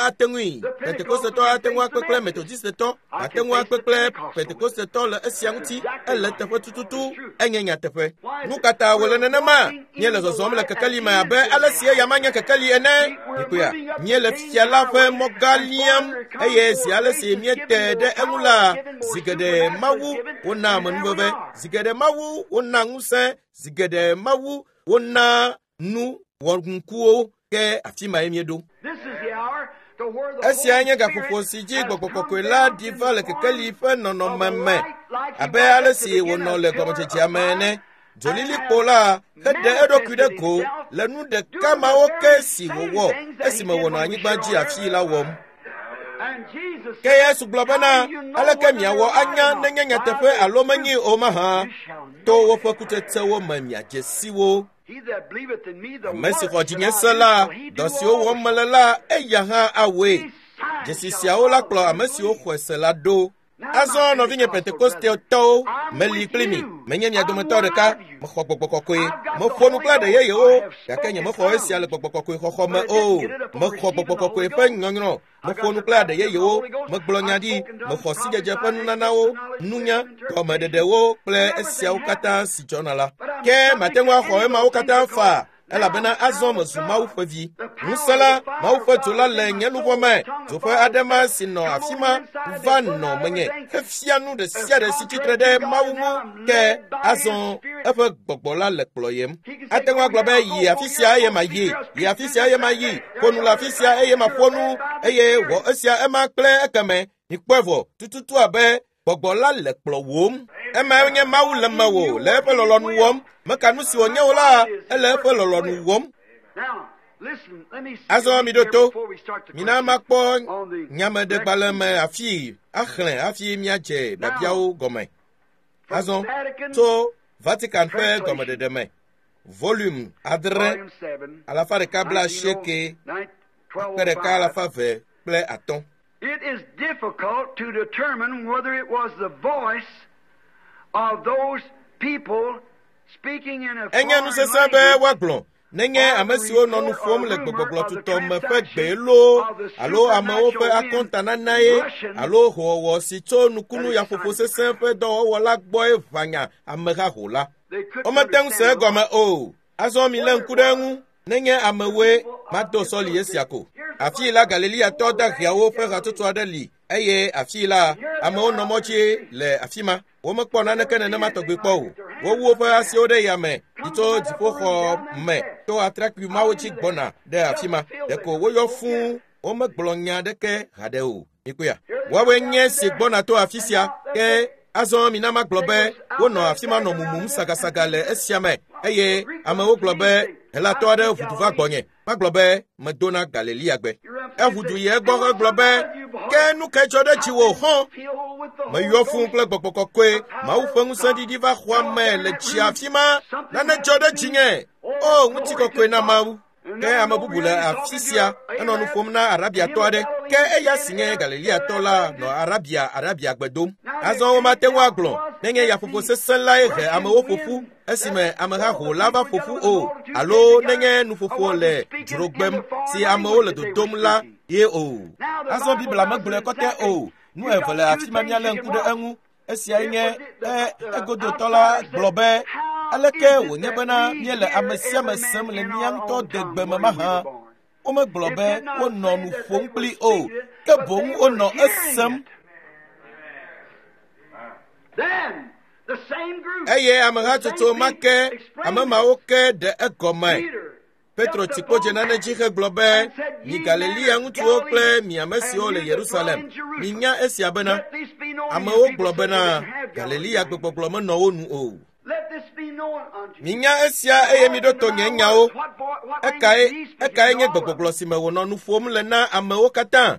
ate ŋui, Pentekostetɔ ate ŋu akpe kple Methodistetɔ, ate ŋu akpe kple Pentekostetɔ le esia ŋuti. Ele teƒe tututu, enye nyateƒe. Nu ka ta wòle nenema? Míele zɔzɔm le kekeli me abe ale si eya ma nye kekeli ene. Mikpɔea, míele fia la ƒe mɔgã liam eye zi ale si míete ɖe eŋu la, zi geɖe Mawu wona amenuveve, zi geɖe Mawu wona ŋusẽ, zi geɖe Mawu wona nu wɔnukuwo ke afi mae míeɖo. Esia nye gaƒoƒo si dzi gbɔgbɔ kɔkɔe la ɖi va le kekeli ƒe nɔnɔme me abe ale si wònɔ le gɔmedzedzea me ene. Dzolilikpo la heɖe eɖokui ɖe go le nu ɖeka mawo ke si wòwɔ esime wònɔ anyigba dzi afii la wɔm. Ke Yesu gblɔ bena, aleke miawɔ anya nenye nyateƒe alo menye o mahã? To woƒe kutsetsewo me miadze si wo. Ame si xɔ dzinye se la, dɔ siwo wɔm mele la, eya hã awɔe. Dzesi siawo la kplɔ ame siwo xɔe se la ɖo. Azɔ nɔvinye Pentekostetɔwo, meli kpli mi, menye mia dometɔ ɖeka, mexɔ gbɔgbɔ kɔkɔe, meƒo nu kple aɖe yeyewo, gake nyemexɔ esia le gbɔgbɔ kɔkɔe xɔxɔ me o. Mexɔ gbɔgbɔ kɔkɔe ƒe nyɔnyrɔ, meƒo nu kple aɖe yeyewo, megblɔ nya ɖi, mexɔ sidzedze ƒe nunanawo, nunya, gɔmeɖeɖewo kple esiawo katã si dzɔna la. Ke mate ŋu axɔ emawo katã faa. Elabena azɔ mezu Mawu ƒe vi. Ŋusẽ la, Mawu ƒe dzo la le nye luʋɔ me. Dzo ƒe aɖe ma si nɔ afi ma va nɔ menye hefia nu ɖe sia ɖe si tsitre ɖe Mawu ŋu ke azɔ eƒe gbɔgbɔ la le kplɔyem. Ate ŋu agblɔ be yi afi sia eye mayi, yi afi sia eye mayi, ƒo nu le afi sia eye maƒo nu eye wɔ esia ema kple ekeme. Mikpɔe vɔ tututu abe gbɔgbɔ la le kplɔwòm. Emae nye Mawu le mewò le eƒe lɔlɔ̃nu wɔm. Meka nu si wònye o la, ele eƒe lɔlɔ̃nu wɔm. Azɔ miɖo to. Mina makpɔ nyameɖegbalẽ me afi axlẽ hafi míadze biabiawo gɔme. Azɔ tso Vatican ƒe gɔmeɖeɖe me, volume 6, 198, 1203. It is difficult to determine whether it was the voice of those people speaking in a Enye foreign nusesẽ be language woagblɔ nenye ame siwo nɔ nu ƒom le gbegbɔgblɔ tutɔ me ƒe gbe loo alo amewo ƒe akɔntananae alo howɔwɔ si tso nukunu yaƒoƒo sesẽ ƒe dɔwɔwɔ la gbɔe ʋãnya amehaho la. They couldn't Womete ŋu se understand egɔme o. Azɔ milé ŋku ɖe eŋu. Nenye amewoe mado sɔli esia ko. Afii la Galileatɔ daheawo ƒe hatsotso aɖe li eye afii la amewo nɔ mɔ dzi le afi ma. Womekpɔ naneke nenema tɔgbi kpɔ o. Wowu woƒe asiwo ɖe yame yi tso dziƒoxɔ me to atrakpui mawo dzi gbɔna ɖe afi ma. Ɖeko woyɔ fũu womegblɔ nya aɖeke haɖe o. Mikpɔea? Woawoe nye si gbɔna to afi sia ke azɔ mina magblɔ be wonɔ afi ma nɔ mumum sagasaga le esia me eye amewo gblɔ be Helatɔ aɖe ʋu du va gbɔnye. Magblɔ be medona Galileagbe. Eʋu du yi egbɔ hegblɔ be ke nu kae dzɔ ɖe dziwò hɔ̃? Meyɔ fũu kple gbɔgbɔ kɔkɔe. Mawu ƒe ŋusẽ ɖiɖi va xɔa me le tsi afi ma. Nane dzɔ ɖe dzinye. O ŋutikɔkɔe na Mawu. Ke ame bubu le afi sia enɔ nu ƒom na Arabiatɔ aɖe. Ke eya si nye Galileatɔ la nɔ Arabia Arabiagbe dom. Azɔ womate ŋu agblɔ nenye yaƒoƒo sesẽ lae he amewo ƒo ƒu esime amehaho la va ƒo ƒu o alo nenye nuƒoƒo le dzrogbem si amewo le dodom la ye o. Azɔ Biblia megblɔe kɔtɛ o. Nu eve le afi ma míalé ŋku ɖe eŋu. Esiae nye egodotɔ la gblɔ be aleke wònye bena míele ame sia ame sem le mía ŋutɔ degbe me mahã. Womegblɔ be wonɔ nu ƒom kpli o, ke boŋ wonɔ esem. Then the same group, Eye amehatsotso ma ke ame mawo ke ɖe egɔme. Peter, Petro tsi kpodze nane dzi hegblɔ be mi Galilea ŋutsuwo kple mi ame siwo le Yerusalem, minya esia bena let this be known. amewo You gblɔ people bena said they didn't have Galilea gbegbɔgblɔ menɔ wo nu o. Let this be known unto you. Minya esia eye miɖo to nye nyawo. Ekae nye gbegbɔgblɔ si me wònɔ nu ƒom le na amewo katã?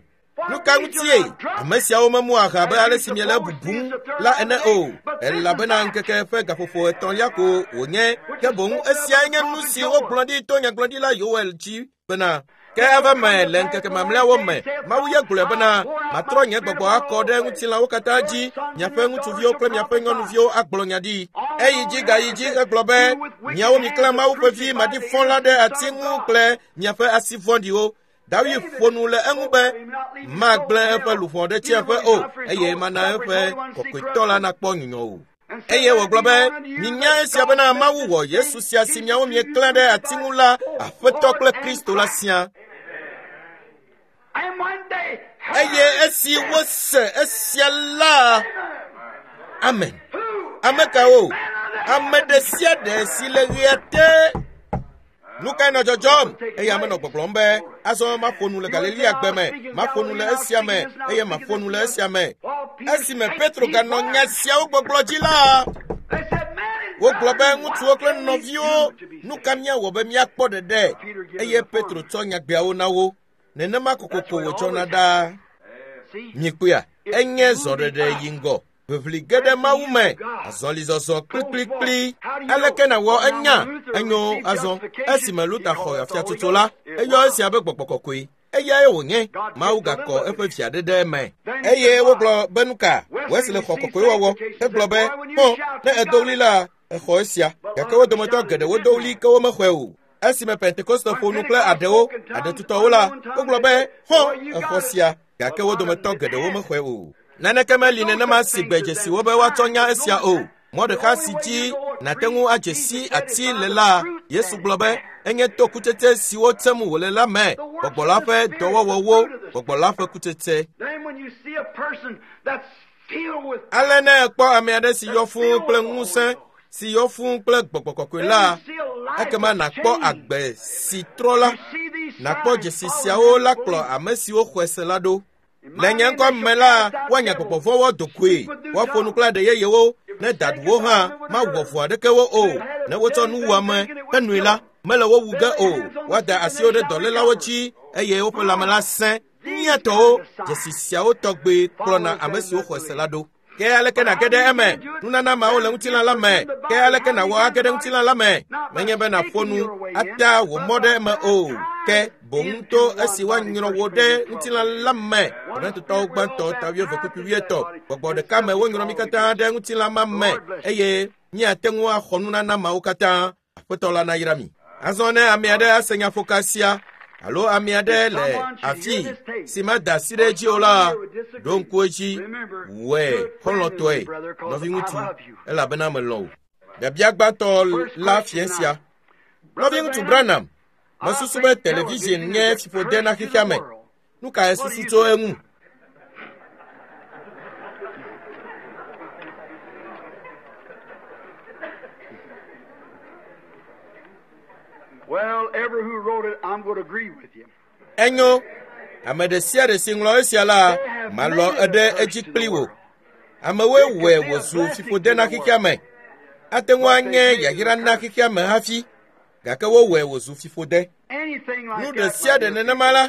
Nu ka ŋutie? Ame siawo memu aha abe ale si miele bubum la ene o, elabena ŋkeke ƒe gaƒoƒo etɔ̃lia ko wònye. Ke boŋ esiae nye nu si wogblɔ ɖi to nyagblɔɖila Yoel dzi bena ke ava me le ŋkeke mamlɛawo me Mawu ye gblɔe bena matrɔ nye gbɔgbɔ akɔ ɖe ŋutilãwo katã dzi miaƒe ŋutsuviwo kple miaƒe nyɔnuviwo agblɔ nya ɖi. Eyi dzi gayi dzi hegblɔ be miawo miklã Mawu ƒe vi maɖifɔ la ɖe ati ŋu kple miaƒe asi vɔ̃ɖiwo. David ƒo nu le eŋu be magblẽ eƒe luʋɔ ɖe tsiẽƒe o eye mana eƒe kɔkɔetɔ la nakpɔ nyunyɔ o. Eye wògblɔ be minya esia bena Mawu wɔ Yesu sia si miawo mieklã ɖe ati ŋu la Aƒetɔ kple Kristo la sia. And one day, Eye esi wose esia la, amen. Ame kawo? Ame ɖe sia ɖe si le ɣea te. Nu kae nɔ dzɔdzɔm? Eye ame nɔ gbɔgblɔm be azɔ maƒo nu le Galilea gbe me, maƒo nu le esia me eye maƒo nu le esia me. Esime Petro ganɔ nya siawo gbɔgblɔ dzi la, they said, Man and wogblɔ be brothers, ŋutsuwo what kple can we nɔviwo, do to be nu saved? ka míawɔ be míakpɔ ɖeɖe? Eye Petro tsɔ nyagbeawo na wo. Nenema kokoko wòdzɔna ɖaa. See? Mikpɔea, enye zɔɖeɖe yi ŋgɔ. Ʋiʋli ge ɖe Mawu me, azɔlizɔzɔ kplikplikpli. Aleke nàwɔ enya? Enyo azɔ. Esime Luther xɔ afiatsotso la, eyɔ esia be gbɔgbɔ kɔkɔe. Eyae wònye. Mawu gakɔ eƒe via ɖe ɖe eme. Eye wogblɔ be nu ka? Wesley xɔ kɔkɔewɔwɔ. Egblɔ be, kpɔ, ne edo ɣli la, exɔ esia. Gake wo dometɔ geɖewo do ɣli ke womexɔe o. Esime Pentekoste ƒo nu kple aɖewo, aɖetutɔwo la, wogblɔ be, hɔ, exɔ sia. Gake wo dometɔ geɖewo mexɔe o. Naneke meli nenema si gbe dzesiwo be woatsɔ nya esia o. Mɔ ɖeka si dzi nàte ŋu adze si ati le la, Yesu gblɔ be Enye to kutsetse siwo tsem wòle la me. Gbɔgbɔ la ƒe dɔwɔwɔwo, gbɔgbɔ la ƒe kutsetse. Ale ne èkpɔ ame aɖe si yɔ fũu kple ŋusẽ, si yɔ fũu kple gbɔgbɔ kɔkɔe la, ekema nàkpɔ agbe si trɔ la. Nàkpɔ dzesi siawo la kplɔ ame siwo xɔe se la ɖo. Le nye ŋkɔ me la, woanya gbɔgbɔ vɔ̃wo do goe, woaƒo nu kple aɖe yeyewo, ne daɖuwo hã mawɔ fu aɖeke wo o. Ne wotsɔ nuwɔame henoe la, mele wo wu ge o. Woada asiwo ɖe dɔlélawo dzi eye woƒe lãme la sẽ. Mía tɔwo, dzesi siawo tɔgbe kplɔna ame siwo xɔe se la ɖo. Ke aleke nàge ɖe eme? Nunana mawo le ŋutilã la me. Ke aleke nàwɔ age ɖe ŋutilã la me? Menye be nàƒo nu ata wò mɔ ɖe eme o, ke boŋ to esi woanyrɔ wò ɖe ŋutilã la me. Korintotɔwo gbãtɔ ta wuieve kpukpui wuietɔ̃. Gbɔgbɔ ɖeka me wonyrɔ mí katã ɖe ŋutilã ma me eye míate ŋu axɔ nunana mawo katã. Aƒetɔ la nayra mi. Azɔ ne ame aɖe ase nyaƒoka sia alo ame aɖe le afi si mada asi ɖe edzi o la, ɖo ŋku edzi, wɔe xɔlɔ̃tɔe, nɔviŋutsu, elabena melɔ̃ wò. Biabia gbãtɔ la fia sia. Nɔviŋutsu Branham, mesusu be television nye fiƒode na xexea me. Nu kae susu tso eŋu? Well, ever who wrote it, I'm going to agree with you. Enyo, ame ɖe sia ɖe si ŋlɔ esia la, malɔ eɖe edzi kpli wò. Amewoe wɔe wòzu fiƒode na xexea me. Ate ŋu anye yayra na xexea me hafi, gake wowɔe wòzu fiƒode. Anything like Nu ɖe that, sia my ɖe dear nenema la,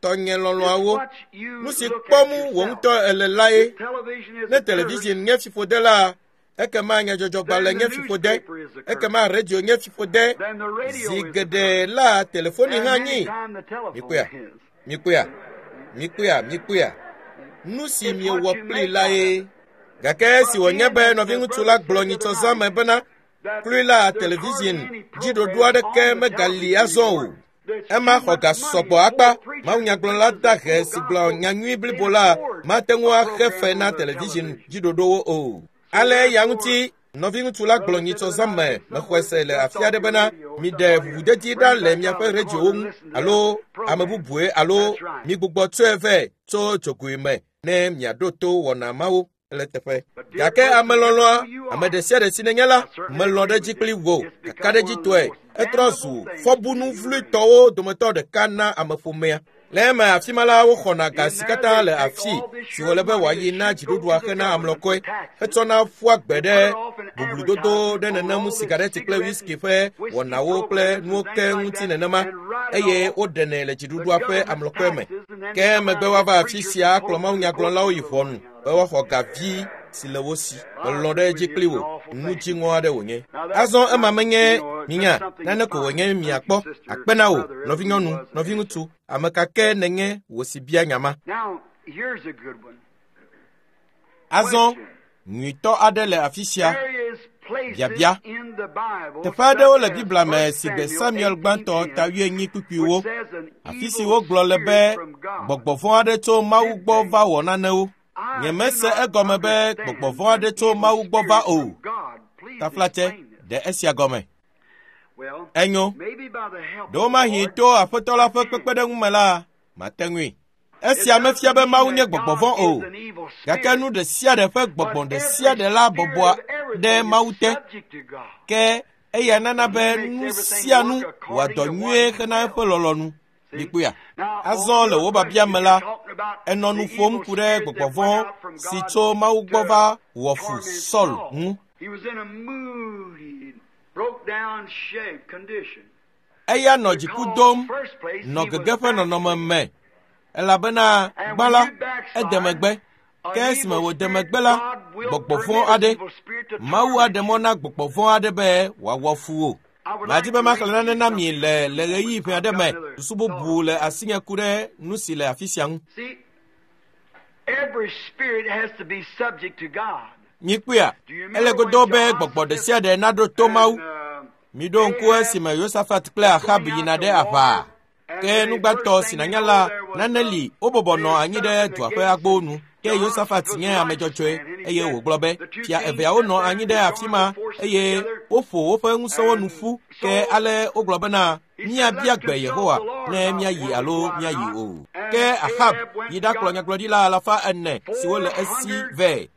tɔnye lɔlɔ̃awo, people, what you nu si look at kpɔm wò yourself. ŋutɔ ele la ye. If television is Ne a curse, television nye fiƒode la, ekema nyadzɔdzɔgbalẽ then nye the fiƒode, newspaper is a curse. ekema radio nye fiƒode. Then the radio Zi is a curse. geɖe la, telefoni And hã many nyi. time the telephone Mikpɔea, is. mikpɔea, mikpɔea, mikpɔea. Nu si It's miewɔ what you kplii make la out of ye. it. Gake esi But wònye being be that the nɔviŋutsu la brother gblɔ said the nyitsɔ other zã me night bena that klui la there's hardly television any dziɖoɖo program aɖeke on the megali television azɔ o. anymore. There's Ema too xɔ much ga money sɔgbɔ for akpa. preachers Mawunyagblɔla preachers da and he full si gblɔ gospel. nyanyui They blibo la afford mate ŋu a axe program fe on na their television television. dziɖoɖowo o. So Ale ya therefore, ŋuti nɔviŋutsu la gblɔ brother said nyitsɔ the zã other me night, mexɔe somewhere se le just afi off aɖe your bena radio or miɖe somebody ʋuʋudedi bring ɖa it le back out miaƒe of the radiowo corner and ŋu listen to alo that ame program. bubue alo That's right. migbugbɔ tsɔe vɛ tso dzogoe me ne miaɖo to wɔna mawo le teƒe. But dear Gake person, ame lɔlɔ̃a, who you ame are, ɖe sia ɖe si nenye la, I certainly melɔ̃ ɖe agree edzi with kpli you. wò It's become one of the kakaɖedzitɔe. most Etrɔ zu damnable things to fɔbunu the human race. vloetɔwo dometɔ ɖeka na ameƒomea. Le eme afi ma la, woxɔna ga In si there, katã they le take afi all this si sure wòle be money wòayi that na should go dziɖuɖua to the hena government for amlɔkɔe taxes hetsɔna ƒua gbe and ɖe put it off in boblododo advertising ɖe on nenem all this sigareti kple cigarette whisky and ƒe whiskey wɔnawo kple programs nuwo and ke things like ŋuti that nenema and write it eye off woɖenɛ le the dziɖuɖua ƒe government amlɔkɔe me. taxes and then Ke they come megbe out woava and afi preachers sia and akplɔ quote and quote mawunyagblɔlawo a yi little ʋɔnu money out be of it. woaxɔ ga vi si le wo si. I Melɔ̃ ɖe agree edzi with you. kpli It's an wò. awful Nu thing. dziŋɔ aɖe wònye. Now that's Azɔ ema not, menye you know, that's minya something nane ko fine. wònye Thank you, miakpɔ. sister, Akpe na wò, brother, ever who nɔvinyɔnu, was and answered. nɔviŋutsu, ame ka ke nènye wò si bia nya ma. Now, here's a good one. Azɔ Question. nyuitɔ aɖe le afi sia. There is places Biabia. in the Bible Teƒe aɖewo such le as Biblia me 1 si gbe Samuel Samuel gbãtɔ ta 18:10, wuienyi kpukpuiwo, which says an afi si evil wogblɔ le be spirit from God gbɔgbɔ vɔ̃ aɖe tso Mawu gbɔ dictates. va wɔ nanewo. I do Nyemese not egɔme be gbɔgbɔ understand vɔ̃ an aɖe tso evil Mawu gbɔ va spirit o. from God. Please Taflatse, explain this. ɖe esia gɔme. Well, Enyo, maybe by the help of the ɖewomahi Lord, to Aƒetɔ la I ƒe can. kpekpeɖeŋu me la, mate ŋui. It Esia mefia doesn't be mean Mawu nye that gbɔgbɔ God vɔ̃ o. is an evil Gake spirit, nu ɖe sia ɖe ƒe but gbɔgbɔ ɖe sia every ɖe la spirit bɔbɔa of ɖe everything is Mawu te. subject to God. Ke eya nana And be He makes nu everything sia nu work wòa according dɔ to what nyuie He hena eƒe wills. lɔlɔ̃nu. See? Mikpɔea? Now, on Azɔ le your wò biabia question, me you're la, talking about enɔ the nu ƒom evil ku ɖe spirit gbɔgbɔ that went vɔ̃ out from si God tso Mawu gbɔ to va wɔ fu torment Saul Saul. ŋu. He was in a moody, broke down shape condition. Eya nɔ dziku Because, dom, first place, nɔ he was gege ƒe nɔnɔme backslidden. me elabena And gbã when la, you ede backslide, megbe. Ke an esime evil wòde spirit, megbe la, God will gbɔgbɔ vɔ̃ permit an aɖe, evil spirit to Mawu torment aɖe mɔ you. na gbɔgbɔ vɔ̃ aɖe be wòawɔ fu wò. I would Madi like be to maxlẽ read nane you na mi something le in le a moment. ɣeyiɣi ƒe I've aɖe got me. another Susu thought bubu on le that. asinye ku ɖe nu si le afi sia ŋu. See, every spirit has to be subject to God. Mikpɔea, Do you ele remember when godoo be gbɔgbɔ ɖe Jehoshaphat sia ɖe naɖo to Mawu. and Miɖo ŋku Ahab esime Yosafat kple was Ahab going yina out to ɖe aʋa. war, and Ke the nu first gbãtɔ si thing you nànya know, la, there was nane li wobɔbɔ they nɔ had anyi set ɖe up in the dua ƒe gates, agbowo and nu. Ke Yosafat Jehoshaphat was nye ame righteous dzɔdzɔe man, and he eye said, wògblɔ be, the two fia kings eveawo sat nɔ there anyi and ɖe they afi joined ma the forces eye together, woƒo woƒe ŋusẽwo nu and ƒu. Ke so ale wogblɔ bena Míabia gbe Yehowa ne míayi alo míayi o. Ke Ahab yi ɖakplɔ nyagblɔɖila 400 siwo le esi vɛ.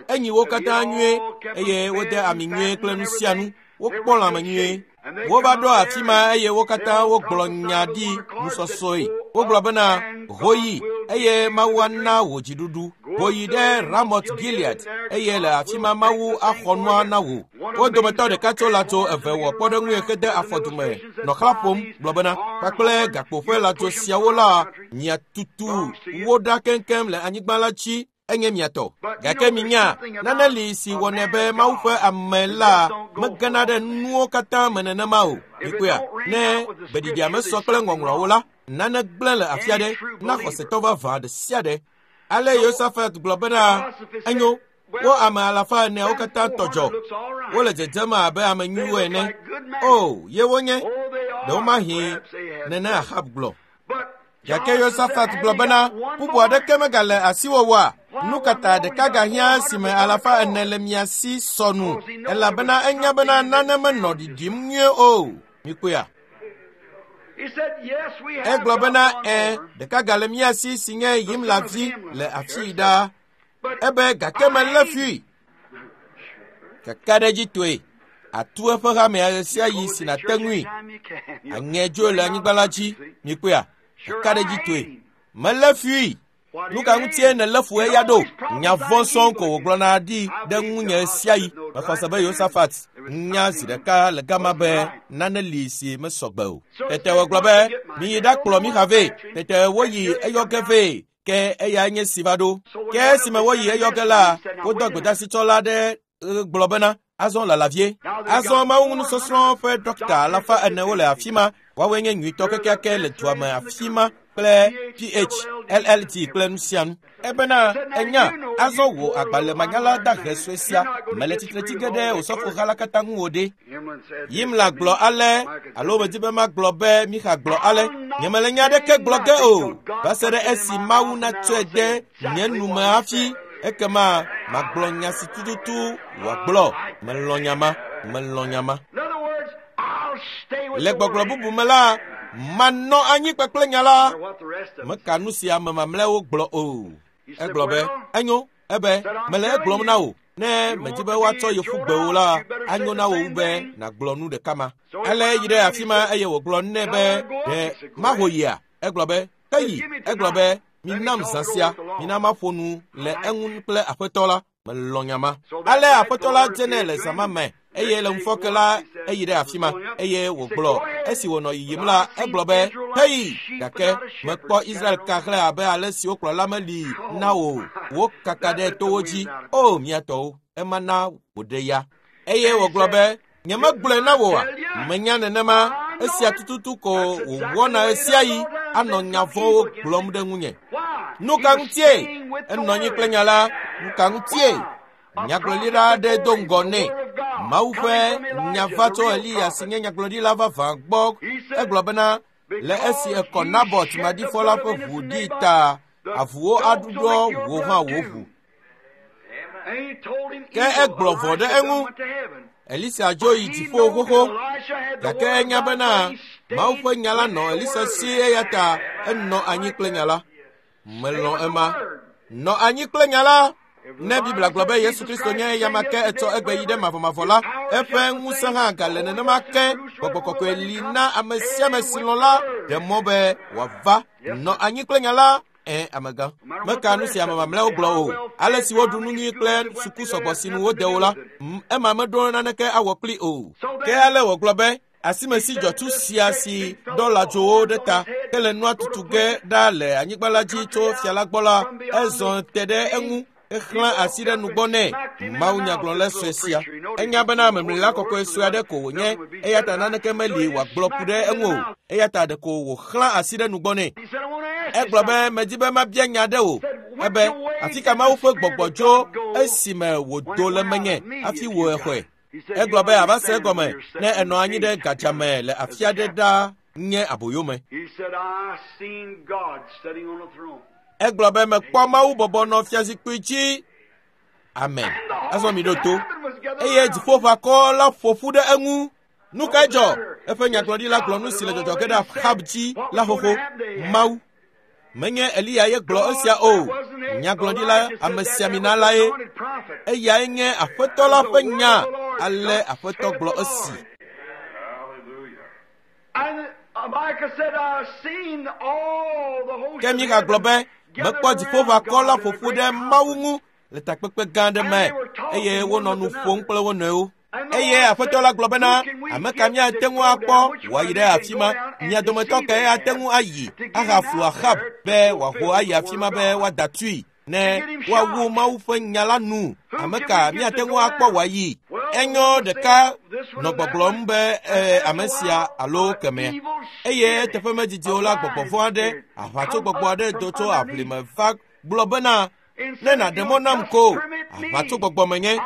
Enyi wo katã nyuie eye wode ami nyuie kple nu sia nu. Wokpɔ lãme nyuie. Wova ɖo afi ma eye wo katã wogblɔ nya ɖi nusɔsɔe. Wogblɔ bena, ho yi eye Mawu ana wò dziɖuɖu. Ho yi ɖe Ramot Gilead eye le afi ma Mawu axɔ nua na wò. Wo dometɔ ɖeka tso lãdzo eve wɔ kpɔɖeŋue hede afɔdume nɔ xlã ƒom gblɔ bena, kpakple gakpo ƒe lãdzo siawo la miatutu wo ɖa keŋkeŋ le anyigba la dzi enye miatɔ. Gake minya, nane li si wɔnɛ be Mawu ƒe ame la megena ɖe nuwo katã me nenema o. Mikpɔea, ne gbeɖiɖia mesɔ kple ŋɔŋlɔawo la, nane gblẽ le afi aɖe na xɔsetɔ vavã ɖe sia ɖe. Ale Yosafat gblɔ bena, enyo, wo ame 400 katã tɔ dzɔ. Wole dzedzem abe ame nyuiwo ene. O, ye wonye. Ɖewomahi nene Ahab gblɔ. Gake Yosafat gblɔ bena, bubu aɖeke megale asiwò oa? Nu ka ta ɖeka gahiã si me 400 le mia si sɔ nu? Elabena enya bena nane menɔ ɖiɖim nyuie o. Mikpɔea? Egblɔ bena, ɖeka gale mía si si nye Yimla vi le afii ɖaa. Ebe gake melé fui. Kakaɖedzitɔe, atu eƒe hamea ɣe sia ɣi si nàte ŋui. Aŋe dzo le anyigba la dzi. Mikpɔea? Kakaɖedzitɔe, melé fui. Nu ka ŋutie nèlé fu eya ɖo? Nya vɔ̃ sɔŋ ko wògblɔna ɖi ɖe ŋunye ɣe sia ɣi. Mexɔ se be Yosafat nya zi ɖeka le gama be nane li si mesɔ gbe o. Tete wògblɔ be, miyi ɖakplɔ Mixa vɛ. Tete woyi eyɔ ge vɛ. Ke eya nye si va ɖo. Ke esime woyi eyɔ ge la, wodɔ gbedasitsɔla ɖe gblɔ bena, azɔ lala vie. Azɔ Mawu nusɔsrɔ̃ ƒe dɔkta 400 le afi ma. Woawoe nye nyuitɔ kekeake le dua me afi ma kple PH, LLT kple nu sia nu. Ebena enya, azɔ wò agbalẽmanyala dahe sue sia mele tsitre tsi ge ɖe osɔfoha la katã ŋu o ɖe. Yimla gblɔ ale, alo medi be magblɔ be Mixa gblɔ ale, nyemele nya aɖeke gblɔ ge o, va se ɖe esi Mawu natsɔe de nye nu me hafi, ekema magblɔ nya si tututu wòagblɔ. Melɔ̃ nya ma, melɔ̃ nya ma. Le gbɔgblɔ bubu me la, manɔ anyi kpakple nya la. Meka nu si ame mamlɛawo gblɔ o. Egblɔ be, enyo, ebe, mele egblɔm na wò. Ne medi be woatsɔ yeƒu gbe wò la, anyo na wò wu be nàgblɔ nu ɖeka ma. Ale yi ɖe afi ma eye wògblɔ nɛ be, ɖe maho yia? Egblɔ be, ke yi. Egblɔ be, minam zã sia, mina maƒo nu le eŋu kple aƒetɔ la. Melɔ̃ nya ma. Ale aƒetɔ la dze nɛ le zã ma me eye le ŋufɔke la eyi ɖe afi ma eye wògblɔ esi wònɔ yiyim la egblɔ be, heyi, gake mekpɔ Israel ka xlẽ abe ale si wokplɔla meli na wò wokaka ɖe towo dzi. O mía tɔwo, ema na wòɖe ya. Eye wògblɔ be, nyemegblɔe na wò oa? Menya nenema, esia tututu ko wòwɔna ɣe sia ɣi anɔ nya vɔ̃wo gblɔm ɖe ŋunye. Nu ka ŋutie? Enɔ anyi kple nya la. Nu ka ŋutie? Nyagblɔɖila aɖe do ŋgɔ nɛ. Mawu ƒe nya va tso Eliya si nye nyagblɔɖila vavã gbɔ. Egblɔ bena, le esi ekɔ Nabot maɖifɔ la ƒe ʋu ɖi ta, avuwo aɖuɖɔ wò hã wò ʋu. Ke egblɔ vɔ̃ ɖe eŋu. Elisa dzo yi dziƒo xoxo. Gake enya bena Mawu ƒe nya la nɔ Elisa si eya ta enɔ anyi kple nya la. Melɔ̃ ema. Nɔ anyi kple nya la. Ne Biblia gblɔ be Yesu Kristo nye eyama ke etsɔ egbe yi ɖe mavɔmavɔ la, eƒe ŋusẽ hã gale nenema ke. Gbɔgbɔ kɔkɔe li na ame sia ame si lɔ̃ la ɖe mɔ be wòava. Nɔ anyi kple nya la. Amegã, meka nu si ame mamlɛawo gblɔ o. Ale si woɖu nu nyui kple suku sɔgbɔ si nu wode wo la, ema meɖo naneke awɔ kpli o. Ke ale wògblɔ be, asimesi dzɔtsu sia si ɖɔ lãdzowo ɖe ta ke le nua tutu ge ɖa le anyigba la dzi tso fia la gbɔ la, ezɔ te ɖe eŋu exlã asi ɖe nugbɔ nɛ. Mawu nyagblɔla sue sia. Enya bena memlila kɔkɔe sue aɖe ko wònye, eya ta naneke meli wòagblɔ ku ɖe eŋu o. Eya ta ɖeko wòxlã asi ɖe nugbɔ nɛ. Egblɔ be, medi be mabia nya ɖe wò. Ebe, afi ka Mawu ƒe gbɔgbɔ dzo esime wòdo le menye hafi wò exɔe? Egblɔ be ava se egɔme ne enɔ anyi ɖe gadzame le afi aɖe ɖa nye aboyome. Egblɔ be mekpɔ Mawu bɔbɔ nɔ fiazikpui dzi. Amen. Azɔ mi ɖo to. Eye dziƒoʋakɔ la ƒo ƒu ɖe eŋu. Nu kae dzɔ? Eƒe nyagblɔɖila gblɔ nu si le dzɔdzɔ ge ɖe Ahab dzi la xoxo. Mawu menye Eliya ye gblɔ esia o. Nyagblɔɖila amesiamina lae. Eyae nye Aƒetɔ la ƒe nya. Ale Aƒetɔ gblɔ esi. Ke Mika gblɔ be, mekpɔ dziƒoʋakɔ la ƒoƒu ɖe Mawu ŋu le takpekpe gã aɖe me eye wonɔ nu ƒom kple wo nɔewo. Eye Aƒetɔ la gblɔ bena, ame ka míate ŋu akpɔ wòayi ɖe afi ma? Mia dometɔ kae ate ŋu ayi ahaflu Ahab be wòaho ayi afi ma be woada tui ne woawu Mawu ƒe nya la nu? Ame ka míate ŋu akpɔ wòayi? Enyo ɖeka nɔ gbɔgblɔm be ame sia alo kemɛ. Eye eteƒe medidi o la, gbɔgbɔ vɔ̃ aɖe, aʋatsogbɔgbɔ aɖe do tso aʋlime va gblɔ bena, ne nàɖe mɔ nam ko, aʋatsogbɔgbɔ menye,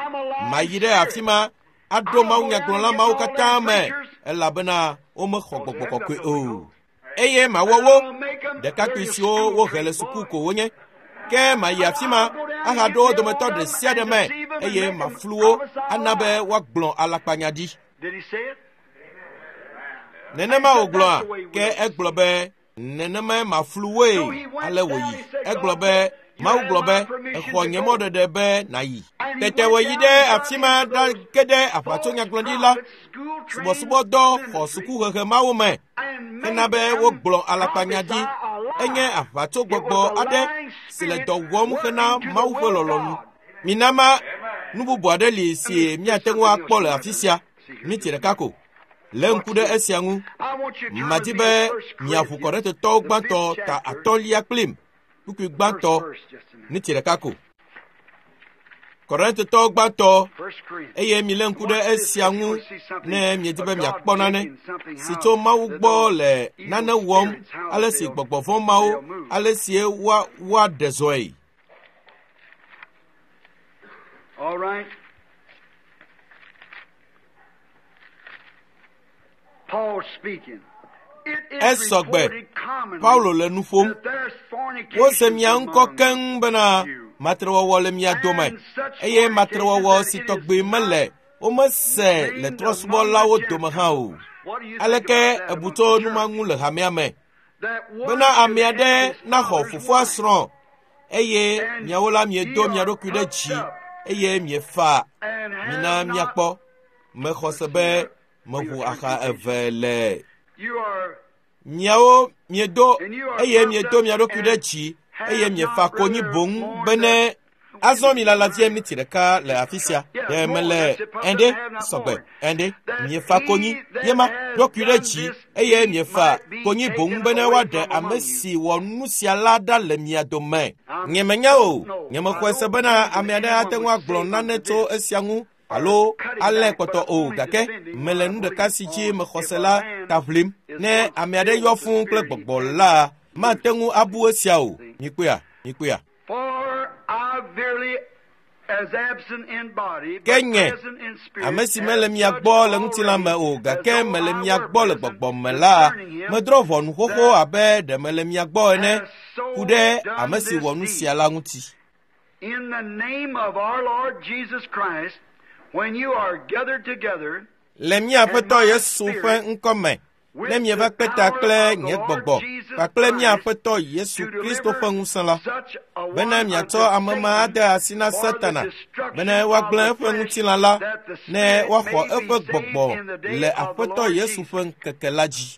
mayi ɖe afi ma aɖo mawunyagblɔla mawo katã me, elabena womexɔ gbɔgbɔ kɔkɔe o. Eye mawɔ wo ɖekakpui siwo wohe le suku ko wonye. Ke mayi afi ma ahaɖo wo dometɔ ɖe sia ɖe me, eye maflu wo ana be woagblɔ alakpanya ɖi. Nenema wògblɔa, ke egblɔ be nenemae maflu woe, ale wòyi. Egblɔ be Mawu gblɔ be, exɔ nye mɔɖeɖe be nàyi. Tete wòyi ɖe afi ma ɖage ɖe aʋatsonyagblɔɖila subɔsubɔdɔ xɔ sukuhehe mawo me hena be wogblɔ alakpanya ɖi. Enye aʋatsogbɔgbɔ aɖe si le dɔ wɔm hena Mawu ƒe lɔlɔ̃nu. Mina ma nu bubu aɖe li si míate ŋu akpɔ le afi sia. Miti ɖeka ko. Lé ŋku ɖe esia ŋu. Madi be miaʋu Korintetɔwo gbãtɔ ta atɔ̃lia kplim. Kpukpui gbãtɔ niti ɖeka ko. Korintetɔwo gbãtɔ, eye milé ŋku ɖe esia ŋu ne miedi be miakpɔ nane si tso Mawu gbɔ le nane wɔm, ale si gbɔgbɔ vɔ̃ mawo, ale si woaɖe zɔe. All right. Paul speaking. Esɔgbe. Paulo le nu ƒom. Wose mia ŋkɔ keŋ bena matrewɔwɔ le mia dome, eye matrewɔwɔ si tɔgbi mele womese le trɔ̃subɔlawo dome hã o. Aleke ebu tso nu ma ŋu le hamea me? Bena ame aɖe naxɔ fofoa srɔ̃, eye miawo la miedo mia ɖokui ɖe dzi, eye miefa. Mina miakpɔ. Mexɔ se be meʋu axa eve le miawo miedo, eye miedo mia ɖokui ɖe dzi, eye miefa konyi boŋ bene azɔ mi lala vie miniti ɖeka le afi sia. Ɖe mele ɛnɖe sɔgbe ɛnɖe miefa konyi yema ɖokui ɖe dzi, eye miefa konyi boŋ bene woaɖe ame si wɔ nu sia la ɖa le mia dome. Nyemenya o, nyemexɔe se bena ame aɖe ate ŋu agblɔ nane tso esia ŋu alo alé kpɔtɔ o, gake mele nu ɖeka si dzi mexɔ se la ta ʋlim. Ne ame aɖe yɔ fũu kple gbɔgbɔ la, mate ŋu abu esia o. Mikpɔea? Mikpɔea? Ke nye, ame si mele mia gbɔ le ŋutilã me o, gake mele mia gbɔ le gbɔgbɔ me la, medrɔ̃ ʋɔnu xoxo abe ɖe mele mia gbɔ ene, ku ɖe ame si wɔ nu sia la ŋuti. In the name of our Lord Jesus Christ, when you are gathered together, Le mía Aƒetɔ Yesu ƒe ŋkɔ me, ne mieva kpe ta kple nye gbɔgbɔ kpakple mía Aƒetɔ Yesu Kristo ƒe ŋusẽ la, bene miatsɔ ame ma ade asi na Satana, bene woagblẽ eƒe ŋutilã la, ne woaxɔ eƒe gbɔgbɔ le Aƒetɔ Yesu ƒe ŋkeke la dzi.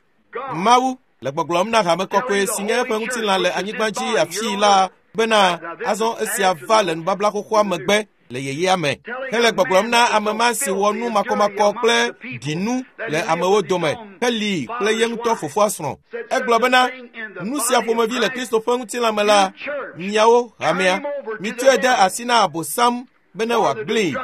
Mawu le gbɔgblɔm na hame kɔkɔe si nye eƒe ŋutilã le anyigba dzi afii la bena azɔ esia va le nubabla xoxoa megbe le yeyea me. Hele gbɔgblɔm na ame ma si wɔ nu makɔmakɔ kple ɖinu le amewo dome, heli kple ye ŋutɔ fofoa srɔ̃. Egblɔ bena, nu sia ƒomevi le Kristo ƒe ŋutilã me la, miawo hamea, mitsɔe de asi na Abosam bene wòagblẽe.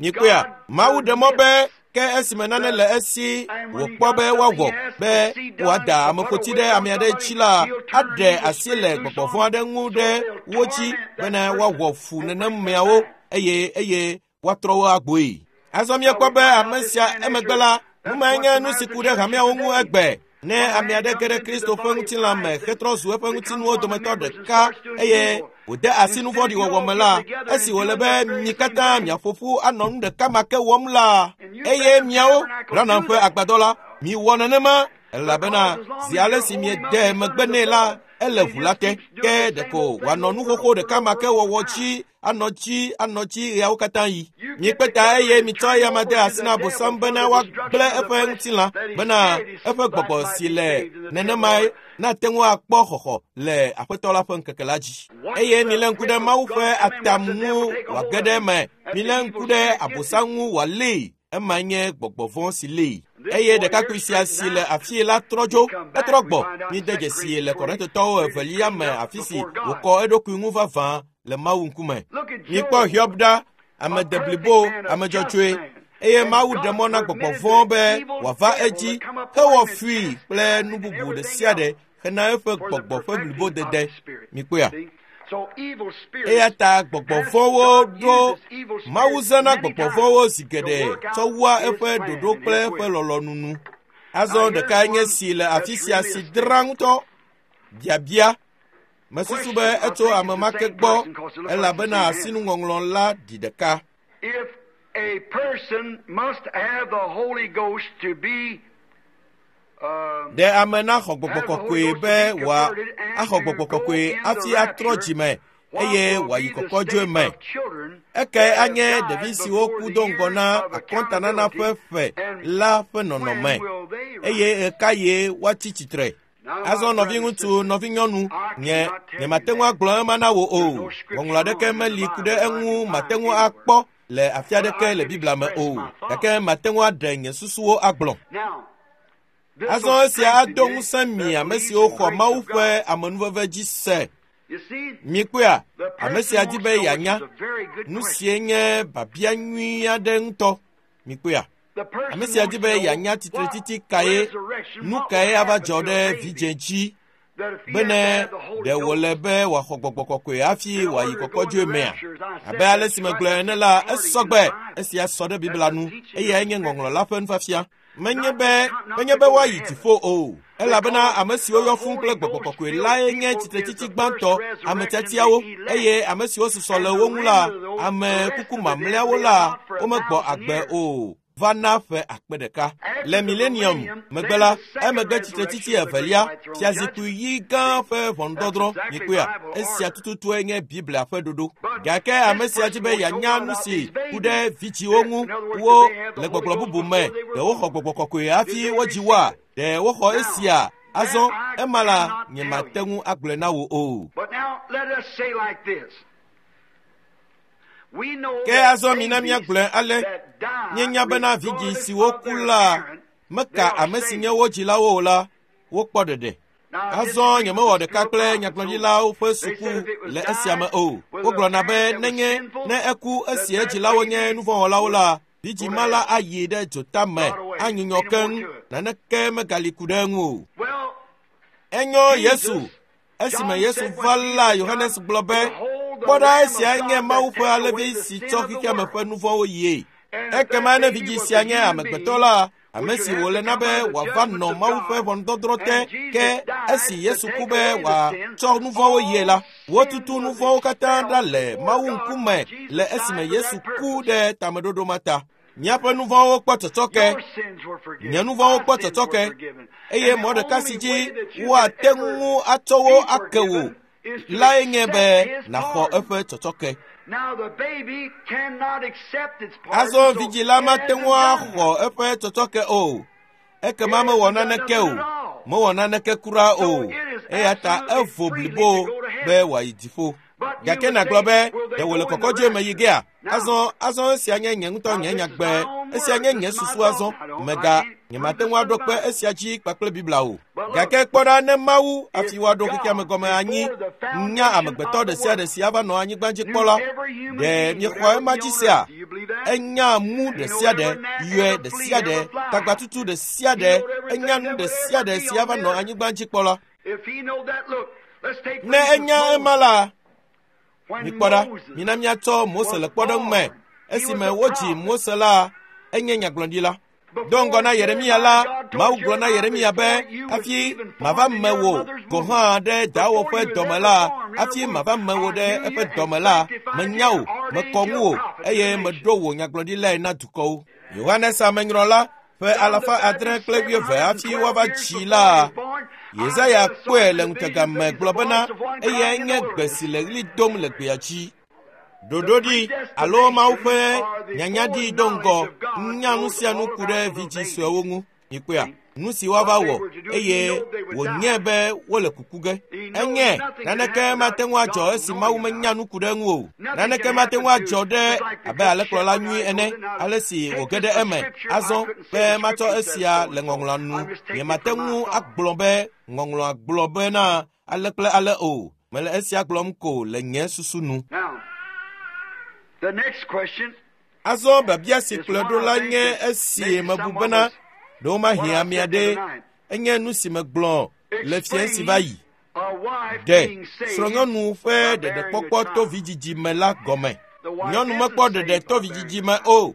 Mikpɔea, Mawu ɖe mɔ be ke esime nane le esi wòkpɔ be woawɔ be wòada ameƒoti ɖe ame aɖe dzi la, aɖe asi le gbɔgbɔ vɔ̃ aɖe ŋu ɖe wo dzi bene woawɔ fu nenemeawo eye woatrɔ wo agboe. Azɔ míekpɔ be ame sia emegbe la, nu mae nye nu si ku ɖe hameawo ŋu egbe. Ne ame aɖe ge ɖe Kristo ƒe ŋutilã me hetrɔ zu eƒe ŋutinuwo dometɔ ɖeka eye wòde asi nu vɔ̃ɖi wɔwɔ me la, esi wòle be mi katã miaƒo ƒu anɔ nu ɖeka ma ke wɔm la, eye miawo Branham ƒe agbadɔ la, Miwɔ nenema, elabena zi ale si miede megbe nɛ la, ele ʋu la te. Ke ɖeko wòanɔ nu xoxo ɖeka ma ke wɔwɔ dzi anɔ dzi anɔ dzi ɣeawo katã yi. Mikpe ta eye mitsɔ eya ma de asi na Abosam bena woagblẽ eƒe ŋutilã, bena eƒe gbɔgbɔ si le nenema nate ŋu akpɔ xɔxɔ le Aƒetɔ la ƒe ŋkeke la dzi. Eye milé ŋku ɖe Mawu ƒe atam ŋu wòage ɖe eme. Milé ŋku ɖe Abosam ŋu wòalée. Ema nye gbɔgbɔ vɔ̃ si lée. Eye ɖekakpui sia si le afii la trɔ dzo, etrɔ gbɔ. Míde dzesi le Korintotɔwo evelia me afi si wòkɔ eɖokui ŋu vavã le Mawu ŋkume. Mikpɔ Hiob ɖa, ame deblibo, ame dzɔdzɔe, eye Mawu ɖe mɔ na gbɔgbɔ vɔ̃ be wòava edzi hewɔ fui kple nu bubu ɖe sia ɖe hena eƒe gbɔgbɔ ƒe blibodede. Mikpɔea? Eya ta gbɔgbɔ vɔ̃wo ɖo Mawu zãna gbɔgbɔ vɔ̃wo zi geɖe tsɔ wua eƒe ɖoɖo kple eƒe lɔlɔ̃nu nu. Azɔ ɖekae nye si le afi sia si dra ŋutɔ. Biabia. Mesusu be etso ame ma ke gbɔ elabena asinuŋɔŋlɔ la ɖi ɖeka. If a person must have the Holy Ghost to be Ɖe ame naxɔ gbɔgbɔ kɔkɔe be wòa axɔ gbɔgbɔ kɔkɔe hafi atrɔ dzime eye wòayi kɔkɔdzoe me. Ekae anye ɖevi siwo ku do ŋgɔ na akɔntanana ƒe ƒe la ƒe nɔnɔme eye ɣekaɣie woatsi tsitre. Azɔ nɔviŋutsu, nɔvinyɔnu, nye nyemate ŋu agblɔ ema na wò o. Ŋɔŋlɔ aɖeke meli ku ɖe eŋu mate ŋu akpɔ le afi aɖeke le Biblia me o. Gake mate ŋu aɖe nye susuwo agblɔ. Azɔ esia ado ŋusẽ mi ame siwo xɔ Mawu ƒe amenuveve dzi se. Mikpɔea, ame sia di be yeanya nu sie nye biabia nyui aɖe ŋutɔ. Mikpɔea, ame sia di be yeanya tsitretsitsi kae, nu kae ava dzɔ ɖe vidzĩ dzi bene ɖe wòle be wòaxɔ gbɔgbɔ kɔkɔe hafi wòayi kɔkɔdzoe mea? Abe ale si megblɔe ene la, esɔgbe. Esia sɔ ɖe Biblia nu eyae nye ŋɔŋlɔ la ƒe nufiafia. Menye be woayi dziƒo o, elabena ame siwo yɔ fũu kple gbɔgbɔ kɔkɔe lae nye tsitretsitsi gbãtɔ, ame tiatiawo, eye ame siwo susɔ le wo ŋu la, ame kuku mamlɛawo la, womegbɔ agbe o va na ƒe akpe ɖeka. Le milenium megbe la, emegbe tsitretsitsi evelia, fiazikpui ɣi gã ƒe ʋɔnudɔdrɔ̃. Mikpɔea, esia tututue nye Biblia ƒe ɖoɖo. Gake ame sia di be yeanya nu si ku ɖe vidzĩwo ŋu wo le gbɔgblɔ bubu me. Ɖe woxɔ gbɔgbɔ kɔkɔe hafi wodzi woa? Ɖe woxɔ esia? Azɔ ema la, nyemate ŋu agblɔe na wò o. But now let us say like this. We know Ke azɔ mina míagblɔe ale, míenya bena vidzĩ siwo ku la meka ame si nye wo dzilawo o la, wokpɔ ɖeɖe. Azɔ nyemewɔ ɖeka kple nyagblɔɖilawo ƒe suku le esia me o. Wogblɔna be nenye ne eku esi edzilawo nye nuvɔ̃wɔlawo la, vidzĩ ma la ayi ɖe dzota me anyunyɔ keŋ, naneke megali ku ɖe eŋu o. Well, Enyo Yesu. Esime Yesu va la, Yohanes gblɔ be, kpɔ ɖa, esiae nye Mawu ƒe alẽvi si tsɔ xexeame ƒe nu vɔ̃wo yie. Ekema ne vidzĩ sia nye amegbetɔ la, ame si wòle na be wòava nɔ Mawu ƒe ʋɔnudɔdrɔ̃ te, ke esi Yesu ku be wòatsɔ nu vɔ̃wo yie la, wotutu nu vɔ̃wo katã ɖa le Mawu ŋkume le esime Yesu ku ɖe tameɖoɖo ma ta. Míaƒe nu vɔ̃wo kpɔ tsɔtsɔke, your sins were forgiven. nye nu vɔ̃wo kpɔ My sins were tsɔtsɔke, forgiven. eye And the mɔ ɖeka si only dzi way that you woate could ŋu ever atsɔ wo be ake wò forgiven is to lae nye be accept his nàxɔ pardon. eƒe tsɔtsɔke. Now the baby cannot accept its pardon, Azɔ so vidzĩ la it mate hasn't ŋu done axɔ eƒe tsɔtsɔke o. Ekema It mewɔ hasn't done naneke nothing o. at all. Mewɔ naneke kura o. So it is Eya ta absolutely evo freely blibo to go to heaven. be wòayi dziƒo. But you Gake would nàgblɔ say, be will they ɖe wòle go in the kɔkɔdzoe me yi rapture? gea? Now, Azɔ azɔ esia nye nye ŋutɔ now nye this is nyagbe. my own Esia word. nye This nye is my susu thought. azɔ. I don't, I Mega can't prove nyemate this ŋu in the aɖo kpe Bible. esia dzi kpakple Biblia o. But look, Gake kpɔ ɖa ne Mawu hafi if woaɖo xexeame God, gɔme anyi before the nya foundation amegbetɔ of ɖe the sia ɖe world, si ava nɔ anyigba dzi knew kpɔ la, every human ɖe being would miexɔ ever ema be dzi on sea? earth. Do you believe that? Enya mu He ɖe know sia ɖe, every gnat, yɔe every ɖe flea, sia ɖe, every fly. tagbatutu ɖe sia He ɖe, knowed everything enya nu that ɖe would sia ever ɖe be si on ava the nɔ earth. anyigba dzi kpɔ la. If he know that, look, let's take for Ne instance enya Moses. ema la, When mikpɔ ɖa, Moses mina míatsɔ Mose was le kpɔɖeŋu me. born, he was Esime a wodzi prophet. Mose la, enye nyagblɔɖila. Do ŋgɔ Before na Yeremia la, Jeremiah, God told Mawu gblɔ na Jeremiah, Yeremia be, before you was hafi even mava formed in me your wò mother's gɔ̃ womb, hã ɖe dawò before ƒe you was dɔme ever la, formed in her hafi womb, mava me wò I ɖe knew eƒe you and dɔme la, sanctified menya you wò, and ordained mekɔ you a ŋuwò prophet to eye the meɖo nations. wò nyagblɔɖilae na dukɔwo. Yohanes Amenyrɔla Ƒe 620 hafi woava dzi la, Yesaya kpɔe le ŋutega me gblɔ bena eyae nye gbe si le ɣli dom le gbea dzi. Ɖoɖoɖi alo Mawu ƒe nyanyaɖi do ŋgɔ nya nu sia nu ku ɖe vidzĩ suewo ŋu. Mikpɔea? Nu si woava wɔ eye wònye be wole kuku ge. Enye naneke mate ŋu adzɔ esi Mawu menya nu ku ɖe eŋu o. Naneke mate ŋu adzɔ ɖe abe alẽkplɔla nyui ene, ale si wòge ɖe eme. Azɔ be matsɔ esia le ŋɔŋlɔa nu. Nyemate ŋu agblɔ be ŋɔŋlɔa gblɔ bena ale kple ale o. Mele esia gblɔm ko le nye susu nu. Azɔ biabia si kplɔe ɖo la nye esi mebu bena ɖewo mahiã ame aɖe. Enye nu si megblɔ le fiẽ si va yi. Ɖe srɔ̃nyɔnu ƒe ɖeɖekpɔkpɔ to vidzidzi me la gɔme. Nyɔnu mekpɔ ɖeɖe to vidzidzi me o.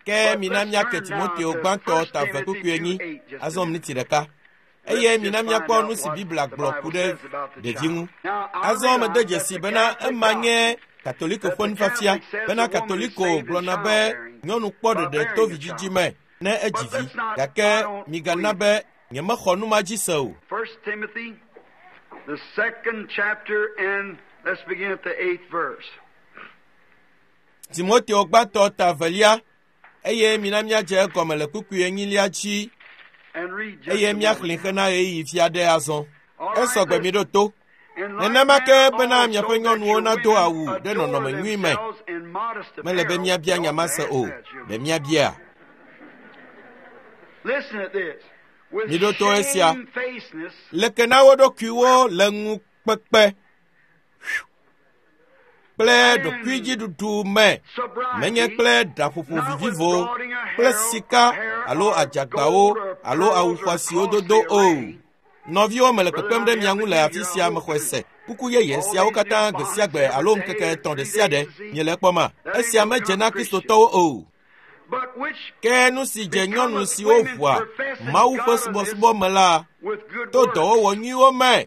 Ke mina míake Timoteo gbãtɔ ta 2:4 azɔ miniti ɖeka. Eye mina míakpɔ nu si Biblia gblɔ ku ɖe ɖevi ŋu. Azɔ mede dzesi bena ema nye Katoliko ƒe nufiafia bena Katoliko gblɔna be nyɔnu kpɔ ɖeɖe to vidzidzi me ne edzi vi. Gake migana be nyemexɔ nu ma dzi se o. 1 Timothy, the 2nd chapter, and let's begin at the 8th verse. Timoteo gbãtɔ ta 2, eye mina míadze egɔme le kpukpui 4 dzi, eye míaxlẽ xena ɣeyiɣi fia ɖe azɔ. Esɔgbe mi ɖo to. Nenema ke bena miaƒe nyɔnuwo nado awu ɖe nɔnɔme nyui me. Mele be míabia nya ma se o. Ɖe míabia? Miɖo to esia. Leke na wo ɖokuiwo le ŋukpekpe kple ɖokuidziɖuɖu me, menye kple ɖaƒoƒo vivivo kple sika alo adzagbawo alo awu xɔasiwo dodo o. Nɔviwo, mele kpekpem ɖe mia ŋu le afi sia mexɔe se. Kuku yeye siawo katã gbe sia gbe alo ŋkeke 3 ɖe sia ɖe miele ekpɔma. Esia medze na Kristotɔwo o. Ke nu si dze nyɔnu siwo ʋua Mawu ƒe subɔsubɔ me la to dɔwɔwɔ nyuiwo me.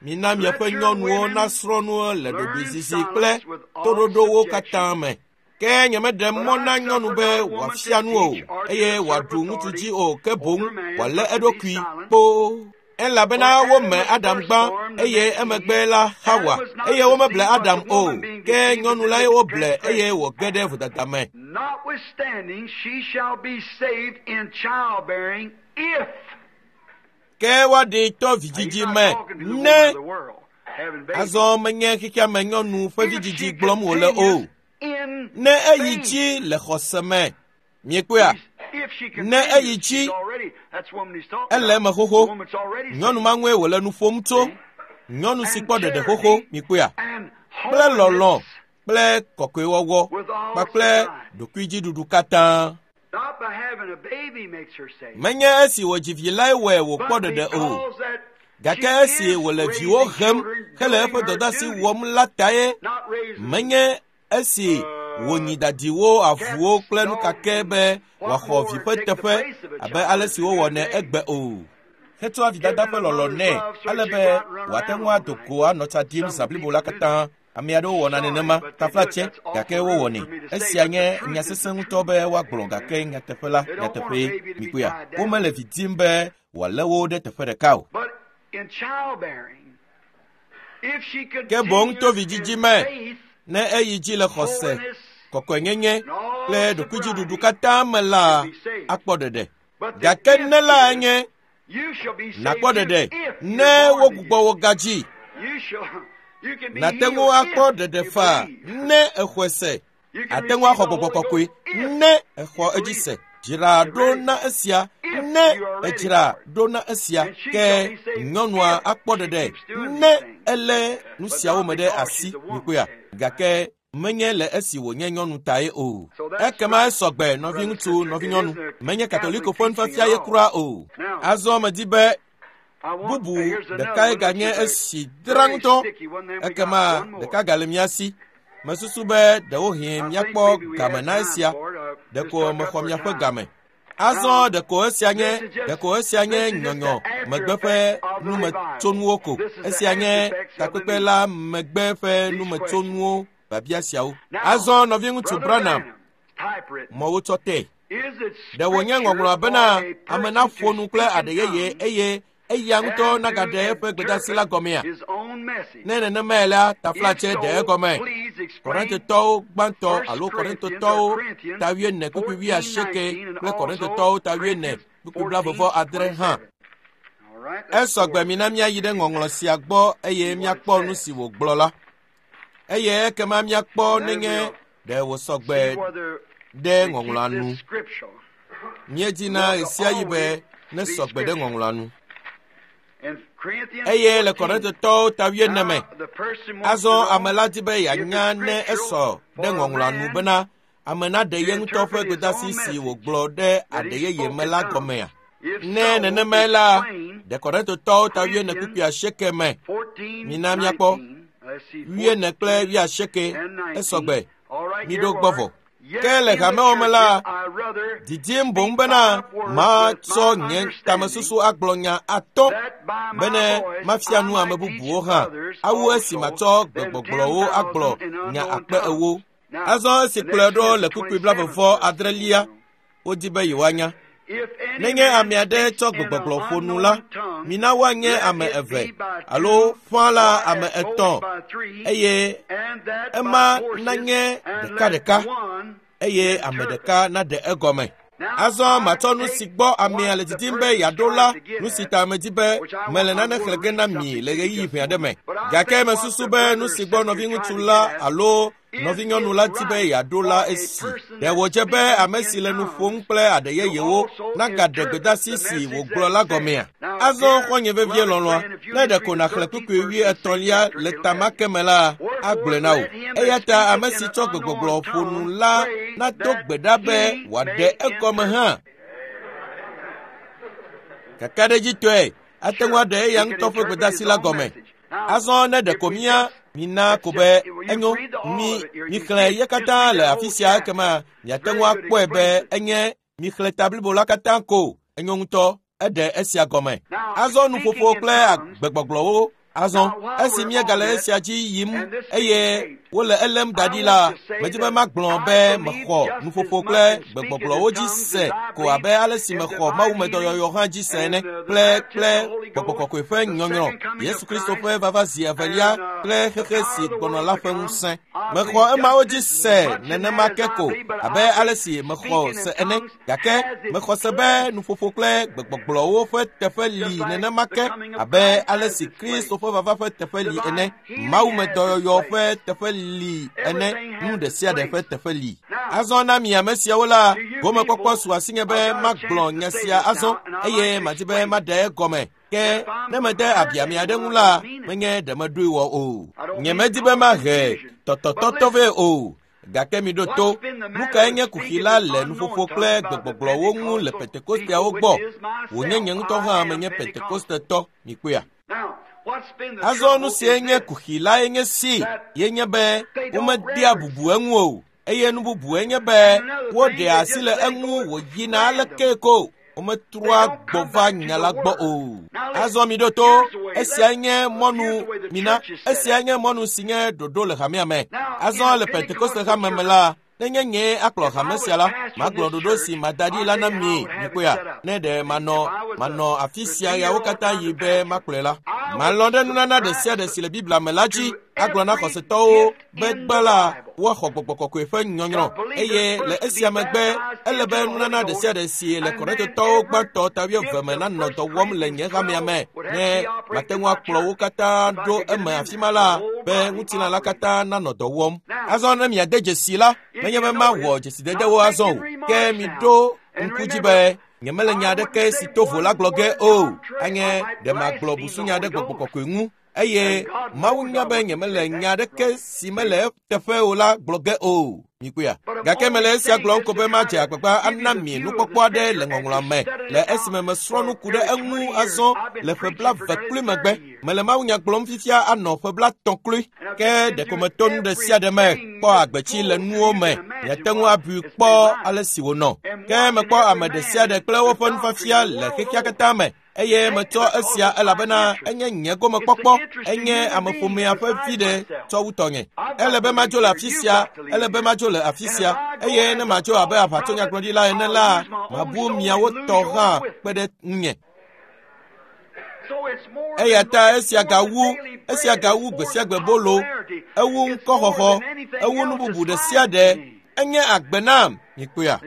Mina miaƒe nyɔnuwo nasrɔ̃ nu le ɖoɖoezizi kple toɖoɖowo katã me. Ke nyemeɖe mɔ na nyɔnu be wòafia nu o, eye wòaɖu ŋutsu dzi o, ke boŋ wòalé eɖokui kpoo. Elabena wome Adam gbã, eye emegbe la Hawa, eye womeble Adam o, ke nyɔnu lae woble eye wòge ɖe vodada me. Notwithstanding, she shall be saved in childbearing if. Ke woaɖee to vidzidzi me ne azɔ menye xexea me nyɔnu ƒe vidzidzi gblɔm wòle o. Ne eyi dzi le xɔse me. Miekpɔea? Ne eyi dzi, ele eme xoxo. Nyɔnu ma ŋue wòle nu ƒom tso. Nyɔnu si kpɔ ɖeɖe xoxo, miekpɔea? Kple lɔlɔ̃ kple kɔkɔewɔwɔ kpakple ɖokuidziɖuɖu katã. Menye esi wòdzi vi lae wɔe wòkpɔ ɖeɖe o, gake esi wòle viwo hem hele eƒe dɔdeasi wɔm la tae. Menye esi wònyi dadiwo, avuwo kple nukake be wòaxɔ vi ƒe teƒe abe ale si wowɔnɛ egbe o. Hetsɔa vidada ƒe lɔlɔ̃ nɛ ale be wòate ŋu ado go anɔ tsa ɖim zã blibo la katã. Ame aɖewo wɔna nenema, taflatse, gake wowɔnɛ. Esia nye nya sesẽ ŋutɔ be woagblɔ, gake nyateƒe la, nyateƒee, mikpɔea? Womele vi dim be wòalé wo ɖe teƒe ɖeka o. Ke boŋ to vidzidzi me, ne eyi dzi le xɔse, kɔkɔenyenye kple ɖokuidziɖuɖu katã me la, akpɔ ɖeɖe. Gake ne la nye nakpɔ ɖeɖe ne wogbugbɔ wo gadzi. Nàte ŋu akpɔ ɖeɖe faa ne exɔe se. Ate ŋu axɔ gbɔgbɔ kɔkɔe ne exɔ edzi se. Dzra ɖo na esia ne edzra ɖo na esia. Ke nyɔnua akpɔ ɖeɖe ne elé nu siawo me ɖe asi. Mikpɔea? Gake menye le esi wònye nyɔnu tae o. Ekema esɔgbe, nɔviŋutsu, nɔvinyɔnu. Menye Katoliko ƒe nufiafia ye kura o. Azɔ medi be bubu ɖekae ganye esi dra ŋutɔ. Ekema ɖeka gale mía si. Mesusu be ɖewohĩ míakpɔ game na esia. Ɖeko mexɔ miaƒe game. Azɔ ɖeko esia nye nyɔnyɔ megbe ƒe numetsonuwo ko. Esia nye takpekpe la megbe ƒe numetsonuwo biabia siawo. Azɔ nɔviŋutsu Branham mɔ wotsɔ tɛ. Ɖe wònye ŋɔŋlɔa bena ame naƒo nu kple aɖe yeye eye eya ŋutɔ nagaɖe eƒe gbedasi la gɔmea? Ne nenemae la, taflatse ɖe egɔme. Korintotɔwo gbãtɔ alo Korintotɔwo ta 4 kpukpui 80 kple Korintotɔwo ta 4 kpukpui 26 hã. Esɔgbe mina míayi ɖe ŋɔŋlɔ sia gbɔ eye míakpɔ nu si wògblɔ la. Eye ekema míakpɔ nenye ɖe wòsɔgbe ɖe ŋɔŋlɔa nu. Míedina ɣesiaɣi be ne sɔgbe ɖe ŋɔŋlɔa nu. Eye le Korintotɔwo ta 4 me, azɔ ame la di be yeanya ne esɔ ɖe ŋɔŋlɔa nu bena ame naɖe ye ŋutɔ ƒe gbedasi si wògblɔ ɖe aɖe yeye me la gɔmea. Ne nenemae la, ɖe Korintotɔwo ta 4 kpukpui 8 me, mina míakpɔ 4 kple 8 esɔgbe, miɖo gbɔ vɔ. Ke le hamewo me la, didim boŋ bena matsɔ nye tamesusu agblɔ nya atɔ bene mafia nu ame bubuwo hã, awu esi matsɔ gbegbɔgblɔwo agblɔ nya akpe 40. Azɔ esi kplɔe ɖo le kpukpui 26, wodi be yewoanya. Nenye ame aɖe tsɔ gbegbɔgblɔ ƒo nu la, mina woanye ame 2 alo ƒã la ame 3, eye ema nanye ɖekaɖeka, eye ame ɖeka naɖe egɔme. Azɔ matsɔ nu si gbɔ amea le didim be yeaɖo la, nu si ta medi be mele nane xlẽ ge na mi le ɣeyiɣi ʋɛ aɖe me. Gake mesusu be nu si gbɔ nɔviŋutsu la alo nɔvinyɔnu la di be yeaɖo la esi. Ɖe wòdze be ame si le nu ƒom kple aɖe yeyewo nagaɖe gbedasi si wògblɔ la gɔmea? Azɔ xɔ̃nye vevie lɔlɔ̃a, ne ɖeko nàxlẽ kpukpui 33 le ta ma ke me la, agblɔe na wò. Eya ta ame si tsɔ gbegbɔgblɔ ƒo nu la nado gbe ɖa be wòaɖe egɔme hã. Kakaɖedzitɔe, ate ŋu aɖe eya ŋutɔ ƒe gbedasi la gɔme. Azɔ ne ɖeko mina ko be enyo, mixlẽ ye katã le afi sia ekema miate ŋu akpɔe be enye mixlẽ ta blibo la katã ko enyo ŋutɔ, eɖe esia gɔme. Azɔ nuƒoƒo kple gbegbɔgblɔwo. Azɔ esi míegale esia dzi yim eye wole elém da ɖi la, medi be magblɔ be mexɔ nuƒoƒo kple gbegbɔgblɔwo dzi se ko abe ale si mexɔ mawumedɔyɔyɔ hã dzi se ene kple gbɔgbɔ kɔkɔe ƒe nyɔnyrɔ, Yesu Kristo ƒe vava zi evelia kple xexe si gbɔnɔ la ƒe ŋusẽ. Mexɔ emawo dzi se nenema ke ko abe ale si mexɔ se ene, gake mexɔ se be nuƒoƒo kple gbegbɔgblɔwo ƒe teƒe li nenema ke abe ale si Kristo ƒe vava ƒe teƒe li ene, mawumedɔyɔyɔ ƒe teƒe li ene, nu ɖe sia ɖe ƒe teƒe li. Azɔ na mi ame siawo la, gomekpɔkpɔ su asinye be magblɔ nya sia azɔ eye madi be maɖe egɔme. Ke ne mede abi ame aɖe ŋu la, menye ɖe meɖoe wɔ o. Nyemedi be mahe tɔtɔtɔtɔ vɛ o. Gake miɖo to, nu kae nye kuxi la le nuƒoƒo kple gbegbɔgblɔwo ŋu le Pentekosteawo gbɔ? Wònye nye ŋutɔ hã menye Pentekostetɔ, mikpɔea? Azɔ nu sie nye kuxi lae nye si, ye nye be womedea bubu eŋu o, eye nu bubue nye be woɖea asi le eŋu wòyina aleke ko. Wometrɔa gbɔ va nya la gbɔ o. Azɔ miɖo to, esia nye mɔnu mina, esia nye mɔnu si nye ɖoɖo le hamea me. Azɔ le Pentekoste hame me la, nenye nyee akplɔ hame sia la, magblɔ ɖoɖo si mada ɖi la na mi, mikpɔea, ne ɖe manɔ afi sia yawo katã yi be makplɔe la. Malɔ̃ ɖe nunana ɖe sia ɖe si le Biblia me la dzi, agblɔ na xɔsetɔwo be gbã la, woaxɔ gbɔgbɔ kɔkɔe ƒe nyɔnyrɔ, eye le esia megbe, ele be nunana ɖe sia ɖe si le Korintotɔwo gbãtɔ ta 8 me nanɔ dɔ wɔm le nye hamea me, ne mate ŋu akplɔ wo katã ɖo eme afi ma la, be ŋutilã la katã nanɔ dɔ wɔm. Azɔ ne miade dzesi la, menye be mawɔ dzesidedewo azɔ o, ke miɖo ŋku dzi be nyemele nya aɖeke si to vo la gblɔ ge o, anye ɖe magblɔ busunya ɖe gbɔgbɔ kɔkɔe ŋu, eye Mawu nya be nyemele nya aɖeke si mele eteƒe o la gblɔ ge o. Mikpɔea? Gake mele esia gblɔm ko be madze agbagba ana mi nukpɔkpɔ aɖe le ŋɔŋlɔa me le esime mesrɔ̃ nu ku ɖe eŋu azɔ le ƒe 20 kloe megbe. Mele mawunya gblɔm fifia anɔ ƒe 30 kloe. Ke ɖeko meto nu ɖe sia ɖe me kpɔ agbetsi le nuwo me. Miate ŋu abui kpɔ ale si wònɔ. Ke mekpɔ ame ɖe sia ɖe kple woƒe nufiafia le xexea katã me. Eye metsɔ esia elabena enye nye gomekpɔkpɔ, enye ameƒomea ƒe viɖe tsɔ wu tɔnye. Ele be madzo le afi sia, ele be madzo le afi sia, eye ne madzo abe aʋatsonyagblɔɖila ene la, mabu miawo tɔ hã kpe ɖe ŋunye. Eya ta esia gawu gbe sia gbe bolo, ewu ŋkɔxɔxɔ, ewu nu bubu ɖe sia ɖe, enye agbe nam, mikpɔea.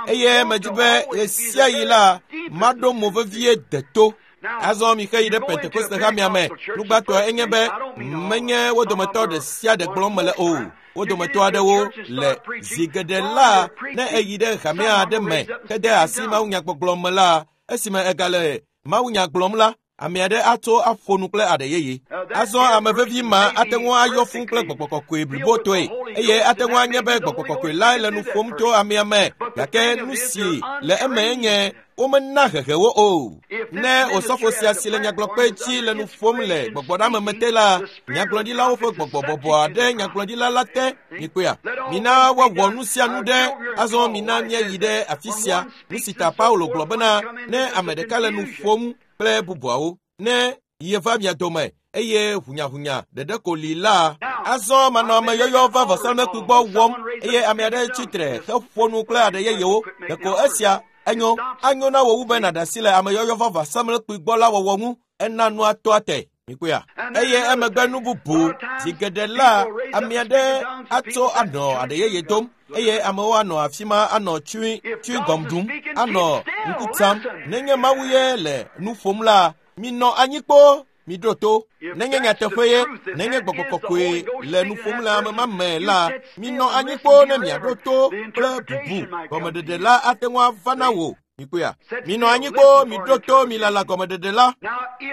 Eye medzi be ɣe sia ɣi la, maɖo mo vevie deto. Azɔ mixe yi ɖe Pentekoste hamea me. Nugbãtɔe enye be menye wo dometɔ ɖe sia ɖe gblɔm mele o. Wo dometɔ aɖewo le zi geɖe la, ne eyi ɖe hamea aɖe me hede asi mawunyagbɔgblɔ me la, esime egale mawunya gblɔm la, ame aɖe atso aƒo nu kple aɖe yeye. Azɔ ame vevi ma ate ŋu ayɔ fũu kple gbɔgbɔ kɔkɔe blibotɔe, eye ate ŋu anye be gbɔgbɔ kɔkɔe lae le nu ƒom tso amea me, gake nu si le eme nye womena hehe wo o. Ne osɔfo sia si le nyagblɔkpe dzi le nu ƒom le gbɔgbɔɖeameme te la, nyagblɔɖilawo ƒe gbɔgbɔ bɔbɔa ɖe nyagblɔɖila la te. Mikpɔea? Mina woawɔ nu sia nu ɖe. Azɔ mina míayi ɖe afi sia. Nu si ta Paulo gblɔ bena ne ame ɖeka le nu ƒom kple bubuawo, ne yeva mia dome eye hunyahunya ɖeɖe ko li la, azɔ manɔ ameyɔyɔ va vɔsamlekpui gbɔ wɔm eye ame aɖe tsitre heƒo nu kple aɖe yeyewo. Ɖeko esia enyo, anyo na wò wu be nàɖe asi le ameyɔyɔ va vɔsamlekpui gbɔ la wɔwɔ ŋu. Ena nua toa te. Mikpɔea? Eye emegbe nu bubu zi geɖe la, ame aɖe atso anɔ aɖe yeye dom eye amewo anɔ afi ma anɔ chewing gum ɖum, anɔ ŋku tsam. Nenye Mawu ye le nu ƒom la, minɔ anyi kpoo, miɖo to. Nenye nyateƒe ye, nenye gbɔgbɔ kɔkɔe le nu ƒom le ame ma me la, minɔ anyi kpoo ne miaɖo to kple bubu. Gɔmeɖeɖe la ate ŋu ava na wò. Mikpɔea? Minɔ anyi kpoo, miɖo to, milala gɔmeɖeɖe la.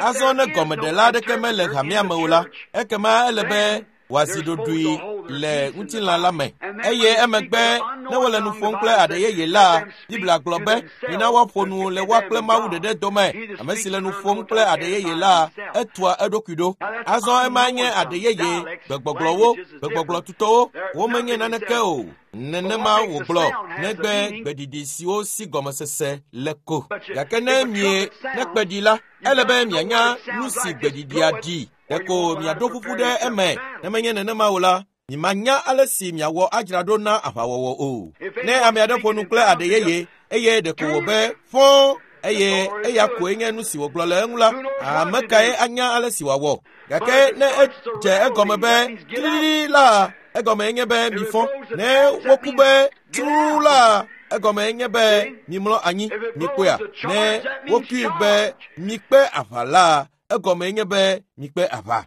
Azɔ ne gɔmeɖela aɖeke mele hamea me o la, ekema ele be wòazi ɖoɖoe le ŋutilã la me. Eye emegbe ne wole nu ƒom kple aɖe yeye la, Biblia gblɔ be mina woaƒo nu le woa kple Mawu ɖeɖe dome. Ame si le nu ƒom kple aɖe yeye la, etua eɖokui ɖo. Azɔ ema nye aɖe yeye, gbegbɔgblɔwo, gbegbɔgblɔ tutɔwo, womenye naneke o. Nenema wògblɔ, negbe gbeɖiɖi siwo si gɔmesese le ko. Gake ne mie ne kpe ɖi la, ele be mianya nu si gbeɖiɖia ɖi. Ɖeko miaɖo ƒuƒu ɖe eme. Ne menye nenema o la, mimanya ale si miawɔ adzra ɖo na aʋawɔwɔ o. Ne ame aɖe ƒo nu kple aɖe yeye eye ɖeko wò be fɔ̃ eye eya koe nye nu si wògblɔ le eŋu la, ame kae anya ale si wòawɔ? Gake ne edze egɔme be tilili la, egɔme nye be mifɔ. Ne woku be tru la, egɔme nye be mimlɔ anyi. Mikpɔea? Ne wokui be mikpe aʋa la, egɔme nye be mikpe aʋa.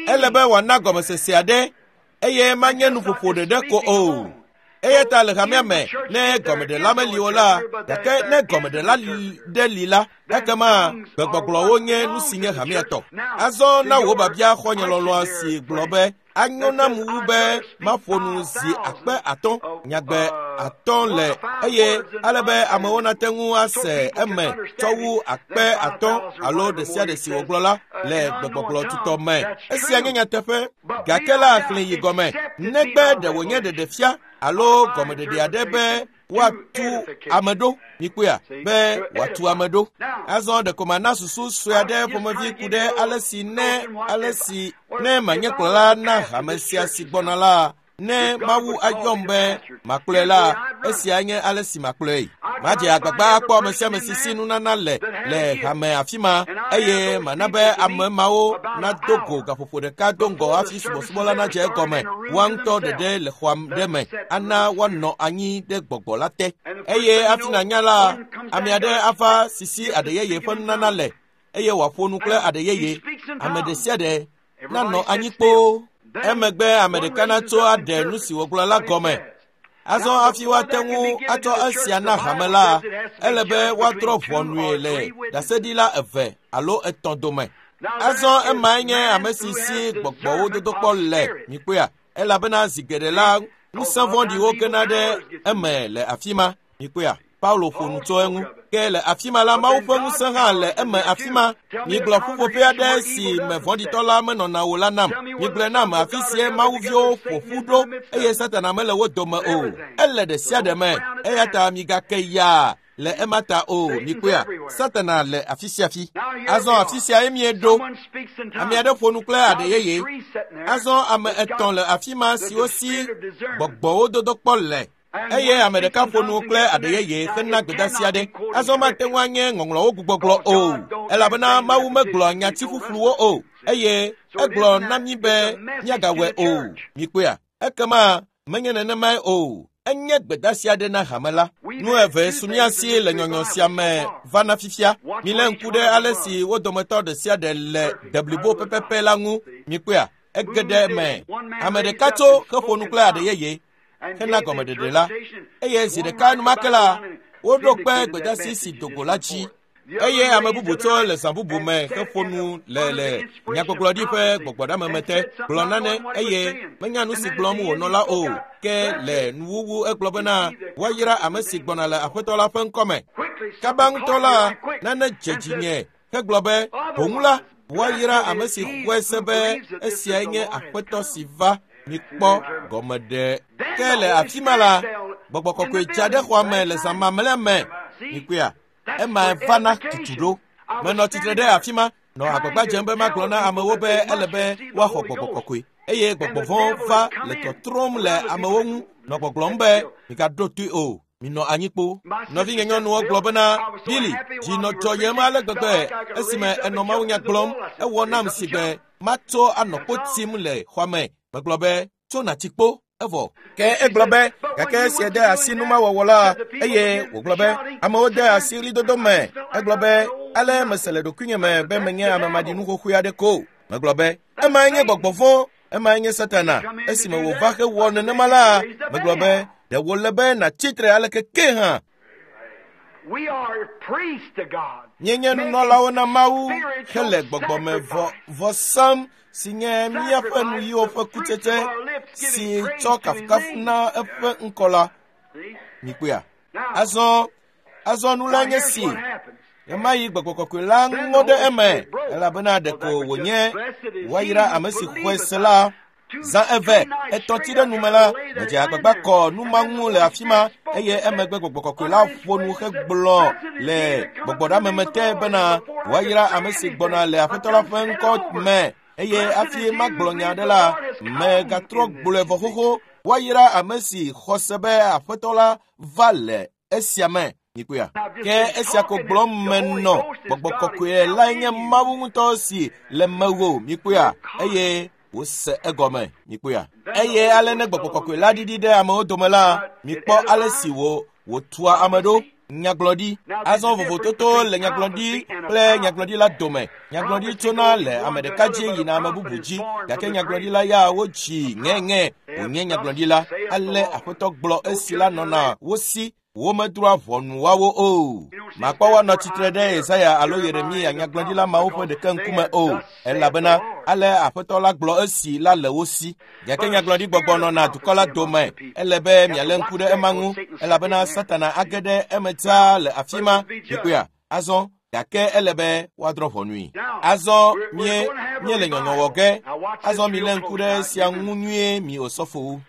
Ele be wòana gɔmesese aɖe eye manye nuƒoƒo ɖeɖe ko o. Eya ta le hamea me, ne gɔmeɖela meli o la, gake ne gɔmeɖela ɖe li la, ekema gbegbɔgblɔwo nye nu si nye hamea tɔ. Azɔ na wò biabia xɔnye lɔlɔ̃a si gblɔ be anyo nam wu be maƒo nu zi 50,000 nyagbe 5 le eye ale be amewo nate ŋu ase eme tsɔ wu 50,000 alo ɖe sia ɖe si wògblɔ la le gbegbɔgblɔ tutɔ me. Esia nye nyateƒe, gake la xlẽ yi gɔme negbe ɖe wònye ɖeɖefia alo gɔmeɖeɖe aɖe be woatu ame ɖo. Mikpɔea? Be wòatu ame ɖo. Azɔ ɖeko mana susu sue aɖe ƒomevi ku ɖe ale si ne manye kplɔla na hame sia si gbɔna la, ne Mawu ayɔm be makplɔe la, esia nye ale si makplɔe. Madze agbagba akpɔ ame sia ame si si nunana le hame afi ma, eye mana be ame mawo nado go gaƒoƒo ɖeka do ŋgɔ hafi subɔsubɔ la nadze egɔme. Woa ŋutɔ ɖeɖe le xɔa ɖe me ana woanɔ anyi ɖe gbɔgbɔ la te. Eye hafi nànya la, ame aɖe ava si si aɖe yeye ƒe nunana le eye wòaƒo nu kple aɖe yeye. Ame ɖe sia ɖe nanɔ anyi kpoo. Emegbe ame ɖeka natso aɖe nu si wògblɔ la gɔme. Azɔ hafi woate ŋu atsɔ esia na hame la, ele be woadrɔ̃ ʋɔnue le ɖaseɖila 2 alo 3 dome. Azɔ emae nye ame si si gbɔgbɔwo dodokpɔ le. Mikpɔea? Elabena zi geɖe la, ŋusẽ vɔ̃ɖiwo gena ɖe eme le afi ma. Mikpɔea? Paulo ƒo nu tso eŋu. Ke le afi ma la, Mawu ƒe ŋusẽ hã le eme afi ma. Migblɔ ƒuƒoƒe aɖe si me vɔ̃ɖitɔ la menɔna o la nam. Migblɔe nam afi sie Mawuviwo ƒo ƒu ɖo eye Satana mele wo dome o. Ele ɖe sia ɖe me. Eya ta migake yaa. le ema ta o. Mikpɔea, Satana le afi sia fi. Azɔ afi sia ye mieɖo. Ame aɖe ƒo nu kple aɖe yeye. Azɔ ame 3 le afi ma siwo si gbɔgbɔwo dodokpɔ le. Eye ame ɖeka ƒo nu kple aɖe yeye hena gbedeasi aɖe. Azɔ mate ŋu anye ŋɔŋlɔwo gbugbɔgblɔ o, elabena Mawu megblɔ nyati ƒuƒluwo o, eye egblɔ na mí be míagawɔe o. Mikpɔea, ekema menye nenemae o. Enye gbedeasi aɖe na hame la. Nu eve su mía si le nyɔnyɔ sia me vana fifia. Milé ŋku ɖe ale si wo dometɔ ɖe sia ɖe le deblibo pɛpɛpɛ la ŋu. Mikpɔea, ege ɖe eme. Ame ɖeka tso heƒo nu kple aɖe yeye hena gɔmeɖeɖe la, eye zi ɖeka enumake la, woɖo kpe gbedeasi si dogo la dzi. Eye ame bubu tso le zã bubu me heƒo nu le nyagbɔgblɔɖi ƒe gbɔgbɔɖameme te, gblɔ nane eye menya nu si gblɔm wònɔ la o. Ke le nuwuwu egblɔ bena woayra ame si gbɔna le Aƒetɔ la ƒe ŋkɔme. Kaba ŋutɔ la, nane dze dzinye hegblɔ be boŋu la, woayra ame si xɔe se be esiae nye Aƒetɔ si va. Mikpɔ gɔmeɖe. Ke le afi ma la, gbɔgbɔ kɔkɔe dza ɖe xɔa me le zã mamlɛa me. Mikpɔea, ema vana tutu ɖo. Menɔ tsitre ɖe afi ma, nɔ agbagba dzem be magblɔ na amewo be ele be woaxɔ gbɔgbɔ kɔkɔe, eye gbɔgbɔ vɔ̃ va le tɔtrɔm le amewo ŋu, nɔ gbɔgblɔm be migaɖo toe o, minɔ anyi kpo. Nɔvinye nyɔnuwo gblɔ bena, Billy, dzi nɔ dzɔyem ale gbegbe esime enɔ mawunya gblɔm. Ewɔ nam si be matso anɔ kpo tim le xɔa me. Megblɔ be, tso natsi kpo, evɔ. Ke egblɔ be, gake esia de asi numawɔwɔ la, eye wògblɔ be, amewo de asi ɣlidodo me. Egblɔ be, ale mese le ɖokuinye me be menye ame maɖinu xoxoe aɖe ko. Megblɔ be, emae nye gbɔgbɔ vɔ̃, emae nye Satana. Esime wòva hewɔ nenema la, megblɔ be, ɖe wòle be natsi tre aleke ke hã. Míenye nunɔlawo na Mawu hele gbɔgbɔme vɔ sam si nye míaƒe nuyiwo ƒe kutsetse si tsɔ kafukafu na eƒe ŋkɔ la. Mikpɔea? Azɔ nu la nye si. Ɣemaɣi gbɔgbɔ kɔkɔe la ŋɔ ɖe eme, elabena ɖeko wònye woayra ame si xɔe se la. Zã 2, 3 tsi ɖe nume la, medze agbagba kɔ nu ma ŋu le afi ma, eye emegbe gbɔgbɔ kɔkɔe la ƒo nu hegblɔ le gbɔgbɔɖameme te bena woayra ame si gbɔna le Aƒetɔ la ƒe ŋkɔ me. Eye hafi magblɔ nya aɖe la, megatrɔ gblɔe vɔ xoxo. Woayra ame si xɔ se be Aƒetɔ la va le esia me. Mikpɔea? Ke esia ko gblɔm menɔ. Gbɔgbɔ kɔkɔe lae nye Mawu ŋutɔ si le mewò. Mikpɔea? Eye wose egɔme. Mikpɔea? Eye ale ne gbɔgbɔ kɔkɔe la ɖiɖi ɖe amewo dome la, mikpɔ ale si wòtua ame ɖo. Nyagblɔɖi. Azɔ vovototo le nyagblɔɖi kple nyagblɔɖi la dome. Nyagblɔɖi tsona le ame ɖeka dzi yina ame bubu dzi, gake nyagblɔɖi la ya wodzi ŋɛŋɛ wònye nyagblɔɖi la. Ale Aƒetɔ gblɔ esi la nɔna wo si, womedroa ʋɔnu woawo o. Makpɔ woanɔ tsitre ɖe Yesaya alo Yeremia nyagblɔɖila mawo ƒe ɖeke ŋkume o, elabena ale Aƒetɔ la gblɔ esi la le wo si. Gake nyagblɔɖi gbɔgbɔ nɔna dukɔ la dome. Ele be mialé ŋku ɖe ema ŋu, elabena Satana age ɖe eme dzaa le afi ma. Mikpɔea? Azɔ, gake ele be woadrɔ̃ ʋɔnui. Azɔ míele nyɔnyɔ wɔ ge. Azɔ milé ŋku ɖe esia ŋu nyuie, mi osɔfowo.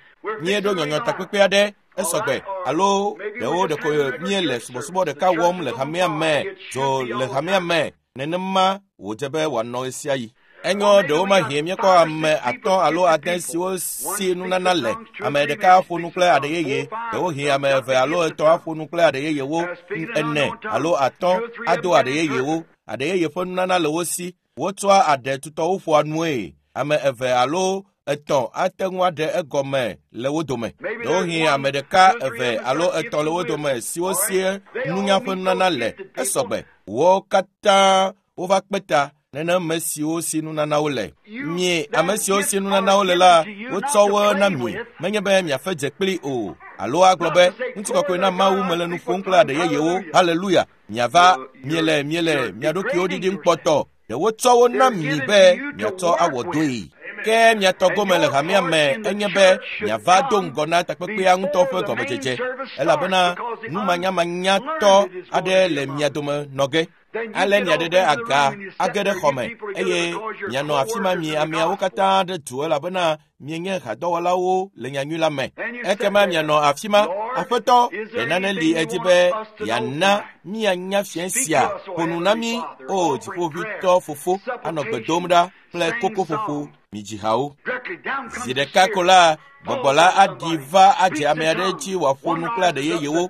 Míeɖo nyɔnyɔ takpekpe aɖe esɔgbe, alo ɖewo ɖeko míele subɔsubɔ ɖeka wɔm le hamea me, dzo le hamea me. Nenema wòdze be wòanɔ ɣesiaɣi. Enyo, ɖewo mahie míekpɔ ame 5 alo 6 siwo si nunana le. Ame ɖeka aƒo nu kple aɖe yeye, ɖewohĩ ame 2 alo 3 aƒo nu kple aɖe yeyewo, 4 alo 5 ado aɖe yeyewo. Aɖe yeye ƒe nunana le wo si. Wotsɔa aɖe tutɔwo ƒoa nue. Ame 2 alo 3 ate ŋu aɖe egɔme le wo dome. Ɖewohĩ ame ɖeka, 2 alo 3 le wo dome siwo si nunya ƒe nunana le. Esɔgbe. Wo katã wova kpe ta nenem siwo si nunanawo le. Mi ame siwo si nunanawo le la, wotsɔ wo na mi. Menye be miafe dze kpli o, alo agblɔ be ŋutikɔkɔe na Mawu mele nu ƒom kple aɖe yeyewo. Haleluya! Miava, miele mia ɖokuiwo ɖiɖim kpɔtɔ. Ɖe wotsɔ wo na mi be miatsɔ awɔ dɔe. Ke miatɔ gome le hamea me enye be miava do ŋgɔ na takpekpea ŋutɔ ƒe gɔmedzedze, elabena numanyamanyatɔ aɖe le mia dome nɔ ge. Ale miaɖe ɖe aga age ɖe xɔme eye mianɔ afi ma mi ameawo katã ɖe du elabena mienye hadɔwɔlawo le nyanyui la me. Ekema mianɔ afi ma. Aƒetɔ, ɖe nane li edzi be yeana míanya fiẽ sia. Ƒo nu na mí, o dziƒoʋĩtɔ fofo, anɔ gbe dom ɖa kple kokoƒoƒo midzi hawo. Zi ɖeka ko la, gbɔgbɔ la aɖi va adze ame aɖe dzi wòaƒo nu kple aɖe yeyewo.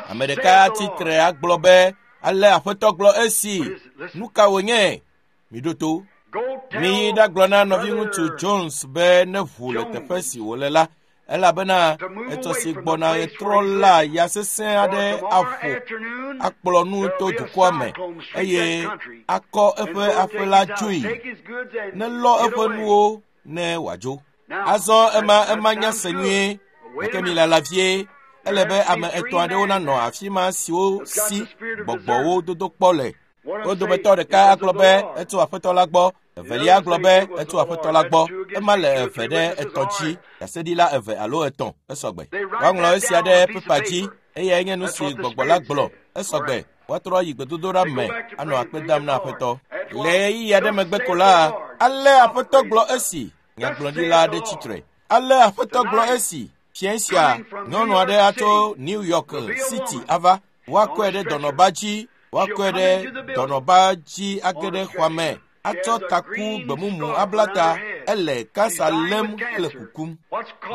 Ame ɖeka atsi tre agblɔ be, ale Aƒetɔ gblɔ esi. Nu ka wònye? Miɖo to. Miyi ɖagblɔ na nɔviŋutsu Jones be ne ʋu le teƒe si wòle la, elabena etsɔ si gbɔna ɣetrɔ la ya sesẽ aɖe aƒo akplɔ nu to dukɔa me eye akɔ eƒe aƒe la dzoe. Nelɔ eƒe nuwo ne wòadzo. Azɔ ema nya se nyuie, gake milala vie. Ele be ame etɔ̃ aɖewo nanɔ afi ma siwo si gbɔgbɔwo dodo kpɔ le. Wo dometɔ ɖeka agblɔ be etso Aƒetɔ la gbɔ, evelia agblɔ be etso Aƒetɔ la gbɔ. Ema le eve ɖe etɔ̃ dzi, ɖaseɖila eve alo etɔ̃, esɔgbe. Woaŋlɔ esia ɖe pepa dzi, eyae nye nu si gbɔgbɔ la gblɔ, esɔgbe. Woatrɔ yi gbedodoɖa me anɔ akpe dam na Aƒetɔ. Le ɣeyiɣi aɖe megbe ko la, ale Aƒetɔ gblɔ esi, nyagblɔɖila aɖe tsitre. Ale Aƒetɔ gblɔ esi, fiẽ sia, nyɔnu aɖe atso New York City ava. Woakɔe ɖe dɔnɔba dzi, woakɔe ɖe dɔnɔba dzi age ɖe xɔa me, atsɔ taku gbemumu abla ta, ele kansa lém hele kukum.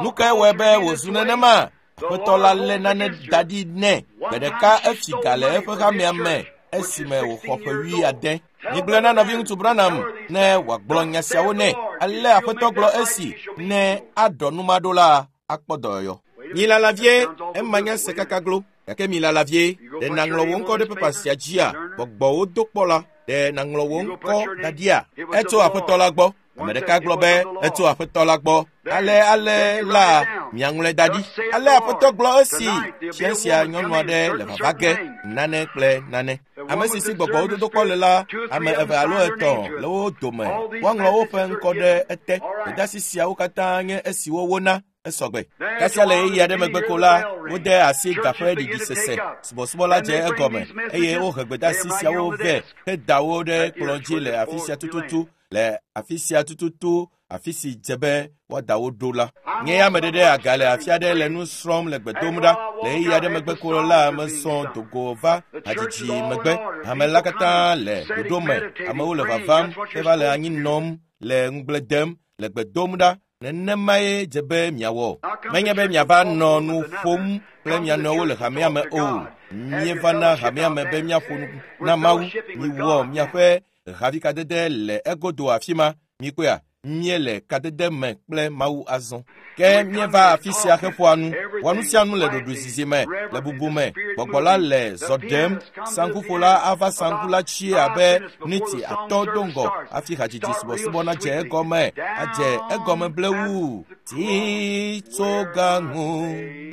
Nu kae wɔe be wòzu nenema? Aƒetɔ la lé nane da ɖi nɛ. Gbe ɖeka efi ga le eƒe hamea me esime wòxɔ ƒe 70. Migblɔe na nɔviŋutsu Branham ne wòagblɔ nya siawo nɛ. Ale Aƒetɔ gblɔ esi ne aɖɔ nu ma ɖo la, akpɔ dɔyɔyɔ. Milala vie, ema nya se kaka glo. Gake milala vie, ɖe nàŋlɔ wò ŋkɔ ɖe pepa sia dzia? Gbɔgbɔwo do kpɔ la, ɖe nàŋlɔ wò ŋkɔ da ɖia? Etso Aƒetɔ la gbɔ. Ame ɖeka gblɔ be etso Aƒetɔ la gbɔ. Ale ale la miaŋlɔe da ɖi. Ale Aƒetɔ gblɔ esi fiẽ sia nyɔnu aɖe le vava ge nane kple nane. Ame si si gbɔgbɔwo dodo kpɔ le la, ame eve alo etɔ̃ le wo dome. Woaŋlɔ woƒe ŋkɔ ɖe ete. Gbedeasi siawo katã nye esiwo wona. Esɔgbe. Kasia le ɣeyiɣi aɖe megbe ko la, wode asi gaƒe ɖiɖi sese. Subɔsubɔ la dze egɔme eye wohe gbedeasi siawo vɛ heda wo ɖe kplɔ̃ dzi le afi sia tututu le afi sia tututu afi si dze be woada wo ɖo la. Nye ya meɖe ɖe aga le afi aɖe le nu srɔ̃m le gbe dom ɖa. Le ɣeyiɣi aɖe megbe ko la, mesɔ dogo va hadzidzi megbe. Hame la katã le ɖoɖo me. Amewo le vavam heva le anyi nɔm le ŋugble dem le gbe dom ɖa. Nenemae dze be miawɔ. Menye be miava nɔ nu ƒom kple mia nɔewo le hamea me o. Míeva na hamea me be míaƒo nu na Mawu. Miwɔ miaƒe havikadede le egodo afi ma. Mikpɔea, míele kadede me kple Mawu azɔ. Ke míeva afi sia heƒoa nu. Wɔ nu sia nu le ɖoɖoezizi me, le bubu me. Gbɔgbɔ la le zɔ ɖem. Saŋkuƒola ava saŋku la tsi abe miniti atɔ̃ do ŋgɔ hafi hadzidzi subɔsubɔ nadze egɔme. Adze egɔme blewu. Titsoga ŋu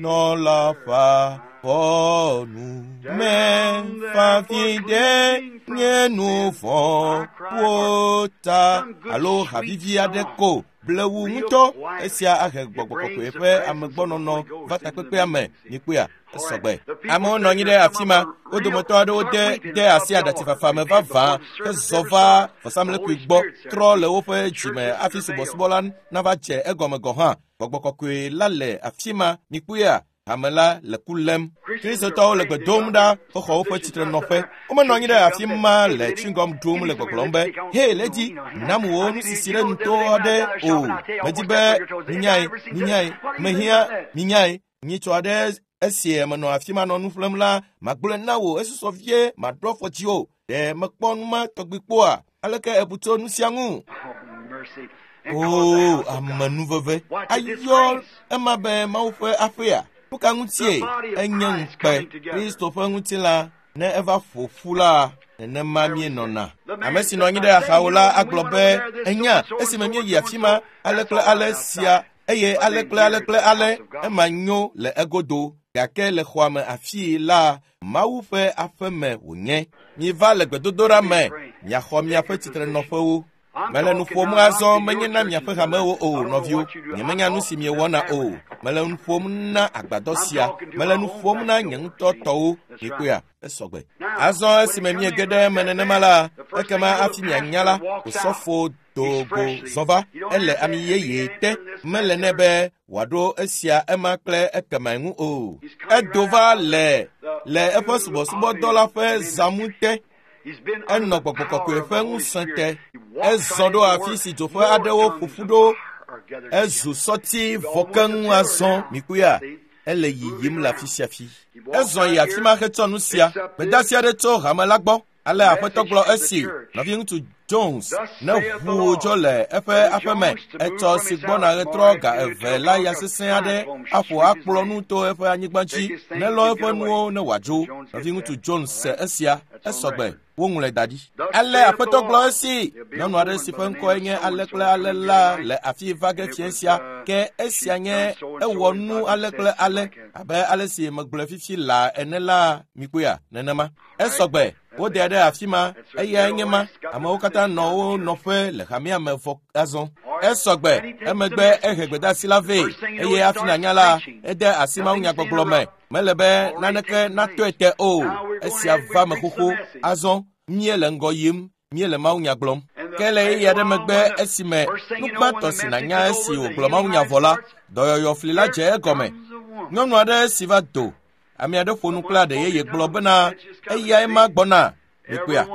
nɔla ƒe afɔnu me fafi ɖe nye nu vɔ̃wo ta alo havivi aɖe ko blewu ŋutɔ. Esia ahe gbɔgbɔ kɔkɔe ƒe amegbɔnɔnɔ va takpekpea me. Mikpɔea, esɔgbe. Amewo nɔ anyi ɖe afi ma. Wo dometɔ aɖewo de asi aɖatsifafa me vavã hezɔ va vɔsamlekpui gbɔ trɔ le woƒe dzime hafi subɔsubɔ la nava dze egɔme gɔ̃ hã. Gbɔgbɔ kɔkɔe la le afi ma. Mikpɔea, hame la le ku lém. Kristotɔwo le gbe dom ɖa hexɔ woƒe tsitrenɔƒe. Womenɔ anyi ɖe afi ma le chewing-gum ɖum le gbɔgblɔm be, "He, lady, nam wò nusisi ɖe nuto aɖe o. Medi be minyae, minyae, mehiã minyae." Nyitsɔ aɖe esi menɔ afi ma nɔ nu ƒlem la, magblɔe na wò esusɔ vie maɖo afɔ dziwò. Ɖe mekpɔ nu ma tɔgbi kpɔa? Aleke èbu tso nu sia ŋu? Oo, amenuveve! Ayɔ ema be Mawu ƒe aƒea? Nu ka ŋutie enye ŋukpe? Kristo ƒe ŋutilã ne eva ƒo ƒu la, nenema míenɔna. Ame si nɔ anyi ɖe axawo la agblɔ be, enya, esime míeyi afi ma, ale kple ale sia, eye ale kple ale kple ale, ema nyo le egodo. Gake le xɔa me afii la, Mawu ƒe aƒe me wònye. Miva le gbedodoɖa me, miaxɔ miaƒe tsitrenɔƒewo. Mele nu ƒom azɔ menye na miaƒe hamewo o, nɔviwo. Nyemenya nu si miewɔna o. Mele nu ƒom na agbadɔ sia. Mele nu ƒom na nye ŋutɔ tɔwo. Mikpɔea, esɔgbe. Azɔ esime miege ɖe eme nenema la, ekema hafi mianya la, osɔfo do go zɔ va. Ele ami yeye te. Mele nɛ be wòaɖo esia ema kple ekeme ŋu o. Edo va le eƒe subɔsubɔdɔ la ƒe zãmu te. Enɔ gbɔgbɔ kɔkɔe ƒe ŋusẽ te. Ezɔ ɖo afi si dzoƒe aɖewo ƒo ƒu ɖo. Ezu sɔti vɔ keŋ azɔ. Mikpɔea, ele yiyim le afi sia fi. Ezɔ yi afi ma hetsɔ nu sia. Gbedeasi aɖe tso hame la gbɔ. Ale aƒetɔ gblɔ esi nɔviŋutsu Jones ne ʋu dzo le eƒe aƒeme etsɔ si gbɔna ɣetrɔ ga 2 la ya sesẽ aɖe aƒo akplɔ nu to eƒe anyigba dzi nelɔ eƒe nuwo ne wòadzo. Nɔviŋutsu Jones se esia esɔgbe woŋlɔe da ɖi. Ale aƒetɔ gblɔ esi nyɔnu aɖe si ƒe ŋkɔe nye ale kple ale la le afi va ge fia sia ke esia nye ewɔ nu ale kple ale abe ale si megblɔe fifi la ene la mikpɔea nenema. Esɔgbe wode ɖe afi ma eyae nye ma. Amewo katã nɔ wo nɔƒe le hamea me vɔ azɔ. Esɔgbe emegbe ehe gbedeasi la vɛ eye hafi nànya la ede asi mawunyagbɔgblɔ me. Mele be naneke natɔe te o. Esia va me xoxo. Azɔ míele ŋgɔ yim, míele mawunya gblɔm. Ke le ɣeyiɣi aɖe megbe esime nu gbãtɔ si nànya esi wògblɔ mawunya vɔ la, dɔyɔyɔfli la dze egɔme. Nyɔnu aɖe si va do. Ame aɖe ƒo nu kple aɖe yeye gblɔ bena eyae ma gbɔna. Mikpɔea,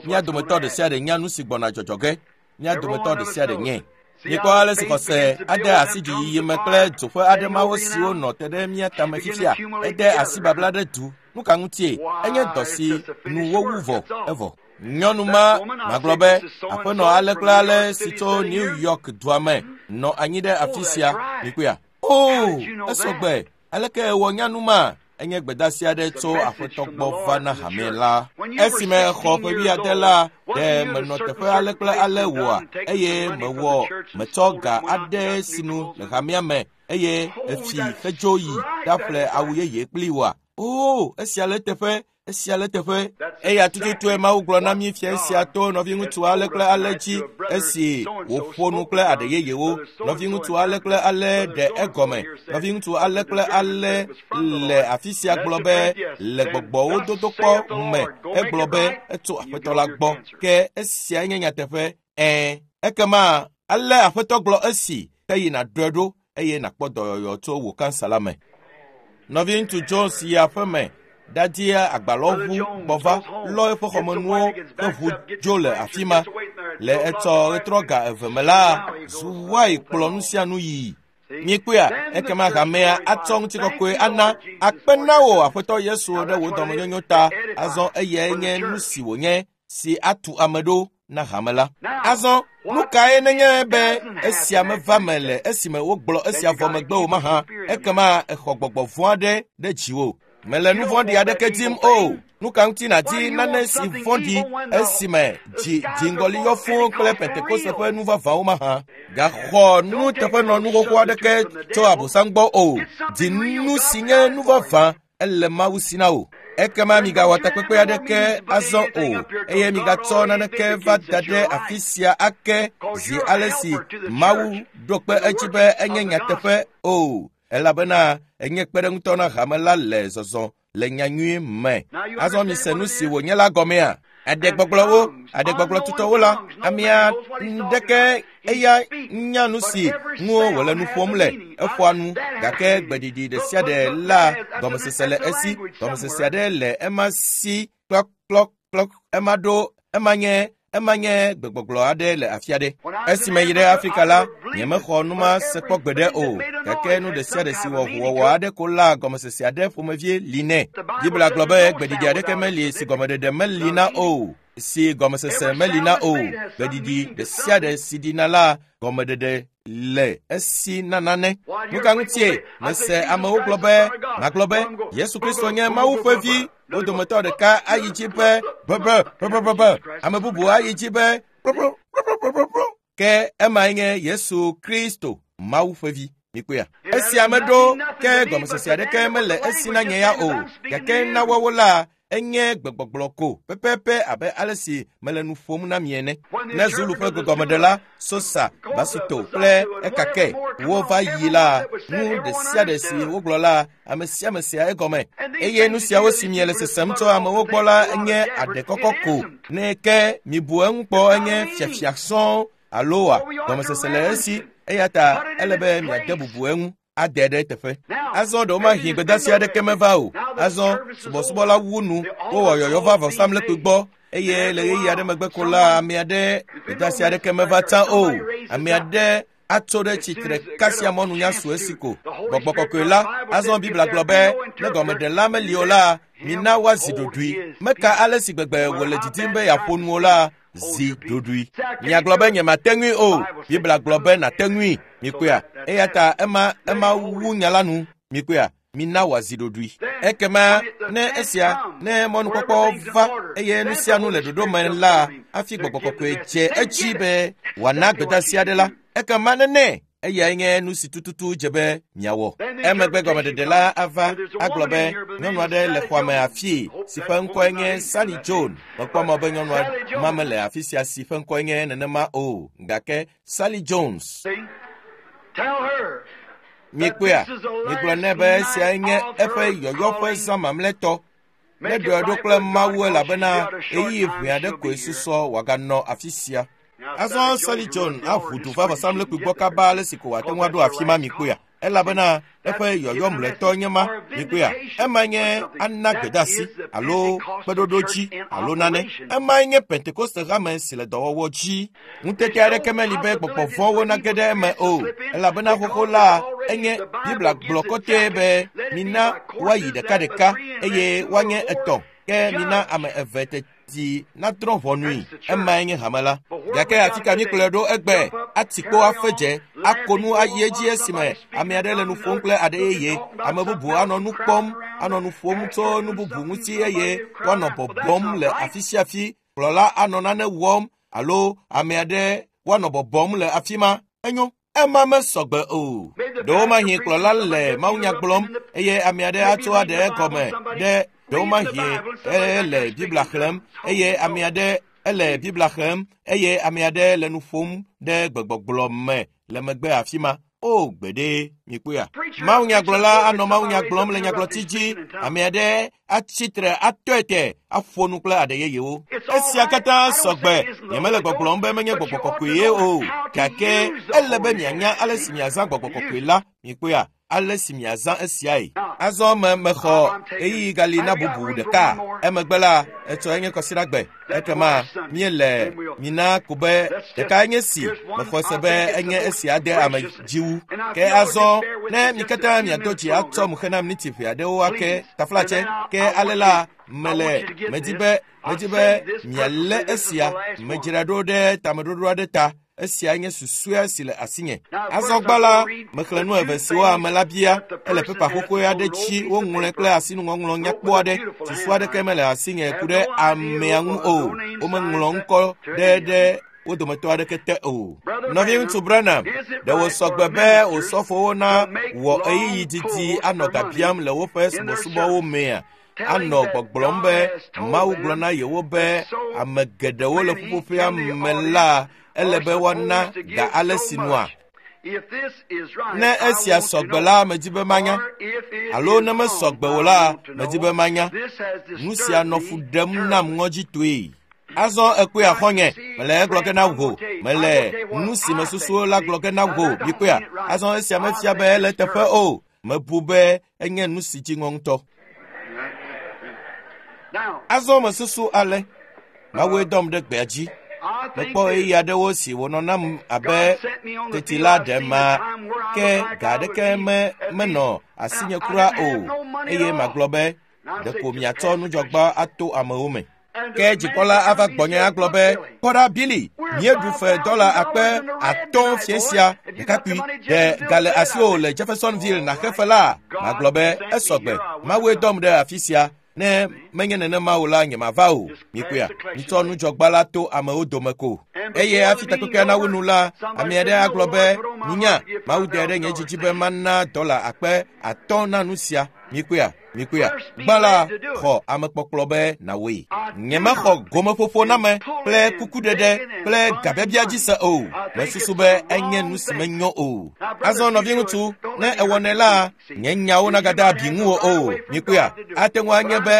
mía dometɔ ɖe sia ɖe nya nu si gbɔna dzɔdzɔ ge. Mía dometɔ ɖe sia ɖe nyae. Mikpɔ ale si xɔse ade asi dziyiyi me kple dzoƒe aɖe mawo siwo nɔ te ɖe mía tame fifia. Ede asi babla ɖe du. Nu ka ŋutie? Enye dɔ si nu wowu vɔ evɔ. Nyɔnu ma magblɔ be aƒenɔ ale kple ale si tso New York dua me nɔ anyi ɖe afi sia. Mikpɔea? O, esɔgbe. Aleke ewɔ nyanu ma? Enye gbedeasi aɖe tso aƒetɔ gbɔ va na hame la. Esime xɔ ƒe 70 la, ɖe menɔ teƒe ale kple ale wɔa, eye mewɔ metsɔ ga aɖe sinu le hamea me eye efi hedzo yi ɖaƒle awu yeye kpli wɔa. O, esia le teƒe. Esia le teƒe. Eya tututue Mawu gblɔ na mí fia esia to nɔviŋutsu ale kple ale dzi esi wòƒo nu kple aɖe yeyewo. Nɔviŋutsu ale kple ale ɖe egɔme. Nɔviŋutsu ale kple ale le afi sia gblɔ be le gbɔgbɔwo dodokpɔ me egblɔ be etso aƒetɔ la gbɔ. Ke esia nye nyateƒe. Ɛ̃, ekema ale aƒetɔ gblɔ esi ke yi nàɖɔe ɖo eye nàkpɔ dɔyɔyɔ tso wò kansa la me. Nɔviŋutsu Jones yi aƒeme ɖadia agbalɔʋu gbɔ va lɔ eƒe xɔmenuwo ƒe ʋu dzo le afi ma. Le etsɔ ɣetrɔ ga 2 me la, Zuwai kplɔ nu sia nu yii. Mikpɔea, ekema hamea atsɔ ŋutikɔkɔe ana akpe na wò aƒetɔ Yesu ɖe wò dɔmenyonyo ta. Azɔ eyae nye nu si wònye si atu ame ɖo na hame la. Azɔ nu kae nenye be esia meva me le esime wogblɔ esia vɔ megbe o mahã, ekema exɔ gbɔgbɔ vɔ̃ aɖe ɖe dziwò. Mele nu vɔ̃ɖi aɖeke dim o. Nu ka ŋuti nàdi nane si vɔ̃ɖi esime dzi dziŋgɔli yɔ fũu kple Pentekoste ƒe nu vavãwo mahã? Gaxɔ nuteƒenɔnu xoxo aɖeke tso Abosam gbɔ o. Di nu si nye nu vavã ele Mawu si na wò. Ekema migawɔ takpekpe aɖeke azɔ o eye migatsɔ naneke va da ɖe afi sia ake zi ale si Mawu ɖo kpe edzi be enye nyateƒe o. Elabena enye kpeɖeŋutɔ na hame la le zɔzɔ le nyanyui me. Azɔ mise nu si wònye la gɔmea. Aɖegbɔgblɔwo, aɖegbɔgblɔ tutɔwo la, amea ɖeke eya nya nu si ŋu wòle nu ƒom le. Eƒoa nu gake gbeɖiɖi ɖe sia ɖe la gɔmesese le esi. Gɔmesese aɖe le ema si klɔklɔklɔ ema ɖo ema nye gbegbɔgblɔ aɖe le afi aɖe. Esime yi ɖe Afrika la, nyemexɔ nu ma se kpɔ gbeɖe o. Gake nu ɖe sia ɖe si wɔ ʋuwɔwɔ aɖe ko la gɔmesese aɖe ƒomevie li nɛ. Biblia gblɔ be gbeɖiɖi aɖeke meli si gɔmeɖeɖe meli na o, si gɔmesese meli na o. Gbeɖiɖi ɖe sia ɖe si ɖina la gɔmeɖeɖe le esi na nane. Nu ka ŋutie mese amewo gblɔ be magblɔ be Yesu Kristo nye Mawu ƒe vi. Wo dometɔ ɖeka ayi dzi be bebe, ame bubu ayi dzi be kplokplokplokplokplo. Ke emae nye Yesu Kristo, Mawu ƒe vi. Mikpɔea? Esia meɖo ke gɔmesese aɖeke mele esi na nye ya o. Gake na woawo la, Enye gbegbɔgblɔ ko pɛpɛpɛ abe ale si mele nu ƒom na mi ene. Ne Zulu ƒe gbegɔmeɖela Sosa, Basito kple Ekake wova yi la, nu ɖe sia ɖe si wogblɔ la, ame sia ame sea egɔme. Eye nu siawo si miele sesem tso amewo gbɔ la nye aɖekɔkɔ ko. Ne ke mibu eŋu kpɔ enye fiafia sɔŋ alo wa gɔmesese le esi eya ta ele be miade bubu eŋu ade ɖe teƒe. Azɔ ɖewomahi gbedeasi aɖeke meva o. Azɔ subɔsubɔla wu nu wowɔ yɔyɔ va vɔsamlekpui gbɔ eye le ɣeyiɣi aɖe megbe ko la ame aɖe gbedeasi aɖeke meva tsã o. Ame aɖe atso ɖe tsitre kasia mɔnu su esi ko. Gbɔgbɔ kɔkɔe la, azɔ Biblia gblɔ be ne gɔmeɖela meli o la, mina woazi ɖoɖoe. Meka ale si gbegbe wòle didim be yeaƒo nu o la, zi ɖoɖoe. Miagblɔ be nyemate ŋui o. Biblia gblɔ be nàte ŋui. Mikpɔea? Eya ta ema wu nya la nu. Mikpɔea? Mina wòazi ɖoɖoe. Ekema ne esia, ne mɔnukpɔkpɔ va eye nu sia nu le ɖoɖo me la, hafi gbɔgbɔ kɔkɔe dze edzi be wòana gbedeasi aɖe la, ekema nene eyae nye nu si tututu dze be miawɔ. Emegbe gɔmeɖeɖe la ava agblɔ be nyɔnu aɖe le xɔa me afii si ƒe ŋkɔe nye Sally Jones. Mekpɔ mɔ be nyɔnua ma mele afi sia si ƒe ŋkɔe nye nenema o, gake Sally Jones. Mikpɔea? Migblɔ nɛ be esiae nye eƒe yɔyɔ ƒe zã mamlɛtɔ. Ne ɖɔe ɖo kple Mawu elabena ɣeyiɣi ʋɛ aɖe koe susɔ wòaganɔ afi sia. Azɔ Sally Jones aʋu du va vɔsamlekpui gbɔ kaba ale si ko wòate ŋu aɖo afi ma mikpɔea. Elabena eƒe yɔyɔ mlɔetɔ nye ma mikpɔea. Ema nye ana gbedeasi alo kpeɖoɖo dzi alo nane. Emae nye Pentekoste hame si le dɔwɔwɔ dzi. Ŋutete aɖeke meli be gbɔgbɔ vɔ̃wo nage ɖe eme o. Elabena xoxo la enye Biblia gblɔ kɔtɛe be mina woayi ɖekaɖeka eye woanye etɔ̃ ke mina ame eve teti nadrɔ̃ ʋɔnui. Emae nye hame la. Gake afi ka míkplɔe ɖo egbe? Ati kpo afe dze, ako nu ayi edzi esime ame aɖe le nu ƒom kple aɖe yeye. Ame bubu anɔ nu kpɔm, anɔ nu ƒom tso nu bubu ŋuti eye woanɔ bɔbɔm le afi sia afi. Kplɔla anɔ nane wɔm alo ame aɖe woanɔ bɔbɔm le afi ma. Enyo. Ema mesɔgbe o. Ɖewomahi kplɔla le mawunya gblɔm eye ame aɖe atso aɖe egɔme ɖe ɖewomahi ele Biblia xlẽm eye ame aɖe ele Biblia xlẽm eye ame aɖe le nu ƒom ɖe gbegbɔgblɔ me le megbe afi ma. O gbeɖe, mikpɔea? Mawunyagblɔla anɔ mawunya gblɔm le nyagblɔti dzi. Ame aɖe atsi tre atɔe te aƒo nu kple aɖe yeyewo. Esia katã sɔgbe. Nyemele gbɔgblɔm be menye gbɔgbɔ kɔkɔe ye o. Gake ele be mianya ale si miazã gbɔgbɔ kɔkɔe la. Mikpɔea? Ale si miazã esiae. Azɔ me mexɔ ɣeyiɣi gali na bubu ɖeka. Emegbe la, etsɔ enye kɔsiɖagbe. Ekema míele mina ko be ɖeka enye si mexɔ se be enye esia de ame dzi wu. Ke azɔ ne mi katã miado dzi atsɔ mu xena miniti ʋɛ aɖewo ake taflatse ke ale la mele medi be mialé esia medzra ɖo ɖe tameɖoɖo aɖe ta. Esia nye susɔea si le asinye. Azɔ gbã la, mexlẽ nu eve siwo ame la bia. Ele pepa xoxoe aɖe dzi woŋlɔe kple asinuŋɔŋlɔ nyakpɔ aɖe. Susu aɖeke mele asinye ku ɖe amea ŋu o. Womeŋlɔ ŋkɔ ɖe wo dometɔ aɖeke te o. Nɔviŋutsu Branham, ɖe wòsɔgbe be osɔfowo na wɔ ɣeyiɣi didi anɔ ga biam le woƒe subɔsubɔwo mea? Anɔ gbɔgblɔm be Mawu gblɔ na yewo be ame geɖewo le ƒuƒoƒea me la ele be woana ga ale si nua. Ne esia sɔgbe la, medi be manya. Alo ne mesɔgbe o la, medi be manya. Nu sia nɔ fu ɖem nam ŋɔdzitɔe. Azɔ ekpɔe axɔnye, mele egblɔ ge na wò. Mele nu si mesusu la gblɔ ge na wò. Mikpɔea? Azɔ esia mefia be ele teƒe o. Mebu be enye nu si dzi ŋɔ ŋutɔ. Azɔ mesusu ale. Mawue dɔm ɖe gbea dzi. Mekpɔ ɣeyiɣi aɖewo si wònɔ nam abe teti la ɖe ma ke ga aɖeke menɔ asinye kura o eye magblɔ be ɖeko miatsɔ nudzɔgba ato amewo me. Ke dzikpɔla ava gbɔnye agblɔ be kpɔ ɖa Billy, míeɖu fe $5,000 fiẽ sia ɖekakpui ɖe ga le asiwò le Jeffersonville nàxe fe la? Magblɔ be esɔgbe. Mawue dɔm ɖe afi sia. Ne menye nenema o la, nyemava o. Mikpɔea? Mitsɔ nudzɔgba la to amewo dome ko. Eye hafi takpekpea nawu nu la, ame aɖe agblɔ be minya, Mawu de ɖe nye dzi dzi be mana $5,000 na nu sia. Mikpɔea, mikpɔea. Gbã la, xɔ amekpɔkplɔ be nàwɔe. Nyemexɔ gomeƒoƒoname kple kukuɖeɖe kple gabiabia dzi se o. Mesusu be enye nu si menyo o. Azɔ nɔviŋutsu, ne ewɔnɛ la, nye nyawo nagade abi ŋuwò o. Mikpɔea, ate ŋu anye be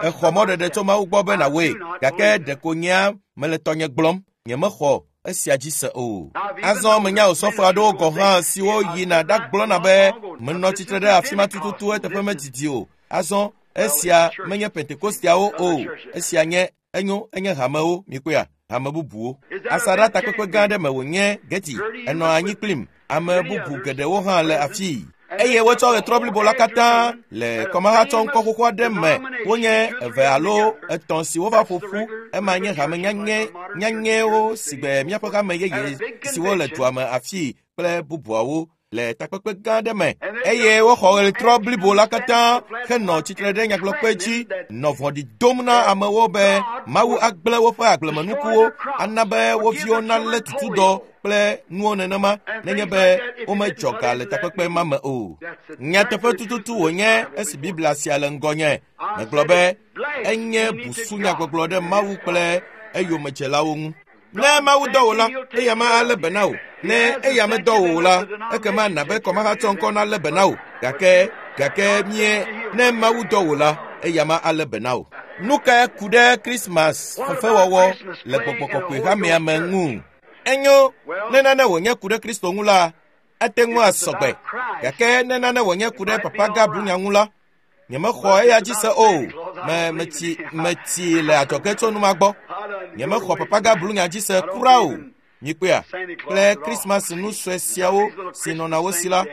exɔ mɔɖeɖe tso Mawu gbɔ be nàwɔe, gake ɖeko nyea mele tɔnye gblɔm. Nyemexɔ esia dzi se o. Azɔ menya osɔfo aɖewo gɔ̃ hã siwo yina ɖagblɔna be menɔ tsitre ɖe afi ma tututu eteƒe medidi o. Azɔ esia menye Pentekosteawo o. Esia nye enyo enye hamewo mikpɔea hame bubuwo. Asaɖa takpekpe gã aɖe me wònye Geti enɔ anyi kplim. Ame bubu geɖewo hã le afii. Eye wotsɔ ɣetrɔ blibo la katã le kɔmahatsɔ ŋkɔ xoxo aɖe me. Wonye 2 alo 3 si wova ƒo ƒu. Ema nye hame nyanyɛwo sigbe míaƒe hame yeye siwo le dua me afii kple bubuawo le takpekpe gã aɖe me. Eye woxɔ ɣetrɔ blibo la katã henɔ tsitre ɖe nyagblɔkpe dzi nɔ vɔ̃ɖi dom na amewo be Mawu agblẽ woƒe agblemenukuwo, ana be wo viwo nalé tutudɔ kple nuwo nenema nenye be womedzɔ ga le takpekpe ma me o. Nyateƒe tututu wònye esi Biblia sia le ŋgɔnye. Megblɔ be enye busunyagbɔgblɔ ɖe Mawu kple eyomedzelawo ŋu. Ne Mawu dɔ wò la, eya ma alé be na wò. Ne eya medɔ wò o la, ekema na be kɔmahatsɔ ŋkɔ nalé be na wò. Gake mie ne Mawu dɔ wò la, eya ma alé be na wò. Nu kae ku ɖe Krismas fefewɔwɔ le gbɔgbɔ kɔkɔe hamea me ŋu? Enyo, ne nane wònye ku ɖe Kristo ŋu la, ate ŋu asɔgbe. Gake ne nane wònye ku ɖe Papa Gabru nya ŋu la, nyemexɔ eya dzi se o. Metsi le adzɔge tso nu ma gbɔ. Nyemexɔ Papa Gabru nya dzi se kura o. Mikpɔea, kple Krismas nu sue siawo si nɔna wo si la,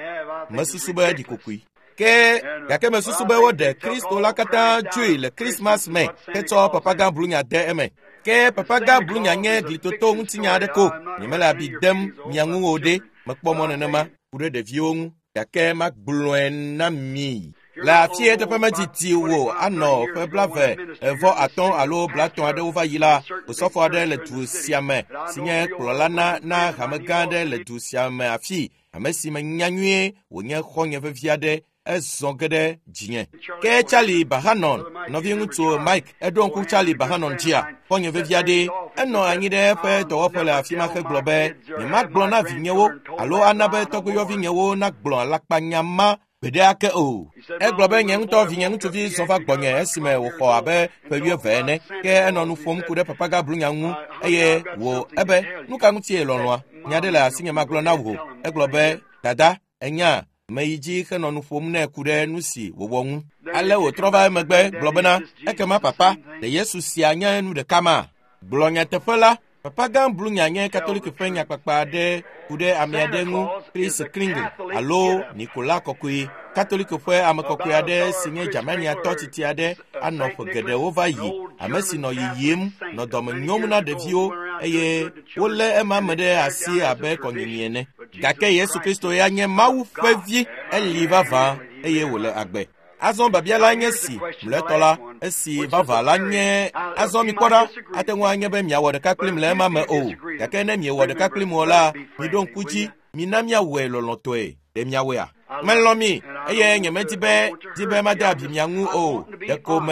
mesusu be ɖi kokoe. Ke gake mesusu be woɖe Kristo la katã dzoe le Krismas me hetsɔ Papa Gabru nya de eme. Ke Papa Gabru nya nye glitoto ŋutinya aɖe ko. Nyemele abi dem mia ŋu o ɖe. Mekpɔ mɔ nenema ku ɖe ɖeviwo ŋu, gake magblɔe na mi. Le afi eteƒe medidi wò anɔ ƒe 25 alo 30 aɖewo va yi la, osɔfo aɖe le du sia me si nye kplɔla na hame gã aɖe le du sia me afi, ame si menya nyuie wònye xɔ̃nye vevi aɖe, ezɔ ge ɖe dzinye. Ke Charlie Bahanon, nɔviŋutsu Mike, eɖo ŋku Charlie Bahanon dzia, xɔ̃nye vevi aɖe, enɔ anyi ɖe eƒe dɔwɔƒe le afi ma hegblɔ be, nyemagblɔ na vinyewo alo ana be tɔgbuiyɔvinyewo nagblɔ alakpanya ma gbeɖe ake o. Egblɔ be nye ŋutɔ vinye ŋutsuvi zɔ va gbɔnye esime wòxɔ abe ƒe 20 ene, ke enɔ nu ƒom ku ɖe Papa Gabru nya ŋu eye wò ebe, nu ka ŋutie lɔlɔ̃a? Nya ɖe le asinye magblɔ na wò. Egblɔ be, dada, enya, meyi dzi henɔ nu ƒom nɛ ku ɖe nu si wòwɔ ŋu. Ale wòtrɔ va emegbe gblɔ bena, ekema papa, ɖe Yesu sia nye nu ɖeka ma? Gblɔ nyateƒe la, Papa Gabru nya nye Katoliki ƒe nyakpakpa aɖe ku ɖe ame aɖe ŋu, Chris Kringle alo Nikola Kɔkɔe. Katoliki ƒe ame kɔkɔe aɖe si nye Germaniatɔ tsitsi aɖe anɔ ƒe geɖewo va yi, ame si nɔ yiyim, nɔ dɔme nyom na ɖeviwo eye wolé ema me ɖe asi abe kɔnyinyi ene. Gake Yesu Kristo ya nye Mawu ƒe vi, eli vavã eye wòle agbe. Azɔ biabia la nye si mlɔetɔ la, esi vava la nye azɔ mikpɔ ɖa, ate ŋu anye be miawɔ ɖeka kplim le ema me o. Gake ne miewɔ ɖeka kplim o la, miɖo ŋku dzi, mina miawɔe lɔlɔ̃tɔe. Ɖe miawɔea? Melɔ̃ mi eye nyemedi be di be made abi mia ŋu o. Ɖeko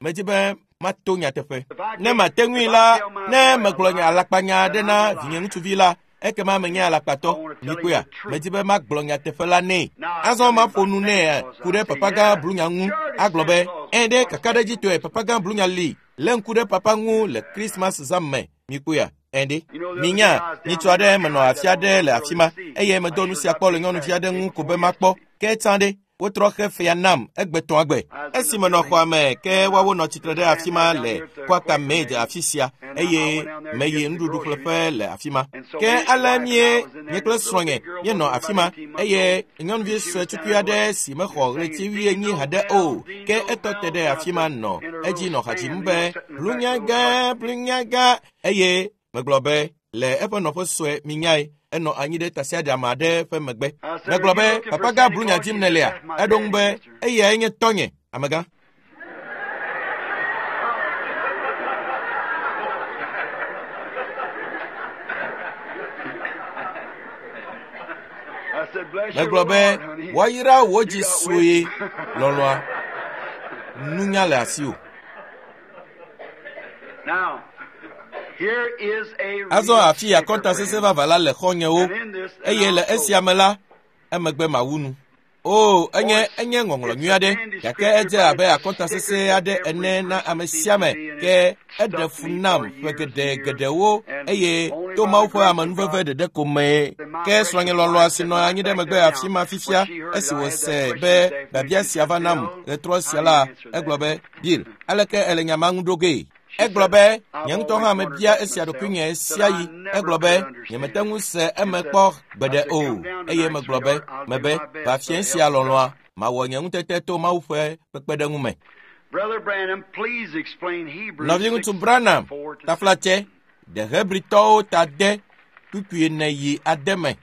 medi be mato nyateƒe. Ne mate ŋui la, ne megblɔ nye alakpanya aɖe na vinye ŋutsuvi la, ekema menye alakpatɔ. Mikpɔea, medi be magblɔ nyateƒe la nɛ. Azɔ maƒo nu nɛ ku ɖe Papa Gabru nya ŋu. Agblɔ be, ẽ ɖe kakaɖedzitɔe Papa Gabru nya li. Lé ŋku ɖe papa ŋu le Krismas zã me. Mikpɔea, ẽ ɖe. Minya, nyitsɔ aɖe menɔ afi aɖe le afi ma eye medo nu sia kpɔ le nyɔnuvi aɖe ŋu ko be makpɔ. Ke tsã ɖe, wotrɔ xe fea nam egbetɔ̃ agbe. Esi menɔ xɔa me, ke woawo nɔ tsitre ɖe afi ma le Quaker Maid afi sia eye meyi nuɖuɖuƒleƒe le afi ma. Ke ale nye kple srɔ̃nye míenɔ afi ma eye nyɔnuvi sue tukui aɖe si mexɔ ɣleti 90 haɖe o, ke etɔ te ɖe afi ma nɔ edzi nɔ ha dzim be blunyaga, blunyaga eye megblɔ be le eƒe nɔƒe sue minyae, enɔ anyi ɖe tasiaɖam aɖe ƒe megbe. Megblɔ be, Papa Gabru nya dzim nèlea? Eɖo ŋu be, eyae nye tɔnye, amegã. Megblɔ be woayra wò dzi sue lɔlɔ̃a, nunya le asiwò. Azɔ afi akɔnta sesẽ vavã la le xɔ̃nyewo, eye le esia me la, emegbe mawu nu. O, enye enye ŋɔŋlɔ nyui aɖe, gake edze abe akɔnta sesẽ aɖe ene na ame sia ame, ke eɖe fu nam ƒe geɖe geɖewo eye to Mawu ƒe amenuveve ɖeɖe ko mee. Ke srɔ̃nye lɔlɔ̃a si nɔ anyi ɖe megbe afi ma fifia, esi wòse be biabia sia va nam ɣetrɔ sia la, egblɔ be, Bill, aleke èle nya ma ŋu ɖo gee? Egblɔ be, nye ŋutɔ hã mebia esia ɖokuinye sia yi. Egblɔ be, nyemete ŋu se eme kpɔ gbeɖe o. Eye megblɔ be, mebe, va fiẽ sia lɔlɔ̃a, mawɔ nye ŋutete to Mawu ƒe kpekpeɖeŋu me. Nɔviŋutsu Branham, taflatse, ɖe Hebritɔwo ta de kpukpui ene yi ade me.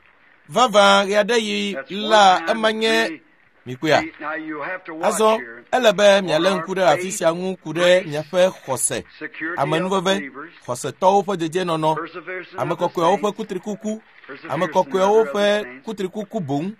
Vavã ɣeaɖeɣi la ema nye mikpɔea. Azɔ ele be mialé ŋku ɖe afi sia ŋu ku ɖe miaƒe xɔse, amenuveve, xɔsetɔwo ƒe dedienɔnɔ, ame kɔkɔewo ƒe kutrikuku, ame kɔkɔewo ƒe kutrikuku boŋ.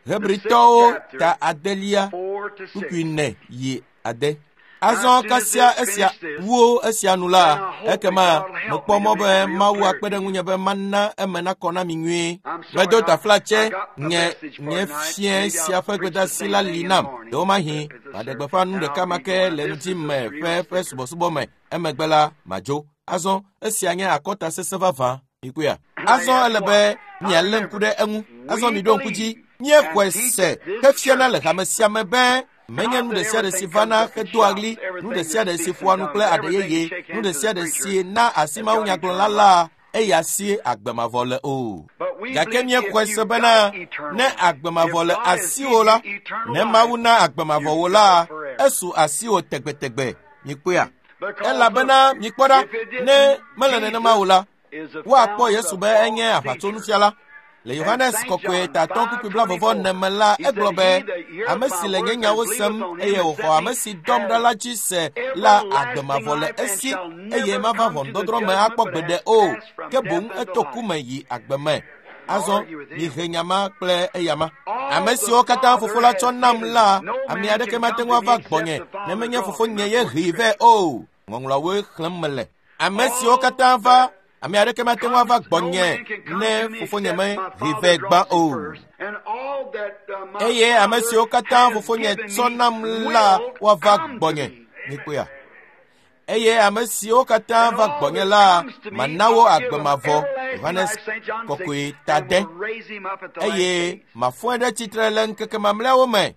Hebritɔwo ta adelia kpukpui ne yi ade. Azɔ kasia esia wuwo esia nu la, ekema mekpɔ mɔ be Mawu akpe ɖe ŋunye be mana eme nakɔ na mi nyuie. Medo taflatse nye nye fiẽ sia ƒe gbedeasi la li nam. Ɖewomahi maɖe gbeƒã nu ɖeka ma ke le ŋdi me ƒe ƒe subɔsubɔ me. Emegbe la madzo. Azɔ esia nye akɔta sesẽ vavã. Mikpɔea? Azɔ ele be mialé ŋku ɖe eŋu. Azɔ miɖo ŋku dzi. Míexɔe se hefiana le hame sia me be menye nu ɖe sia ɖe si vana hedoa ɣli, nu ɖe sia ɖe si ƒoa nu kple aɖe yeye, nu ɖe sia ɖe si na asi mawunyagblɔla la, eya si agbe mavɔ le o. Gake míexɔe se bena ne agbe mavɔ le asiwò la, ne Mawu na agbe mavɔ wò la, esu asiwò tegbetegbe. Mikpɔea? Elabena mikpɔ ɖa, ne mele nenema o la, woakpɔ Yesu be enye aʋatsonufiala. Le Yohanes kɔkɔe tatɔ kpukpui blaeve ene me la, egblɔ be, ame si le nye nyawo sem eye wòxɔ ame si dɔm ɖa la dzi se la, agbe mavɔ le esi eye mava ʋɔnudɔdrɔ̃ me akpɔ gbeɖe o, ke boŋ eto ku me yi agbe me. Azɔ mihe nya ma kple eyama. Ame siwo katã fofo la tsɔ nam la, ame aɖeke mate ŋu ava gbɔnye ne menye fofonye ye hee vɛ o. Ŋɔŋlɔawoe xlẽm mele. Ame siwo katã va, ame aɖeke mate ŋu ava gbɔnye ne fofonye mehee vɛ gbã o. Eye ame siwo katã fofonye tsɔ nam la woava gbɔnye. Mikpɔea? Eye ame siwo katã va gbɔnye la, mana wo agbe mavɔ. Yohanes kɔkɔe ta de. Eye mafɔe ɖe tsitre le ŋkeke mamlɛawo me.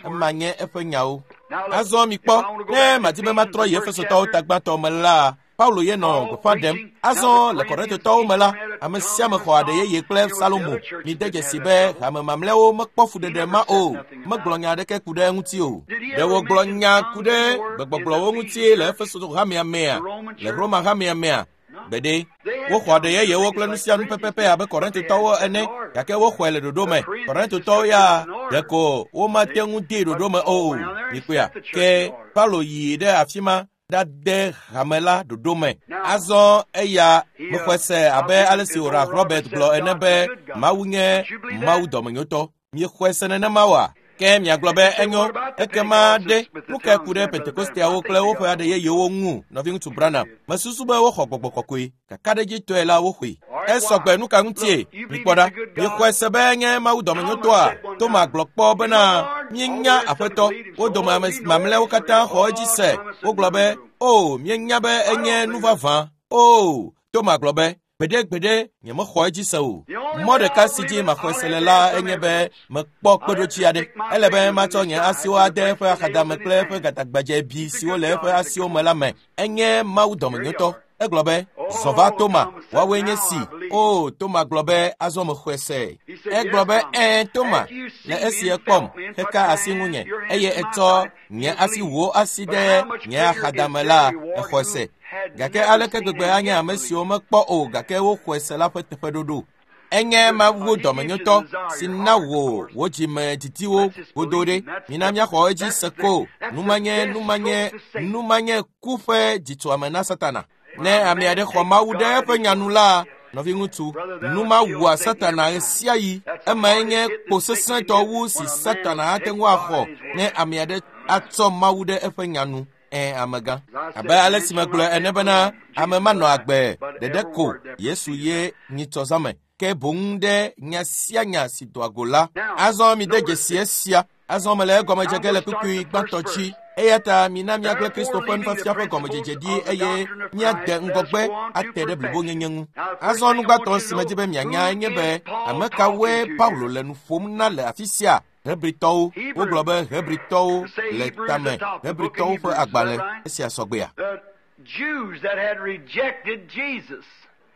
Ema nye eƒe nyawo. Azɔ mikpɔ, ne madi be matrɔ yi Efesotɔwo ta gbãtɔ me la, Paulo ye nɔ gbeƒã ɖem. Azɔ le Korintotɔwo me la, ame sia ame xɔ aɖe yeye kple Salomo. Mide dzesi be hame mamlɛawo mekpɔ fuɖeɖe ma o. Megblɔ nya aɖeke ku ɖe eŋuti o. Ɖe wògblɔ nya ku ɖe gbegbɔgblɔwo ŋuti le Efeso hamea mea, le Roma hamea mea? Gbeɖe. Woxɔ aɖe yeyewo kple nu sia nu pɛpɛpɛ abe Korintotɔwo ene, gake woxɔe le ɖoɖo me. Korintotɔwo ya ɖeko womate ŋu dee ɖoɖo me o. Mikpɔea? Ke Paulo yi ɖe afi ma ɖade hame la ɖoɖo me. Azɔ eya mexɔe se abe ale si Oral Robert gblɔ ene be Mawu nye Mawu dɔmenyotɔ. Miexɔe se nenema oa? Ke miagblɔ be enyo, ekema ɖe nu kae ku ɖe Pentekosteawo kple woƒe aɖe yeyewo ŋu, nɔviŋutsu Branham? Mesusu be woxɔ gbɔgbɔ kɔkɔe. Kakaɖedzitɔe la woxɔe. Esɔgbe nu ka ŋutie? Mikpɔ ɖa. Miexɔe se be enye Mawu dɔmenyotɔa? Toma gblɔ kpɔ bena, míenya Aƒetɔ. Wo dome ame mamlɛawo katã xɔ edzi se. Wogblɔ be, o, míenya be enye nu vavã. O, Toma gblɔ be, gbeɖe gbeɖe nyemexɔ edzi se o. Mɔ ɖeka si dzi maxɔe se le la enye be mekpɔ kpeɖodzi aɖe. Ele be matsɔ nye asiwo ade eƒe axadame kple eƒe gatagbadzɛ bi siwo le eƒe asiwo me la me. Enye Mawu dɔmenyotɔ. Egblɔ be, zɔ va Toma, woawoe nye si. O, Toma gblɔ be, azɔ mexɔe se. Egblɔ be, ɛ̃, Toma, le esi ekpɔm, heka asi ŋunye, eye etsɔ nye asi wò asi ɖe nye axadame la, exɔe se. Gake aleke gbegbe anye ame siwo mekpɔ o gake woxɔe se la ƒe teƒeɖoɖo? Enye Mawu dɔmenyotɔ si na wò wò dzime didiwo godo ɖe. Mina míaxɔ edzi se ko. Numanye, numanye, numanye ku ƒe dzitsoame na Satana. Ne ame aɖe xɔ Mawu ɖe eƒe nya nu la, Nɔviŋutsu, nu ma wua Satana ɣe sia ɣi. Emae nye kpo sesẽtɔ wu si Satana ate ŋu axɔ ne ame aɖe atsɔ Mawu ɖe eƒe nya nu. Amegã. Abe ale si megblɔ ene bena ame manɔ agbe ɖeɖe ko Yesu ye nyitsɔ zãme, ke boŋ ɖe nya sia nya si doa go la. Azɔ mide dzesi esia. Azɔ mele egɔme dze ge le kpukpui gbãtɔ dzi. Eya ta mina míagblẽ Kristo ƒe nufiafia ƒe gɔmedzedze ɖi eye míade ŋgɔgbe ate ɖe blibonyenye ŋu. Azɔ nu gbãtɔ si medzi be mianya nye be ame kawoe Paulo le nu ƒom na le afi sia? Hebritɔwo. Wogblɔ be Hebritɔwo le tame, Hebritɔwo ƒe agbalẽ esia sɔgbea.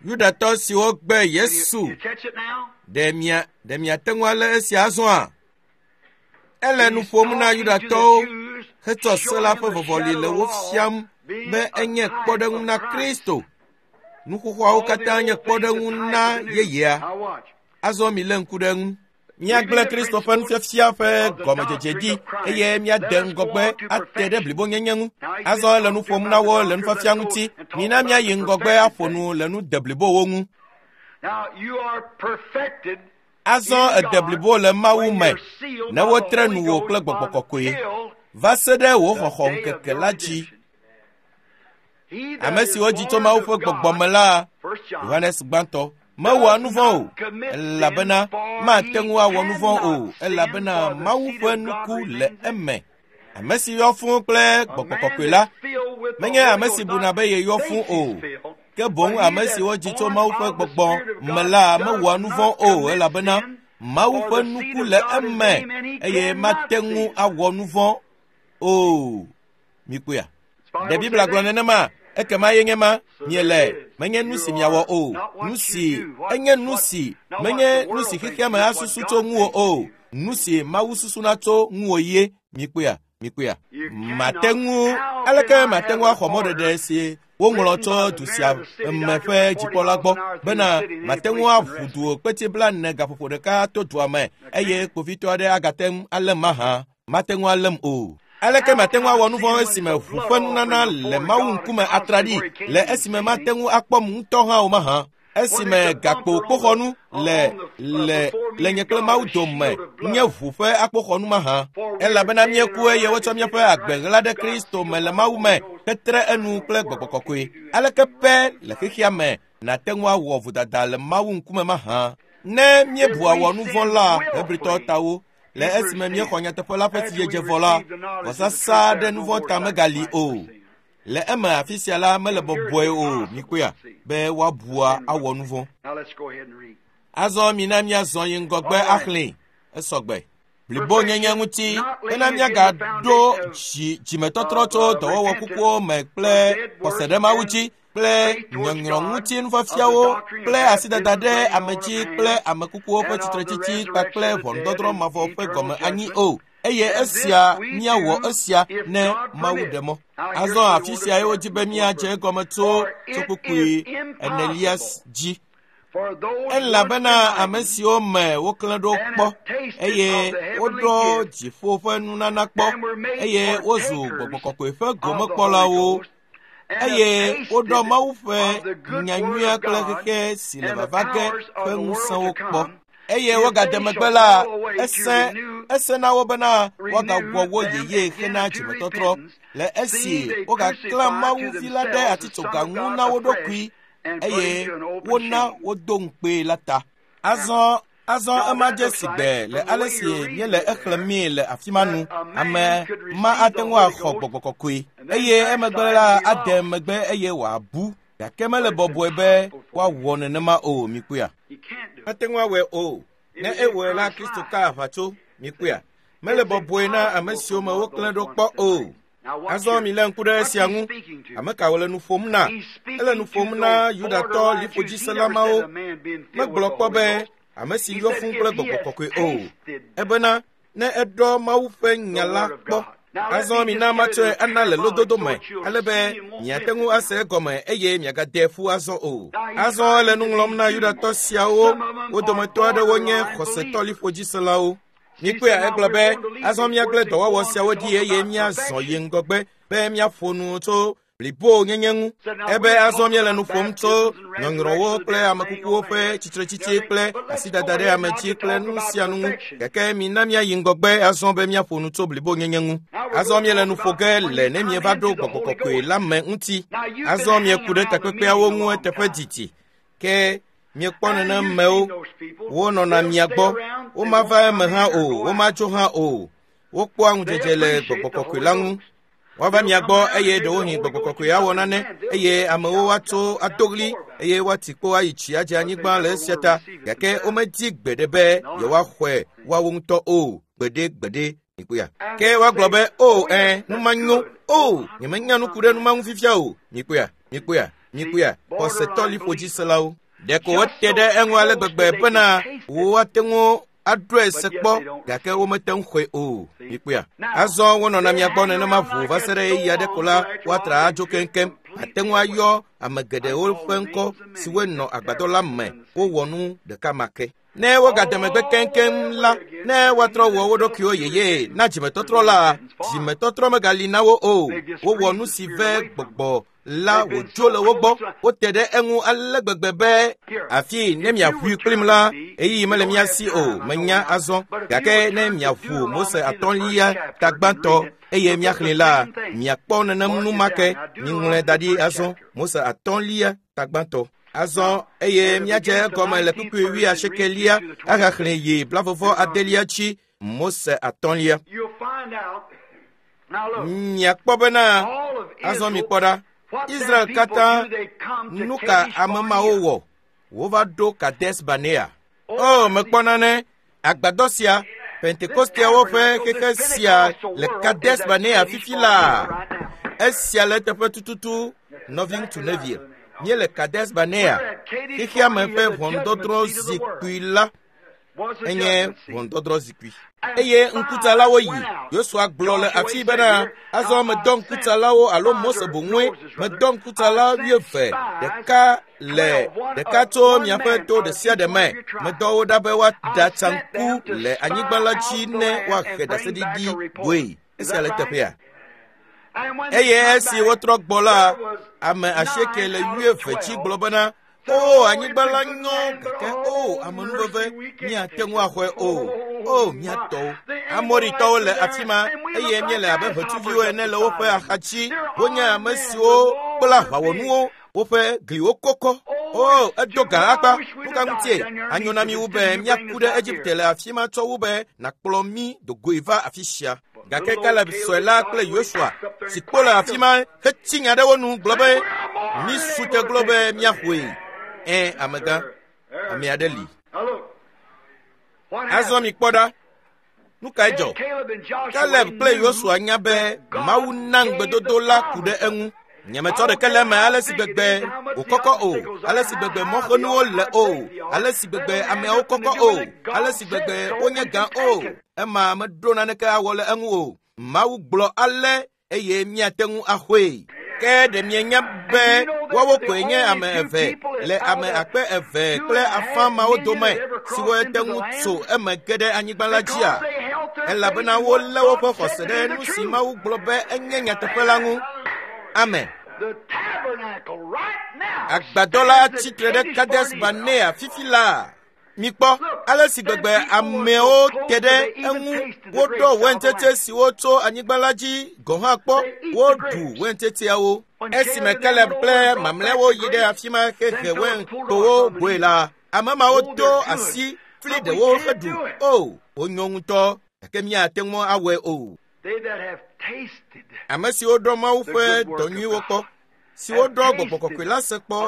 Yudatɔ siwo gbe Yesu. Ɖe miate ŋu alé esia azɔa? Ele nu ƒom na Yudatɔwo hetsɔ se la ƒe vɔvɔli le wo fiam be enye kpɔɖeŋu na Kristo. Nu xoxoawo katã nye kpɔɖeŋu na yeyea. Azɔ milé ŋku ɖe eŋu. Míagblẽ Kristo ƒe nufiafia ƒe gɔmedzedze ɖi eye míade ŋgɔgbe ate ɖe blibonyenye ŋu. Azɔ ele nu ƒom na wo le nufiafia ŋuti. Mina míayi ŋgɔgbe aƒo nu le nu deblibowo ŋu. Azɔ ede blibo le Mawu me ne wotre nu wò kple Gbɔgbɔ Kɔkɔe va se ɖe wò xɔxɔ ŋkeke la dzi. Ame siwo dzi tso Mawu ƒe gbɔgbɔ me la, Yohanes gbãtɔ, mewɔa nu vɔ̃ o, elabena mate ŋu awɔ nu vɔ̃ o, elabena Mawu ƒe nuku le eme. Ame si yɔ fũu kple Gbɔgbɔ Kɔkɔe la, menye ame si buna be yeyɔ fũu o, ke boŋ ame si wodzi tso Mawu ƒe gbɔgbɔ me la mewɔa nu vɔ̃ o, elabena Mawu ƒe nuku le eme eye mate ŋu awɔ nu vɔ̃ o. Mikpɔea? Ɖe Biblia gblɔ nenema? Ekema ye nye ma miele, menye nu si miawɔ o, nu si enye nu si menye nu si xexea me asusu tso ŋuwò o, nu si Mawu susuna tso ŋuwò ye. Mikpɔea? Mikpɔea? Mate ŋu, aleke mate ŋu axɔ mɔɖeɖe si woŋlɔ tso du sia me ƒe dzikpɔla gbɔ bena mate ŋu aʋu du kpeti 40 gaƒoƒo ɖeka to dua me eye kpovitɔ aɖe agate ŋu além mahã? Mate ŋu além o. Aleke mate ŋu awɔ nu vɔ̃ esime ʋu ƒe nunana le Mawu ŋkume atraɖii le esime mate ŋu akpɔm ŋutɔ hã o mahã? Esime gakpo kpoxɔnu le nye kple Mawu dome nye ʋu ƒe akpoxɔnu mahã? Elabena míeku eye wotsɔ míaƒe agbe ɣla ɖe Kristo me le Mawu me hetre enu kple Gbɔgbɔ Kɔkɔe. Aleke pɛ le xexea me nàte ŋu awɔ vodada le Mawu ŋkume mahã? Ne míebua wɔ nu vɔ̃ la, Hebritɔwo tawo, le esime míexɔ nyateƒe la ƒe sidzedze vɔ la, vɔsasa ɖe nu vɔ̃ ta megali o. Le eme afi sia la mele bɔbɔe o, mikpɔea, be woabua awɔ nu vɔ̃. Azɔ mina míazɔ yi ŋgɔgbe axlẽe. Esɔgbe. Blibonyenye ŋuti bena míagaɖo dzimetɔtrɔ tso dɔwɔwɔ kukuwo me kple xɔse ɖe Mawu dzi kple nyɔnyrɔ ŋuti nufiafiawo kple asidada ɖe ame dzi kple ame kukuwo ƒe tsitretsitsi kpakple ʋɔnudɔdrɔ̃ mavɔ ƒe gɔme anyi o. Eye esia míawɔ esia ne Mawu ɖe mɔ. Azɔ afi sia ye wodzi be míadze egɔme tso kpukpui enelia dzi. Elabena ame siwo me woklẽ ɖo kpɔ eye woɖɔ dziƒo ƒe nunana kpɔ eye wozu Gbɔgbɔ Kɔkɔe ƒe gomekpɔlawo eye woɖɔ Mawu ƒe nyanyuia kple xexe si le vava ge ƒe ŋusẽwo kpɔ. Eye wogade megbe la, ese na wo bena woagawɔ wo yeye hena dzimetɔtrɔ le esi wogaklã Mawu vi la ɖe atitsoga ŋu na wo ɖokui eye wona wodo ŋukpee la ta. Azɔ ema dze si gbe le ale si míele exlẽmee le afi ma nu. Ame ma ate ŋu axɔ Gbɔgbɔ Kɔkɔe eye emegbe la ade megbe eye wòabu. Gake mele bɔbɔe be woawɔ nenema o, mikpɔea? Mate ŋu awɔe o. Ne ewɔe la, Kristo ka aʋatso, mikpɔea? Mele bɔbɔe na ame siwo me woklẽ ɖo kpɔ o. Azɔ milé ŋku ɖe esia ŋu. Ame ka wòle nu ƒom na? Ele nu ƒom na Yudatɔ liƒodzisela mawo. Megblɔ kpɔ be ame si yɔ fũu kple Gbɔgbɔ Kɔkɔe o. Ebena ne eɖɔ Mawu ƒe nya la kpɔ. Azɔ mina matsɔe ana le lododo me ale be miate ŋu ase egɔme eye miagade ƒu azɔ o. Azɔ ele nu ŋlɔm na Yudatɔ siawo, wo dometɔ aɖewo nye xɔsetɔ liƒodziselawo. Mikpɔea, egblɔ be azɔ míagblẽ dɔwɔwɔ siawo ɖi eye míazɔ yi ŋgɔgbe be míaƒo nu tso Blibonyenye ŋu. Ebe azɔ míele nu ƒom tso nyɔnyrɔwo kple amekukuwo ƒe tsitretsitsi kple asidada ɖe ame dzi kple nu sia nu ŋu. Gake mina míayi ŋgɔgbe azɔ be míaƒo nu tso blibonyenye ŋu. Azɔ míele nu ƒo ge le ne mieva ɖo gbɔgbɔ kɔkɔe la me ŋuti. Azɔ mieku ɖe takpekpeawo ŋu eteƒe didi. Ke miekpɔ nenemewo wonɔna mia gbɔ. Womava eme hã o, womatso hã o. Wokpɔa ŋudzedze le gbɔgbɔ kɔkɔe la ŋu. Woava mia gbɔ eye ɖewohĩ gbɔgbɔ kɔkɔe awɔ nane eye amewo woatso ado ɣli eye woati kpo ayi tsi adze anyigba le esia ta. Gake womedi gbeɖe be yewoaxɔe woawo ŋutɔ o. Gbeɖe gbeɖe mikpɔa. Ke woagblɔ be o ɛ numa nyo o nyemenya nu ku ɖe numa ŋu fifia o. Mikpɔa mikpɔa mikpɔa xɔsetɔ liƒodziselawo. Ɖeko wote ɖe eŋu ale gbegbe bena woate ŋu aɖɔe se kpɔ gake womete ŋu xɔe o. Mikpɔa. Azɔ wonɔna mia gbɔ nenema ʋuu va se ɖe ɣeyiɣi aɖe ko la woatra adzo keŋkeŋ. Ate ŋu ayɔ ame geɖewo ƒe ŋkɔ siwoe nɔ agbadɔ la me wowɔ nu ɖeka ma ke. Ne wogade megbe keŋkeŋ la, ne woatrɔ wɔ wo ɖokuiwo yeye na dzimetɔtrɔ la, dzimetɔtrɔ megali na wo o. Wowɔ nu si ve gbɔgbɔ la wòdzo le wo gbɔ. Wote ɖe eŋu ale gbegbe be afi ne miaʋui kplim la, ɣeyiɣi mele mía si o, menya azɔ. Gake ne miaʋu Mose atɔ̃lia tagbãtɔ eye miaxlẽe la, miakpɔ nenem nu ma ke. Miŋlɔe da ɖi azɔ. Mose atɔ̃lia tagbãtɔ. Azɔ eye míadze egɔme le kpukpui wuiasiekelia ahaxlẽ yi blavɔvɔ adelia dzi Mose atɔ̃lia. Miakpɔ bena azɔ mikpɔ ɖa. Israel katã nu ka ame mawo wɔ? Wova ɖo Kades Barnea. O, mekpɔ nane. Agbadɔ sia, Pentekosteawo ƒe xexe sia le Kades Barnea fifi laa. Esia le eteƒe tututu, nɔviŋutsu Neville. Míele Kades Barnea, xexea me ƒe ʋɔnudɔdrɔ̃ zikpui la enye ʋɔnudɔdrɔ̃ zikpui. Eye ŋkutsalawo yi. Yosua gblɔ le afi bena azɔ medɔ ŋkutsalawo alo Mose boŋue medɔ ŋkutsala wuieve ɖeka le ɖeka tso miaƒe to ɖe sia ɖe me. Medɔ wo ɖa be woaɖatsa ŋku le anyigba la dzi ne woahe ɖaseɖiɖi goe. Esia le teƒea. Eye esi wotrɔ gbɔ la, ame asieke le wuieve dzi gblɔ bena o anyigba la nyo gake o amenuveve míate ŋu axɔe o. O míatɔwo. Amoritɔwo le afi ma eye míele abe ʋetsuviwo ene le woƒe axadzi. Wonye ame siwo kpla aʋawɔnuwo. Woƒe gliwo kɔkɔ. O edo gã akpa. Nu ka ŋutie? Anyo na mi wu be míaku ɖe Egipte le afi ma tsɔ wu be nàkplɔ mí dogoe va afi sia. Gake Kaleb sɔe la kple Yosua si kpo le afi ma hetsi nya ɖe wo nu gblɔ be mi su te gblɔ be míaƒoe. Ẽ amegã, ame aɖe li. Azɔ mikpɔ ɖa. Nu kae dzɔ? Kaleb kple Yosua nya be Mawu na ŋugbedodo la ku ɖe eŋu. Nyemetsɔ ɖeke le eme ale si gbegbe wòkɔkɔ o, ale si gbegbe mɔxenuwo le o, ale si gbegbe ameawo kɔkɔ o, ale si gbegbe wonye gã o. Ema meɖo naneke awɔ le eŋu o. Mawu gblɔ ale eye míate ŋu axɔe. Ke ɖe mienya be woawo koe nye ame eve le ame akpe eve kple afã mawo dome siwo te ŋu tso eme ge ɖe anyigba la dzia? Elabena wolé woƒe xɔse ɖe nu si Mawu gblɔ be enye nyateƒe la ŋu. Amen. Agbadɔ la tsitre ɖe Kades Barnea fifi laa. Mikpɔ ale si gbegbe amewo te ɖe eŋu. Woɖɔ wɛntsetse siwo tso anyigba la dzi gɔ̃ hã kpɔ. Woɖu wɛntsetseawo. Esime Kaleb kple mamlɛawo yi ɖe afi ma hehe wɛntowo goe la, ame mawo do asi fli ɖewo heɖu. O, wonyo ŋutɔ gake míate ŋu awɔe o. Ame siwo ɖɔ Mawu ƒe dɔ nyuiwo kpɔ, siwo ɖɔ gbɔgbɔ kɔkɔe la se kpɔ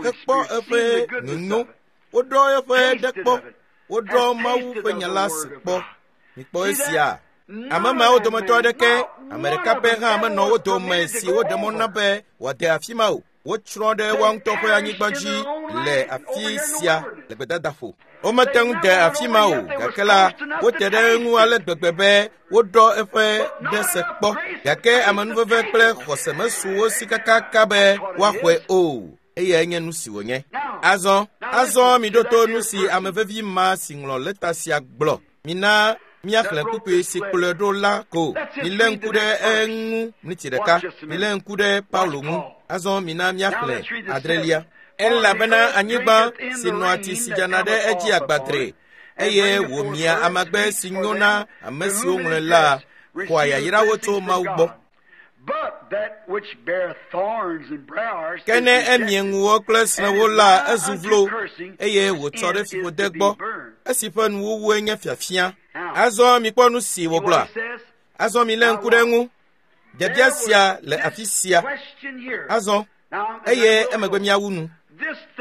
hekpɔ eƒe nyonyo, woɖɔ eƒe ɖe kpɔ, woɖɔ Mawu ƒe nya la se kpɔ. Mikpɔ esia. Ame mawo dometɔ aɖeke, ame ɖeka pɛ hã menɔ wo dome si woɖe mɔ na be wòade afi ma o. Wotsrɔ̃ ɖe woa ŋutɔ ƒe anyigba dzi le afi sia le gbedadaƒo. Womete ŋu de afi ma o, gake la, wote ɖe eŋu ale gbegbe be woɖɔ eƒe ɖe se kpɔ. Gake amenuveve kple xɔse mesu wo si kakaka be woaxɔe o. Eyae nye nu si wònye. Azɔ, azɔ miɖo to nu si ame vevi ma si ŋlɔ lɛta sia gblɔ. Mina Míaxlẽ kpukpui si kplɔe ɖo la ko. Milé ŋku ɖe eŋu miniti ɖeka. Milé ŋku ɖe Paulo ŋu. Azɔ mina míaxlẽ adrelia. Elabena anyigba si nɔa tsi si dzana ɖe edzi agbadre eye wòmia amagbe si nyo na ame siwo ŋlɔe la xɔa yayrawo tso Mawu gbɔ. Ke ne emie ŋuwo kple srẽwo la, ezu vlo eye wòtsɔ ɖe fiƒode gbɔ, esi ƒe nuwuwue nye fiafia. Azɔ mikpɔ nu si wògblɔa. Azɔ milé ŋku ɖe eŋu. Biabia sia le afi sia. Azɔ eye emegbe míawu nu.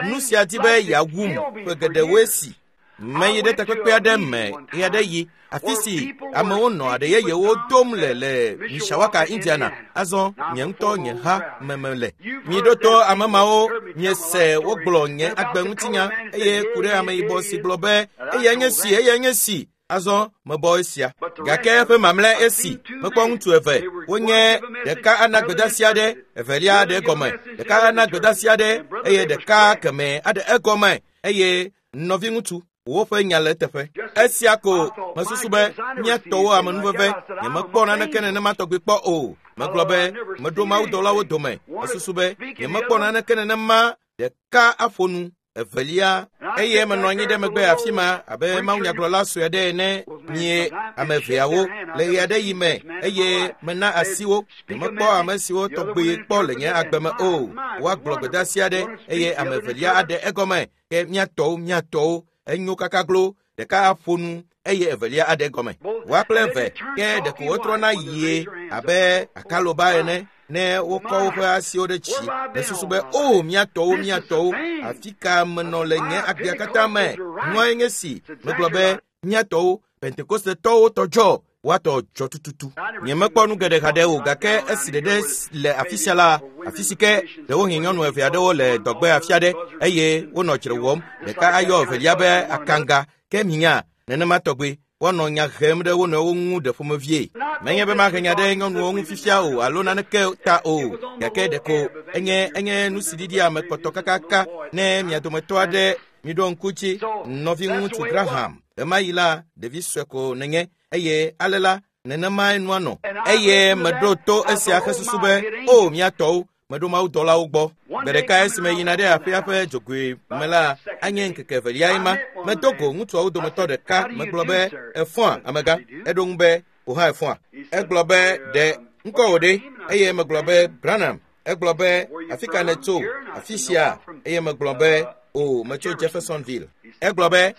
Nu sia di be yeawum ƒe geɖewoe si. Meyi ɖe takpekpe aɖe me ɣeaɖeɣi, afi si amewo nɔ aɖe yeyewo dom le le Mishawaka, Indiana. Azɔ nye ŋutɔ nye ha me mele. Miɖo to ame mawo, miese wogblɔ nye agbe ŋutinya eye ku ɖe ameyibɔ si gblɔ be eyae nye si, eyae nye si. Azɔ mebɔ esia. Gake eƒe mamlɛ esi mekpɔ ŋutsu eve, wonye ɖeka ana gbedeasi aɖe, evelia aɖe egɔme, ɖeka ana gbedeasi aɖe eye ɖeka kemɛ aɖe egɔme eye nɔviŋutsu woƒe nya le eteƒe. Esia ko mesusu be mía tɔwo amenuveve nyemekpɔ naneke nenema tɔgbi kpɔ o. Megblɔ be meɖo mawudɔlawo dome. Mesusu be nyemekpɔ naneke nenema ɖeka aƒo nu evelia eye menɔ anyi ɖe megbe afi ma abe mawunyagblɔla sue aɖe ene mie ame eveawo le ɣe aɖe yi me eye mena asi wo. Nyemekpɔ ame siwo tɔgbi kpɔ le nye agbe me o. Woagblɔ gbedeasi aɖe eye ame evelia aɖe egɔme. Ke mía tɔwo enyo kakaglo ɖeka aƒo nu eye evelia aɖe egɔme. Woa kple eve ke ɖeko wotrɔna yie abe akaloba ene ne wokɔ woƒe asiwo ɖe dzi. Mesusu be o mía tɔwo afi ka menɔ le nye agbea katã me. Nua nye si megblɔ be mía tɔwo Pentekostetɔwo tɔ dzɔ woatɔ dzɔ tututu. Nyemekpɔ nu geɖe haɖe o gake esi ɖeɖe le afi sia la, afi si ke ɖewohĩ nyɔnu eve aɖewo le dɔgbe afi aɖe eye wonɔ dzre wɔm. Ɖeka ayɔ evelia be akanga ke minya nenema tɔgbe woanɔ nya hem ɖe wo nɔewo ŋu ɖe ƒomevie. Menye be mahe nya ɖe nyɔnuwo ŋu fifia o alo naneke ta o gake ɖeko enye nu si ɖiɖia ame kpɔtɔ kakaka ne mia dometɔ aɖe miɖo ŋku dzi nɔviŋutsu Graham. Ɣemaɣi la ɖevi sue ko nenye eye ale la nenemae nua nɔ. Eye meɖo to esia hesusu be o mía tɔwo meɖo mawudɔlawo gbɔ. Gbe ɖeka esime yina ɖe aƒea ƒe dzogoe me la anye ŋkeke eveliae ma. Medo go ŋutsuawo dometɔ ɖeka megblɔ be efɔa amegã. Eɖo ŋu be wò hã efɔa. Egblɔ be ɖe ŋkɔ wò ɖe eye megblɔ be Branham. Egblɔ be afi ka nètso afi sia eye megblɔ be o metso Jeffersonville. Egblɔ be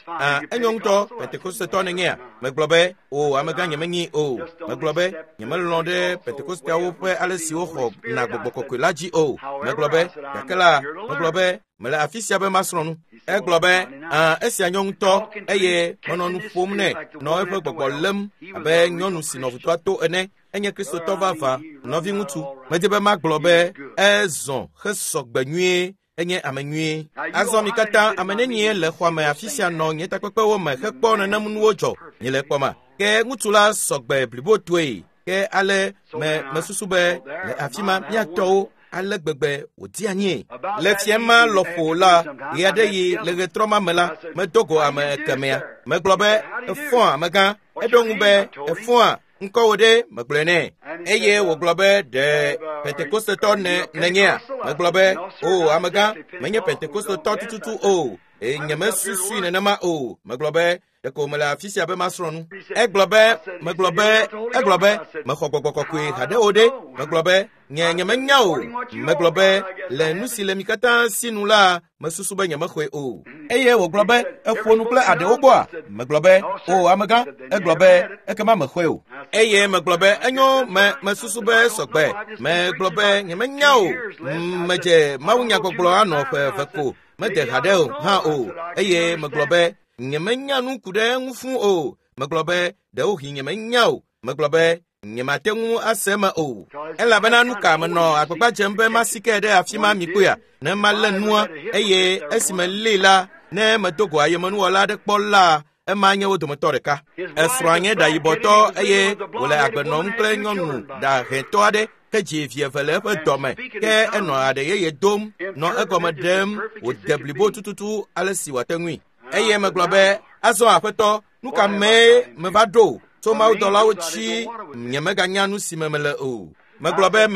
enyo ŋutɔ Pentekostetɔ nènyea? Megblɔ be o amegã nyemenyi o. Megblɔ be nyemelɔ̃ ɖe Pentekosteawo ƒe ale si woxɔ na gbɔgbɔ kɔkɔe la dzi o. Megblɔ be gake la megblɔ be mele afi sia be masrɔ̃ nu. Egblɔ be esia nyo ŋutɔ eye menɔ nu ƒom nɛ nɔ eƒe gbɔgbɔ lém abe nyɔnu si nɔ ʋutoa to ene. Enye Kristotɔ vavã nɔviŋutsu. Medi be magblɔ be ezɔ hesɔ gbe nyuie. Enye ame nyuie. Azɔ mi katã ame nenie le xɔa me afi sia nɔ nye takpekpewo me hekpɔ nenem nuwo dzɔ miele kpɔma. Ke ŋutsu la sɔ gbe blibotoe. Ke ale me mesusu be le afi ma mía tɔwo ale gbegbe wòdi anyie. Le fia ma lɔƒo la ɣeaɖeɣi le ɣetrɔ ma me la medo go ame kemɛa. Megblɔ be efɔa amegã. Eɖo ŋu be efɔa ŋkɔ wò ɖe megblɔe nɛ. Eye wògblɔ be ɖe Pentekostetɔ nènyea? Megblɔ be o amegã menye Pentekostetɔ tututu o. Nyemesusui nenema o. Megblɔ be ɖeko mele afi sia be masrɔ̃ nu. Egblɔ be megblɔ be egblɔ be mexɔ gbɔgbɔ kɔkɔe haɖe o ɖe. Megblɔ be nye nyemenya o. Megblɔ be le nu si le mi katã si nu la mesusu be nyemexɔe o. Eye wògblɔ be eƒo nu kple aɖewo gbɔa? Megblɔ be o amegã. Egblɔ be ekema mexɔe o. Eye megblɔ be enyo me mesusu be sɔgbe. Megblɔ be nyemenya o. Medze mawunyagbɔgblɔ anɔ ƒe eve ko. Mede haɖe o hã o. Eye megblɔ be nyemenya nu ku ɖe eŋu fũ o. Megblɔ be ɖewohĩ nyemenya o. Megblɔ be nyemate ŋu ase eme o. Elabena nu ka menɔ agbagba dzem be masike ɖe afi ma mi kpɔea? Ne malé nua eye esime lée la ne medo go ayemenuwɔla aɖe kpɔ la ema nye wo dometɔ ɖeka. Esrɔ̃a nye ɖayibɔtɔ eye wòle agbe nɔm kple nyɔnu ɖahɛtɔ aɖe ke dzi vi eve le eƒe dɔme ke enɔ aɖe yeye dom nɔ egɔme ɖem wòde blibo tututu ale si wòate ŋui. Eye megblɔ be azɔ aƒetɔ nu ka mee meva ɖo? Tso mawudɔlawo dzi nyemeganya nu si me mele o. Megblɔ be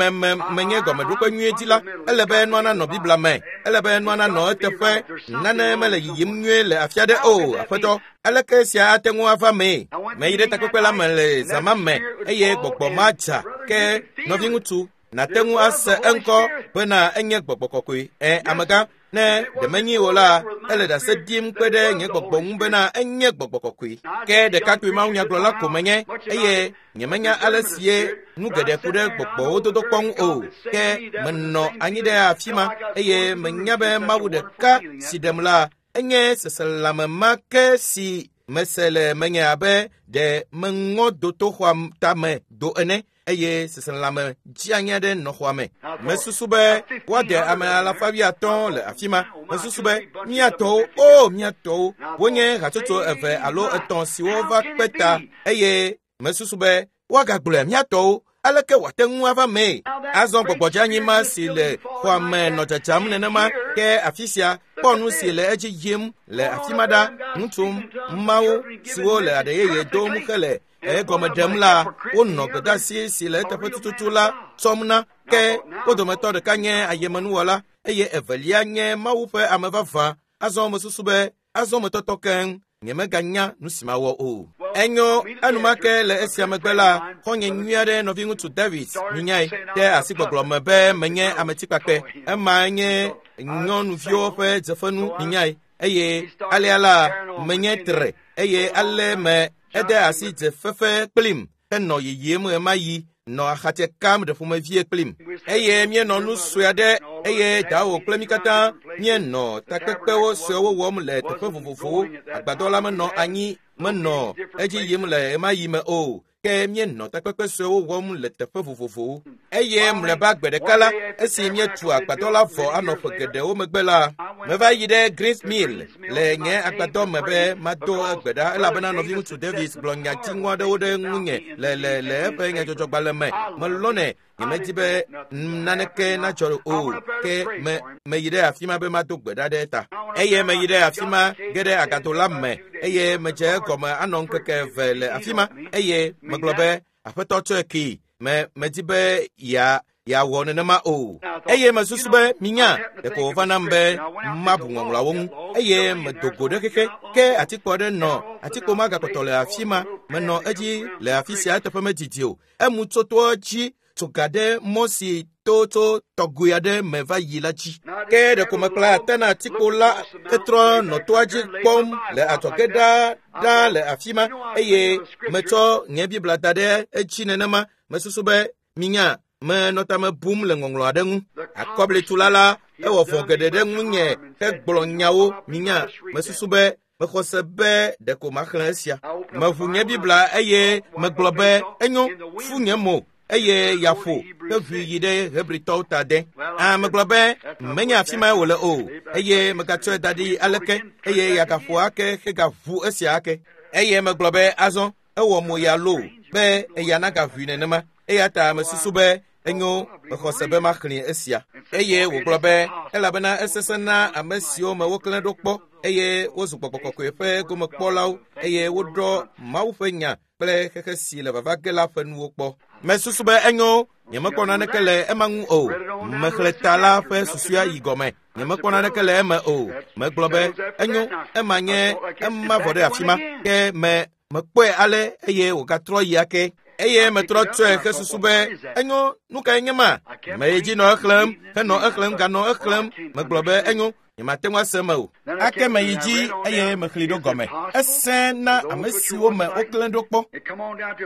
menye gɔmeɖokpe nyuie dzi la, ele be nua nanɔ Biblia me, ele be nua nanɔ eteƒe. Nane mele yiyim nyuie le afi aɖe o, aƒetɔ. Aleke sia ate ŋu ava mee? Meyi ɖe takpekpe la me le zã ma me eye gbɔgbɔ ma dza. Ke nɔviŋutsu, nàte ŋu ase eŋkɔ bena enye gbɔgbɔ kɔkɔe. Ẽ, amegã, ne ɖe menyi o la, ele ɖase ɖim kpe ɖe nye gbɔgbɔ ŋu bena enye gbɔgbɔ kɔkɔe. Ke ɖekakpui mawunyagblɔla ko menye eye nyemenya ale sie nu geɖe ku ɖe gbɔgbɔwo dodokpɔ ŋu o. Ke menɔ anyi ɖe afi ma eye menya be Mawu ɖeka si ɖem la, enye seselãme ma ke si mese le menye abe ɖe meŋɔ dotoxɔa tame do ene eye seselãme dzianyi aɖe nɔ xɔa me. Mesusu be woade ame alafa wuiatɔ̃ le afi ma. Mesusu be míatɔwo, o míatɔwo, wonye hatsotso eve alo etɔ̃ siwo va kpe ta eye mesusu be woagagblɔe míatɔwo. Aleke wòate ŋu ava mee? Azɔ gbɔgbɔdzeanyi ma si le xɔa me nɔ dzadzam nenema ke afi sia kpɔ nu si le edzi yim le afi ma ɖa. Ŋutsu mawo siwo le aɖe yeye dom hele egɔme ɖem la, wonɔ gbedeasi si le eteƒe tututu la tsɔm na. Ke wo dometɔ ɖeka nye ayemenuwɔla eye evelia nye Mawu ƒe ame vavã. Azɔ mesusu be azɔ metɔtɔ keŋ, nyemeganya nu si mawɔ o. Enyo, enumake le esia megbe la, xɔ̃nye nyui aɖe nɔviŋutsu David minyae de asi gbɔgblɔ me be menye ametikpakpɛ. Ema nye nyɔnuviwo ƒe dzefenu minyae eye alea la menye tre eye ale me ede asi dzefefe kplim henɔ yiyim ɣemaɣi nɔ axatse kam ɖe ƒomevie kplim eye míenɔ nu sue aɖe eye dawo kple mí katã míenɔ takpekpewo suewo wɔm le teƒe vovovowo. Agbadɔ la menɔ anyi menɔ edzi yim le ɣemaɣi me o. Ke míenɔ takpekpe suewo wɔm le teƒe vovovowo. Eye mlɔeba gbe ɖeka la, esi míetu agbadɔ la vɔ anɔ ƒe geɖewo megbe la, meva yi ɖe Greens Mill le nye agbadɔ me be mado egbe ɖa elabena nɔviŋutsu Davis gblɔ nya dziŋɔ aɖewo ɖe ŋunye le le le eƒe nyadzɔdzɔgbalẽ me. Melɔ̃nɛ, nyemedi be naneke nadzɔ o. Ke me meyi ɖe afi ma be mado gbe ɖa ɖe eta. Eye meyi ɖe afi ma ge ɖe agado la me eye medze egɔme anɔ ŋkeke eve le afi ma eye megblɔ be aƒetɔ tsɔe kee. Me medi be ya yeawɔ nenema o. Eye mesusu be minya ɖeko wòva nam be mabu ŋɔŋlɔawo ŋu eye medo go ɖe xexe. Ke atikpo aɖe nɔ atikpo ma gakpɔtɔ le afi ma. Menɔ edzi le afi sia eteƒe medidi o. Emu tso toa dzi tso ga ɖe mɔ si to tso tɔgoe aɖe me va yi la dzi. Ke ɖeko mekpla ate na atikpo la hetrɔ nɔ toa dzi kpɔm le adzɔge ɖaa ɖaa le afi ma eye metsɔ nye Biblia da ɖe edzi nenema. Mesusu be minya menɔ tame bum le ŋɔŋlɔ aɖe ŋu. Akɔblitula la ewɔ vɔ̃ geɖe ɖe ŋunye hegblɔ nyawo minya. Mesusu be mexɔ se be ɖeko maxlẽ esia. Meʋu nye Biblia eye megblɔ be enyo fu nye mo eye yaƒo heʋui yi ɖe Hebritɔwo ta de. A megblɔ be menye afi mae wòle o eye megatsɔe da ɖi aleke eye yagaƒo ake hegaʋu esia ake. Eye megblɔ be azɔ ewɔ mo ya loo be eya nagaʋui nenema. Eya ta mesusu be enyo mexɔ se be maxlẽ esia. Eye wògblɔ be elabena esesẽ na ame siwo me woklẽ ɖo kpɔ eye wozu gbɔgbɔ kɔkɔe ƒe gomekpɔlawo eye woɖɔ Mawu ƒe nya kple xexe si le vava ge la ƒe nuwo kpɔ. Mesusu be enyo nyemekpɔ naneke le ema ŋu o. Mexlẽ ta la ƒe susua yi gɔme. Nyemekpɔ naneke le eme o. Megblɔ be enyo ema nye ema vɔ ɖe afi ma. Ke me mekpɔe ale eye wògatrɔ yi ake. Eye metrɔ tsɔe hesusu be enyo nu kae nye ma? Meyi dzi nɔ exlẽm henɔ exlẽm ganɔ exlẽm. Megblɔ be enyo nyemate ŋu ase eme o. Ake meyi dzi eye mexlẽe ɖo gɔme. Esẽ na ame siwo me woklẽ ɖo kpɔ.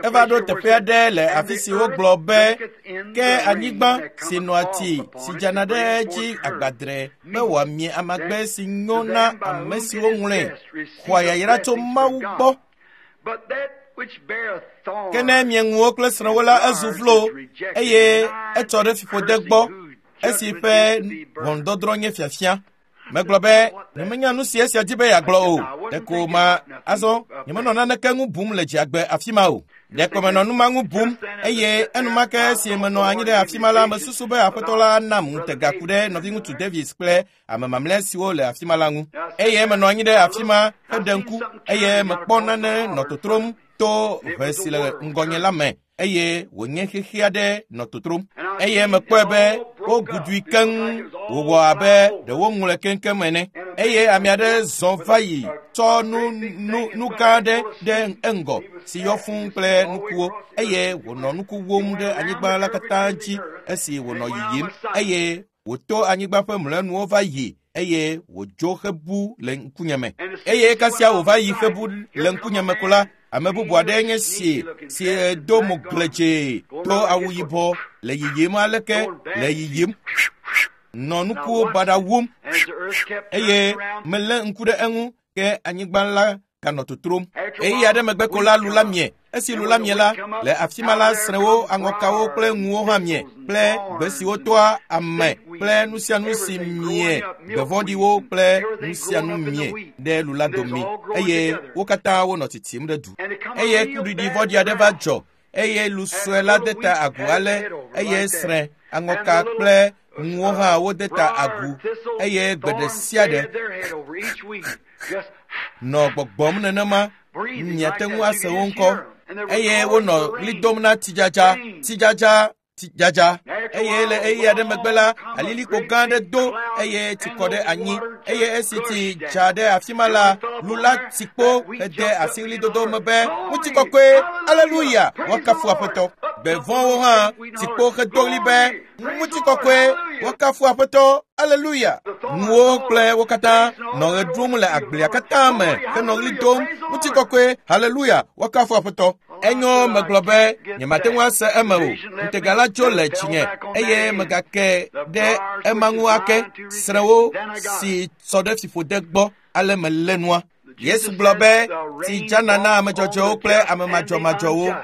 Eva ɖo teƒe aɖe le afi si wogblɔ be ke anyigba si nɔa tsi si dzana ɖe edzi agbadre be wòamie amagbe si nyo na ame siwo ŋlɔe xɔa yayra tso Mawu gbɔ. Ke ne mieŋuwo kple srɔ̃wo la ezu vlo eye etsɔ ɖe fiƒode gbɔ esi ƒe ʋɔnudɔdrɔ̃ nye fiafia. Megblɔ be nyemenya nu si esia di be yeagblɔ o. Ɖeko ma azɔ nyemenɔ naneke ŋu bum le dziagbe afi ma o. Ɖeko menɔ nu ma ŋu bum eye enumake esi menɔ anyi ɖe afi ma la mesusu be aƒetɔ la nam ŋutega ku ɖe nɔviŋutsu Davis kple ame mamlɛ siwo le afi ma la ŋu. Eye menɔ anyi ɖe afi ma heɖe ŋku eye mekpɔ nane nɔ totrom To ʋe si le ŋgɔnye la me eye wònye xexi aɖe nɔ totrom eye mekpɔe be wogudui keŋ wòwɔ abe ɖe woŋlɔe keŋkeŋ ene eye ame aɖe zɔ va yi tsɔ nu gã aɖe ɖe eŋgɔ si yɔ fũu kple nukuwo eye wònɔ nuku wom ɖe anyigba la katã dzi esi wònɔ yiyim eye wòto anyigba ƒe mlɔenuwo va yi eye wòdzo hebu le ŋkunyeme eye kasia wòva yi hebu le ŋkunyeme ko la ame bubu aɖe nye si si do mo gledze do awu yibɔ le yiyim aleke le yiyim nɔ nukuwo baɖa wum eye melé ŋku ɖe eŋu ke anyigba la ganɔ totrom. Ɣeyiɣi aɖe megbe ko la lu la mie. Esi lu la mie la, le afi ma la srẽwo, aŋɔkawo kple ŋuwo hã mie kple gbe siwo toa ame kple nu sia nu si mie, gbe vɔ̃ɖiwo kple nu sia nu mie ɖe lu la dome eye wo katã wonɔ tsitsim ɖe du. Eye kuɖiɖi vɔ̃ɖi aɖe va dzɔ eye lu sue la de ta agu ale eye srẽ, aŋɔka kple ŋuwo hã wode ta agu eye gbe ɖe sia ɖe nɔ gbɔgbɔm nenema miate ŋu ase wo ŋkɔ eye wonɔ ɣli dom na tsidzadza tsidzadza tsidzadza eye le ɣeyiɣi aɖe megbe la alilikpo gã aɖe do eye tsi kɔ ɖe anyi eye esi tsi dza ɖe afi ma la lu la tsi kpo hede asi ɣlidodo me be ŋutikɔkɔe aleluya woakafu aƒetɔ gbe vɔ̃wo hã tsi kpo hedo ɣli be ŋutikɔkɔe woakafu aƒetɔ aleluya nuwo kple wo katã nɔ ɣe ɖum le agblea katã me henɔ ɣli dom ŋutikɔkɔe haleluya woakafu aƒetɔ enyo megblɔ be nyemate ŋu ase eme o ŋutega la dzo le dzinye eye megake ɖe ema ŋu ake srẽwo si sɔ ɖe fiƒode gbɔ ale melé nua Yesu gblɔ be tsi dzana na ame dzɔdzɔewo kple ame madzɔmadzɔwo.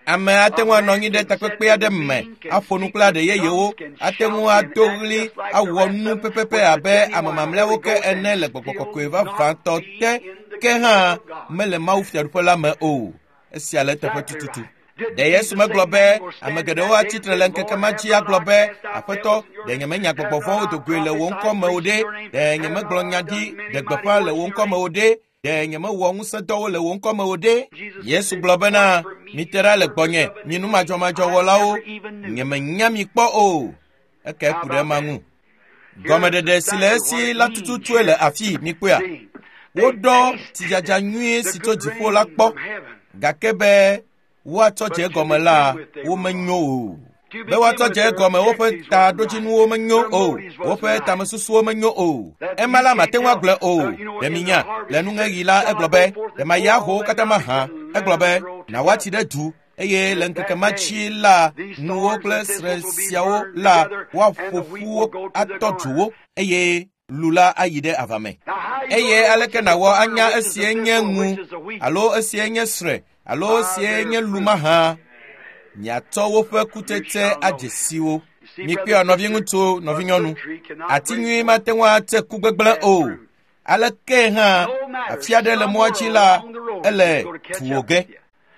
Ame ate ŋu anɔ anyi ɖe takpekpe aɖe me aƒo nu kple aɖe yeyewo ate ŋu ado ɣli awɔ nu pɛpɛpɛ abe ame mamlɛawo ke ene le gbɔgbɔ kɔkɔe vavãtɔ te ke hã mele Mawu fiaɖuƒe la me o. Esia le eteƒe tututu. Ɖe Yesu megblɔ be ame geɖewo atsitre le ŋkeke ma dzi agblɔ be aƒetɔ ɖe nyemenya gbɔgbɔ vɔ̃wo do goe le wò ŋkɔ me o ɖe ɖe nyemegblɔ nya ɖi ɖe gbeƒã le wò ŋkɔ me o ɖe ɖe nyemewɔ ŋusẽdɔwo le wò ŋkɔ me o ɖe Yesu gblɔ bena mite ɖa le gbɔnye mi nu madzɔmadzɔwɔlawo nyemenya mi kpɔ o eke ku ɖe ema ŋu gɔmeɖeɖe si le esi la tututue le afi mikpɔea woɖɔ tsidzadza nyuie si tso dziƒo la kpɔ gake be woatsɔ dze egɔme la womenyo o be woatsɔ dze egɔme woƒe taɖodzinuwo menyo o woƒe tamesusuwo menyo o ema la mate ŋu agblɔe o ɖe minya le nuŋeɣi la egblɔ be ɖe mayi ahowo katã mahã egblɔ be na woatsi ɖe du eye le ŋkeke ma dzi la nuwo kple srẽ siawo la woaƒo ƒu wo atɔ dzo wo eye lu la ayi ɖe ava me eye aleke nàwɔ anya esie nye ŋu alo esie nye srẽ alo esie nye lu mahã miatsɔ woƒe kutsetse adze si wo. Mikpɔe nɔviŋutsu nɔvinyɔnu ati nyui mate ŋu atse ku gbegblẽ o aleke hã afi aɖe le mɔa dzi la ele tuwò ge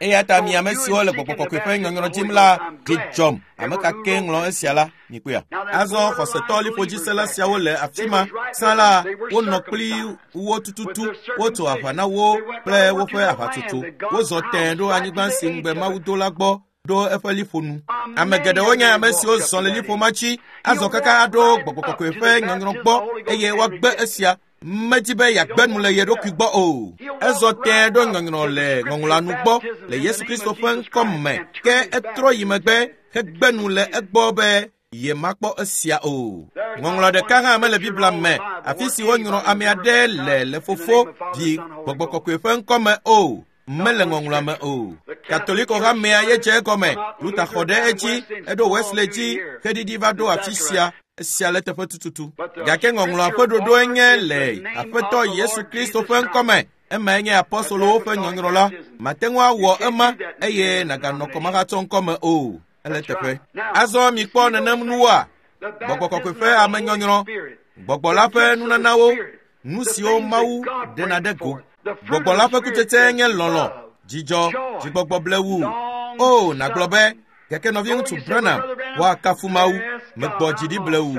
eya ta mi ame siwo le gbɔgbɔ kɔkɔe ƒe nyɔnyrɔ dzim la dzi dzɔm ame ka ke ŋlɔ esia la mikpɔea azɔ xɔsetɔ liƒodzisela siawo le afi ma sã la wonɔ kpli wo tututu wotso aʋa na wo kple woƒe aʋatsotso wozɔ tẽe ɖo anyigba si ŋugbe Mawu do la gbɔ ɖo eƒe liƒo nu. Ame geɖewo nye ame siwo zɔ le liƒo ma dzi azɔ kaka aɖo gbɔgbɔ kɔkɔe ƒe nyɔnyrɔ gbɔ eye woagbe esia medi be yeagbe nu le ye ɖokui gbɔ o. Ezɔ tẽe ɖo nyɔnyrɔ le ŋɔŋlɔa nu gbɔ le Yesu Kristo ƒe ŋkɔ me ke etrɔ yi megbe hegbe nu le egbɔ be yemakpɔ esia o. Ŋɔŋlɔ ɖeka hã mele Biblia me afi si wonyrɔ ame aɖe le le Fofo, Vi, Gbɔgbɔ Kɔkɔe ƒe ŋkɔ me o. Mele ŋɔŋlɔa me o. Katoliko hamea ye dze egɔme. Luther xɔ ɖe edzi, eɖo Wesley dzi, xeɖiɖi va ɖo afi sia. Esia le teƒe tututu. Gake ŋɔŋlɔa ƒe ɖoɖoe nye le Aƒetɔ Yesu Kristo ƒe ŋkɔme. Emae nye apɔstolowo ƒe nyɔnyrɔ la. Mate ŋu awɔ ema eye nàganɔ kɔmahatsɔ ŋkɔme o. Ele teƒe. Azɔ mikpɔ nenem nuwoa? Gbɔgbɔ kɔkɔe ƒe amenyɔnyrɔ, gbɔgbɔ la ƒe nunanawo, nu siwo Mawu ɖena ɖe go. Gbɔgbɔ la ƒe kutsetse nye lɔlɔ̃, dzidzɔ, dzigbɔgbɔ blewu. O, nàgblɔ be, gake nɔviŋutsu Branham, woakafu Mawu, megbɔ dzi ɖi blewu.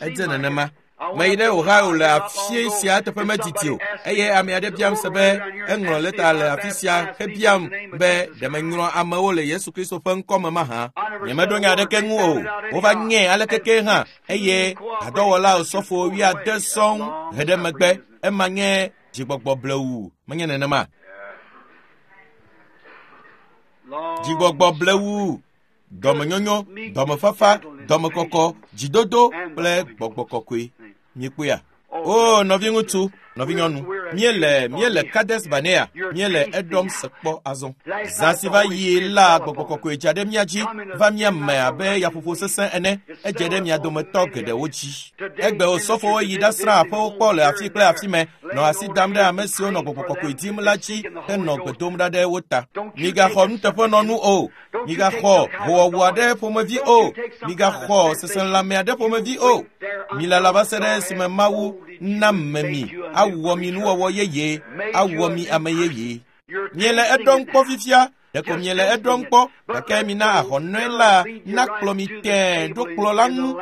Edze nenema. Meyi ɖe Ohio le afi sia teƒe medidi o, eye ame aɖe biam se be eŋlɔ lɛta le afi sia hebiam be ɖe menyrɔ amewo le Yesu Kristo ƒe ŋkɔ me mahã. Nyemeɖo nya aɖeke ŋu o. Wova nyɛ alekeke hã eye hadɔwɔla osɔfo 70 sɔŋ he ɖe megbe. Ema nye dzigbɔgbɔ blewu, menye nenema? Dzigbɔgbɔ blewu, dɔmenyonyo, dɔmefafa, dɔmekɔkɔ, dzidodo kple gbɔgbɔ kɔkɔe. Miekpɔea? O, nɔviŋutsu, nɔvinyɔnu, míele Kades Barnea, míele Edom se kpɔ azɔ. Zã si va yi la, gbɔgbɔ kɔkɔe dza ɖe mía dzi, va mía me abe yaƒoƒo sesẽ ene, edze ɖe mia dometɔ geɖewo dzi. Egbe osɔfowo yi ɖasrã aƒewo kpɔ le afi kple afi me, nɔ asi dam ɖe ame siwo nɔ gbɔgbɔ kɔkɔe dim la dzi henɔ gbe dom ɖa ɖe wo ta. Migaxɔ nuteƒenɔnu o, migaxɔ howɔwɔ aɖe ƒomevi o, migaxɔ seselãme aɖe ƒomevi o. Milala va se ɖe esime Mawu na me mi, awɔ mi nuwɔwɔ yeye, awɔ mi ame yeye. Miele eɖɔm kpɔ fifia, ɖeko miele eɖɔm kpɔ, gake mina ahɔnɔe la nakplɔ mi tẽe ɖo kplɔ la ŋu,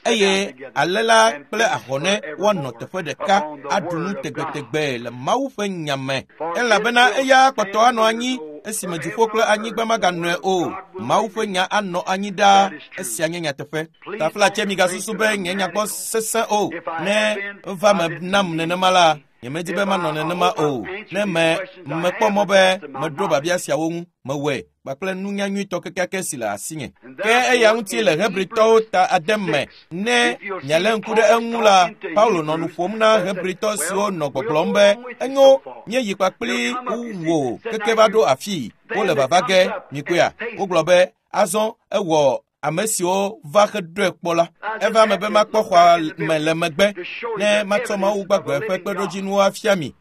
eye ale la kple ahɔnɛ woanɔ teƒe ɖeka aɖu nu tegbetegbe le Mawu ƒe nya me. Elabena eya kpɔtɔ anɔ anyi esime dziƒo kple anyigba maganɔe o. Mawu ƒe nya anɔ anyi ɖaa. Esia nye nyateƒe. Taflatse migasusu be nye nyagbɔ sesẽ o. Ne va me nam nenema la, nyemedi be manɔ nenema o. Ne mekpɔ mɔ be meɖo babia siawo ŋu, mewɔe kpakple nunya nyuitɔ kekeake si le asinye. Ke eya ŋuti le Hebritɔwo ta ade me, ne mialé ŋku ɖe eŋu la, Paulo nɔ nu ƒom na Hebritɔ siwo nɔ gbɔgblɔm be, enyo, míeyi kpakpli wò keke va ɖo afii, wole vava ge, mikpɔea? Wogblɔ be, azɔ ewɔ ame siwo va heɖoe kpɔ la. Eva me be makpɔ xɔa me le megbe, ne matsɔ Mawu gbagbe ƒe kpeɖodzinuwo afia mi.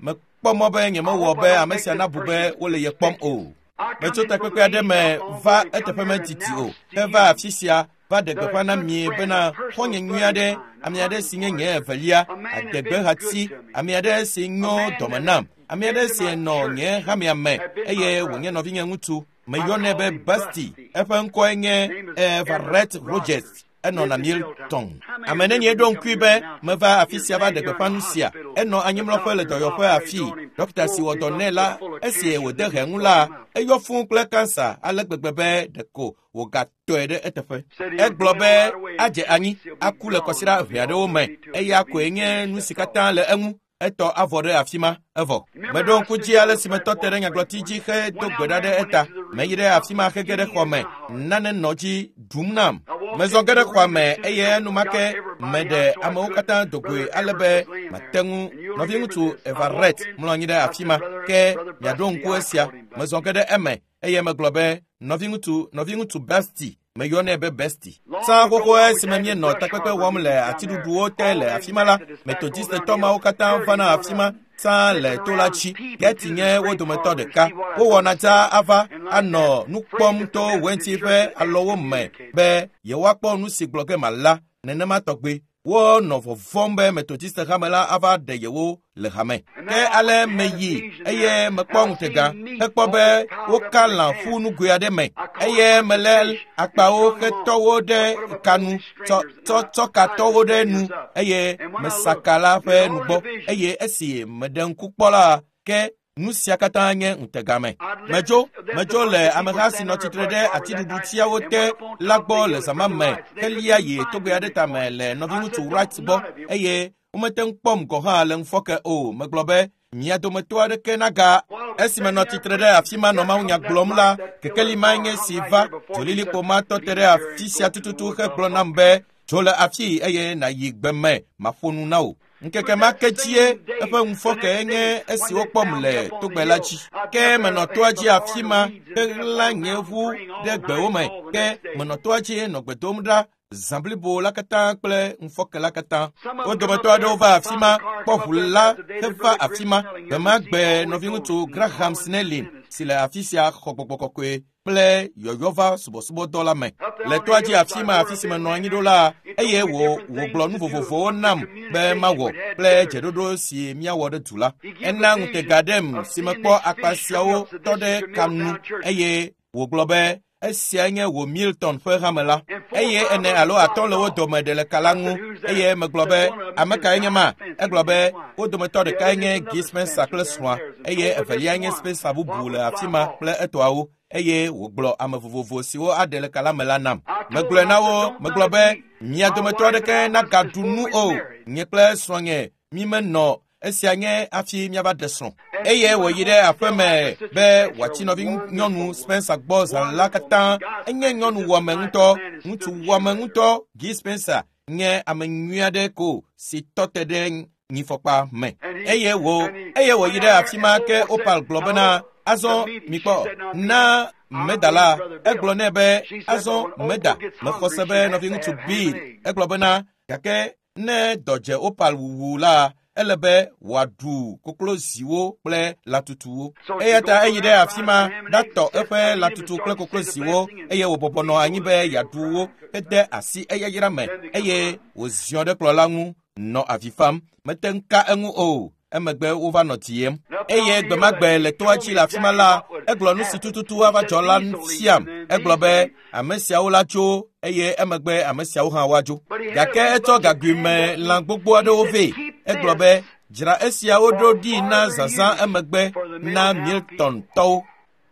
Mekpɔ mɔ be nyemewɔ be ame sia nabu be wole ye kpɔm o. Metso takpekpe aɖe me va eteƒe medidi o, heva afi sia va ɖe gbeƒã na mi bena xɔ̃nye nyui aɖe, ame aɖe si nye nye evelia, adegbehati, ame aɖe si nyo dɔme nam, ame aɖe si nɔ nye hamea me eye wònye nɔvinye ŋutsu. Meyɔnɛ be Basti, eƒe ŋkɔe nye Everett Rogers. Enɔ na Milton. Ame nenye ɖo ŋkui be meva afi sia va ɖe gbeƒã nu sia. Enɔ anyimlɔƒe le dɔyɔƒe afii. Dɔkita si wɔ dɔ nɛ la, esi wòde he ŋu la, eyɔ fũu kple kansa ale gbegbe be ɖeko wògatɔe ɖe eteƒe. Egblɔ be adze anyi, aku le kɔsiɖa ʋɛ aɖewo me. Eya koe nye nu si katã le eŋu. Etɔ avɔ ɖe afi ma, evɔ. Meɖo ŋku dzi ale si metɔ te ɖe nyagblɔti dzi hedo gbe ɖa ɖe eta. Meyi ɖe afi ma hege ɖe xɔ me, nane nɔ dzi ɖum nam. Mezɔ ge ɖe xɔa me eye enumake meɖe amewo katã do goe ale be mate ŋu. Nɔviŋutsu Everett mlɔ anyi ɖe afi ma, ke miaɖo ŋku esia. Mezɔ ge ɖe eme eye megblɔ be, nɔviŋutsu Basti, meyɔnɛ be Besti. Tsã xoxo esime míenɔ takpekpe wɔm le atiɖuɖuwo te le afi ma la, Metodistetɔ mawo katã vana afi ma tsã le to la dzi. Geti nye wo dometɔ ɖeka. Wowɔna dzaa ava anɔ nu kpɔm to wɛnti ƒe alɔwo me be yewoakpɔ nu si gblɔ ge mala nenema tɔgbe. Wonɔ vɔvɔ̃m be Metodiste hame la ava ɖe yewo le hame. Ke ale meyi eye mekpɔ ŋutega hekpɔ be woka lã ƒu nugoe aɖe me eye melé akpawo hetɔ wo ɖe ka nu, tsɔ ka tɔ wo ɖe nu eye mesa ka la ƒe nugbɔ eye esi meɖe ŋku kpɔ la, ke nu sia katã nye ŋutega me. Medzo le ameha si nɔ tsitre ɖe atiɖuɖutiawo te la gbɔ le zã ma me helia yi togbɛ aɖe tame le nɔviŋutsu Wright gbɔ eye womete ŋu kpɔm gɔ̃ hã le ŋufɔke o. Megblɔ be mia dometɔ aɖeke naga. Esi menɔ tsitre ɖe afi ma nɔ mawunya gblɔm la, kekeli mae nye si va. Dzolilikpo ma tɔ te ɖe afi sia tututu hegblɔ nam be, tso le afii eye nàyi gbe me maƒo nu na wò. Ŋkeke ma ke dzie eƒe ŋufɔke nye esi wokpɔm le togbɛ la dzi. Ke menɔ toa dzi afi ma heɣla nye ʋu ɖe gbewo me. Ke menɔ toa dzi nɔ gbe dom ɖa zã blibo la katã kple ŋufɔke la katã. Wo dometɔ aɖewo va afi ma, kpɔ ʋu la heva afi ma. Gbe ma gbe nɔviŋutsu Graham Snelling si le afi sia xɔ gbɔgbɔ kɔkɔe kple yɔyɔva subɔsubɔdɔ la me. Le toa dzi afi ma afi si menɔ anyi ɖo la, eye wògblɔ nu vovovowo nam be mawɔ kple dzeɖoɖo si míawɔ ɖe du la. Ena ŋutega ɖem si mekpɔ akpa siawo tɔ ɖe ka nu eye wògblɔ be esia nye wò Milton ƒe hame la. Eye 4 alo 5 le wo dome ɖe le ka la ŋu. Eye megblɔ be, ame kae nye ma? Egblɔ be, wo dometɔ ɖekae nye Guy Spencer kple srɔ̃a, eye evelia nye Spencer bubu le afi ma kple etɔawo. Eye wògblɔ ame vovovo siwo aɖe le ka la me la nam. Megblɔe na wo, megblɔ be, mia dometɔ aɖeke nagaɖu nu o. Nye kple srɔ̃nye mi menɔ esia nye hafi míava ɖe srɔ̃. Eye wòyi ɖe aƒe me be wòatsi nɔvinyɔnu Spencer gbɔ zã la katã. Enye nyɔnu wɔme ŋutɔ, ŋutsu wɔme ŋutɔ. Guy Spencer nye ame nyui aɖe ko si tɔ te ɖe nyifɔkpa me. Eye wòyi ɖe afi ma ke Opal gblɔ bena, azɔ mikpɔ, na meda la. Egblɔ nɛ be, azɔ meda, mexɔ se be nɔviŋutsu Bill. Egblɔ bena, gake ne dɔ dze Opal wuwu la, ele be wòaɖu kokloziwo kple latutuwo. Eya ta eyi ɖe afi ma ɖatɔ eƒe latutu kple kokloziwo, eye wòbɔbɔ nɔ anyi be yeaɖu wo hede asi eyayra me, eye wòziɔ ɖe kplɔ̃ la ŋu nɔ avi fam. Mete ŋu ka eŋu o. Emegbe wova nɔ diem. Eye gbemagbe le toa dzi le afi ma la, egblɔ nu si tututu ava dzɔ la fiam. Egblɔ be ame siawo la tso, eye emegbe ame siawo hã woadzo. Gake etsɔ gagoe me lã gbogbo aɖewo vɛ. Egblɔ be, dzra esiawo ɖo ɖi na zazã emegbe na Milton tɔwo.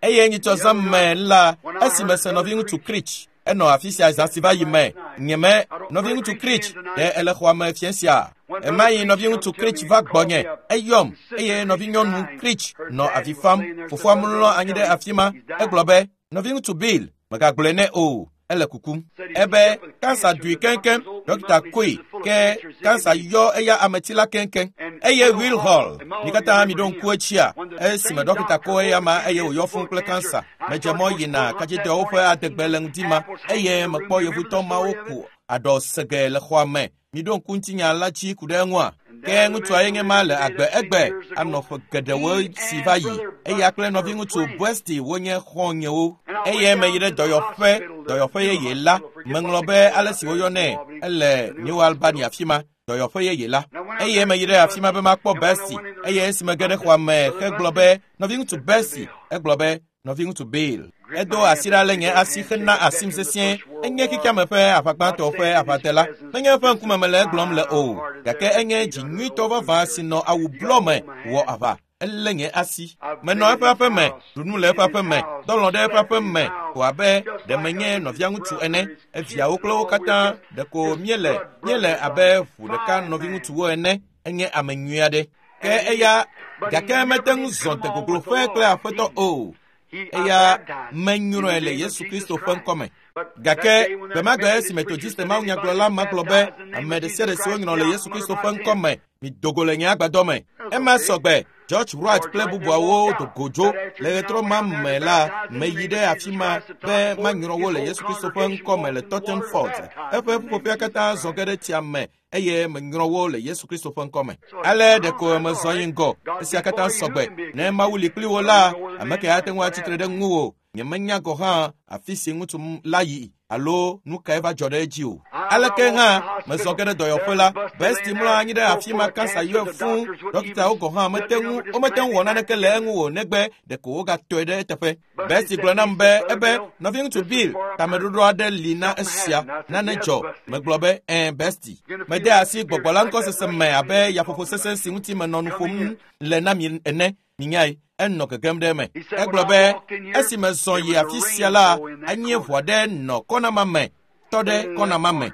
Eye nyitsɔ zã me la, esime se nɔviŋutsu Creech enɔ afi sia zã si va yi me. Nyeme nɔviŋutsu Creech ɖe ele xɔa me fiẽ sia. Ema yi nɔviŋutsu Creech va gbɔnye, eyɔm, eye nɔvinyɔnu Creech nɔ avi fam. Fofoa mlɔ anyi ɖe afi ma. Egblɔ be, nɔviŋutsu Bill, megagblɔe nɛ o, ele kukum. Ebe kansa ɖui keŋkeŋ, dɔkita koe, ke kansa yɔ eya ameti la keŋkeŋ. Eye Will Hall, mi katã mi ɖo ŋku etsia, esime dɔkita ko eya ma eye wòyɔ fũu kple kansa. Medze mɔ yina kadzidɔwo ƒe adegbe le ŋdi ma, eye mekpɔ yevutɔ mawo ku aɖɔ sege le xɔa me. Mi ɖo ŋku ŋutinya la dzi ku ɖe eŋua? Ke ŋutsua ye nye ma le agbe egbe anɔ ƒe geɖewo si va yi. Eya kple nɔviŋutsu Busty wonye xɔ̃nyewo. Eye meyi ɖe dɔyɔƒe yeye la. Meŋlɔ be ale si woyɔnɛ ele New Albany afi ma, dɔyɔƒe yeye la. Eye meyi ɖe afi ma be makpɔ Busty. Eye esi mege ɖe xɔa me hegblɔ be, nɔviŋutsu Busty, egblɔ be, nɔviŋutsu Bill. Edo asi ɖa le nye asi hena asim sesĩe. Enye xexeame ƒe aʋagbãtɔ ƒe aʋadela. Menye eƒe ŋkume mele egblɔm le o, gake enye dzi nyuitɔ vavã si nɔ awu blɔ me wɔ aʋa. Elé nye asi. Menɔ eƒe aƒe me, ɖu nu le eƒe aƒe me, dɔlɔ̃ ɖe eƒe aƒe me ko abe ɖe menye nɔvia ŋutsu ene. Eviawo kple wo katã ɖeko míele abe ʋu ɖeka nɔviŋutsuwo ene. Enye ame nyui aɖe. Ke eya gake mete ŋu zɔ degogloƒe kple aƒetɔ o. Eya menyrɔe le Yesu Kristo ƒe ŋkɔme. Gake gbemagbe esi Methodiste mawunyagblɔla ma gblɔ be ame ɖe sia ɖe si wonyrɔ le Yesu Kristo ƒe ŋkɔme, mido go le nye agbadɔ me. Ema sɔgbe. George Wright kple bubuawo do go dzo. Le ɣetrɔ ma me la, meyi ɖe afi ma be manyrɔ wo le Yesu Kristo ƒe ŋkɔme le Totten Fort. Eƒe ƒuƒoƒea katã zɔ ge ɖe tsia me eye menyrɔ wo le Yesu Kristo ƒe ŋkɔme. Ale ɖeko mezɔ yi ŋgɔ. Esia katã sɔgbe. Ne Mawu li kpli wo la, ame ke ate ŋu atsitre ɖe ŋuwò. Nyemenya gɔ̃ hã afi si ŋutsu la yi alo nu kae va dzɔ ɖe edzi o. Aleke hã mezɔ ge ɖe dɔyɔƒe la, Bestie mlɔ anyi ɖe afi ma kansa yɔe fũu. Dɔkitawo gɔ̃ hã womete ŋu wɔ naneke le eŋu o negbe ɖeko wogatɔe ɖe eteƒe. Bestie gblɔ nam be ebe nɔviŋutsu Bill, tameɖoɖo aɖe li na esia, nane dzɔ. Megblɔ be, ɛ̃ Bestie. Mede asi gbɔgbɔ la ŋkɔsese me abe yaƒoƒo sesẽ si ŋuti menɔ nu ƒom le na mi ene. Minyae, enɔ gegem ɖe eme. Egblɔ be, esi mezɔ yi afi sia la, enye ʋɔ aɖe nɔ kɔna ma me, tɔ ɖe kɔna ma me.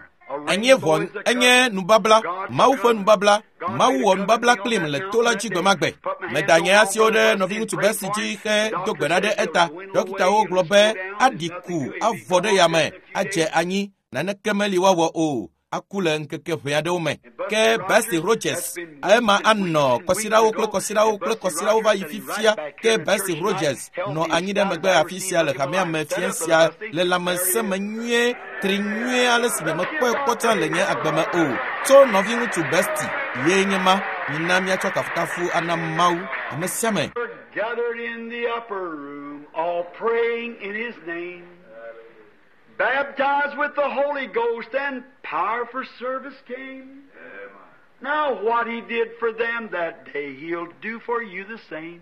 Enye ʋɔ, enye nubabla, Mawu ƒe nubabla. Mawu wɔ nubabla kplim le to la dzi gbemagbe. Meda nye asiwo ɖe nɔviŋutsu Bessie dzi hedo gbe ɖa ɖe eta. Dɔkitawo gblɔ be aɖi ku avɔ ɖe yame, adze anyi, naneke meli woawɔ o. Aku le ŋkeke ʋɛ aɖewo me. Ke Bessie Rogers, ema anɔ kɔsiɖawo kple kɔsiɖawo kple kɔsiɖawo va yi fifia. Ke Bessie Rogers nɔ anyi ɖe megbe afi sia le hamea me fiẽ sia le lãmesẽ me nyuie, tri nyuie ale si nyemekpɔe kpɔ tsã le nye agbe me o. Tso nɔviŋutsu Bestie ye nye ma. Mina míatsɔ kafukafu ana Mawu ame sia ame. Gathered in the upper room, all praying in his name. Baptized with the Holy Ghost and power for service came. Now what he did for them that day, he'll do for you the same.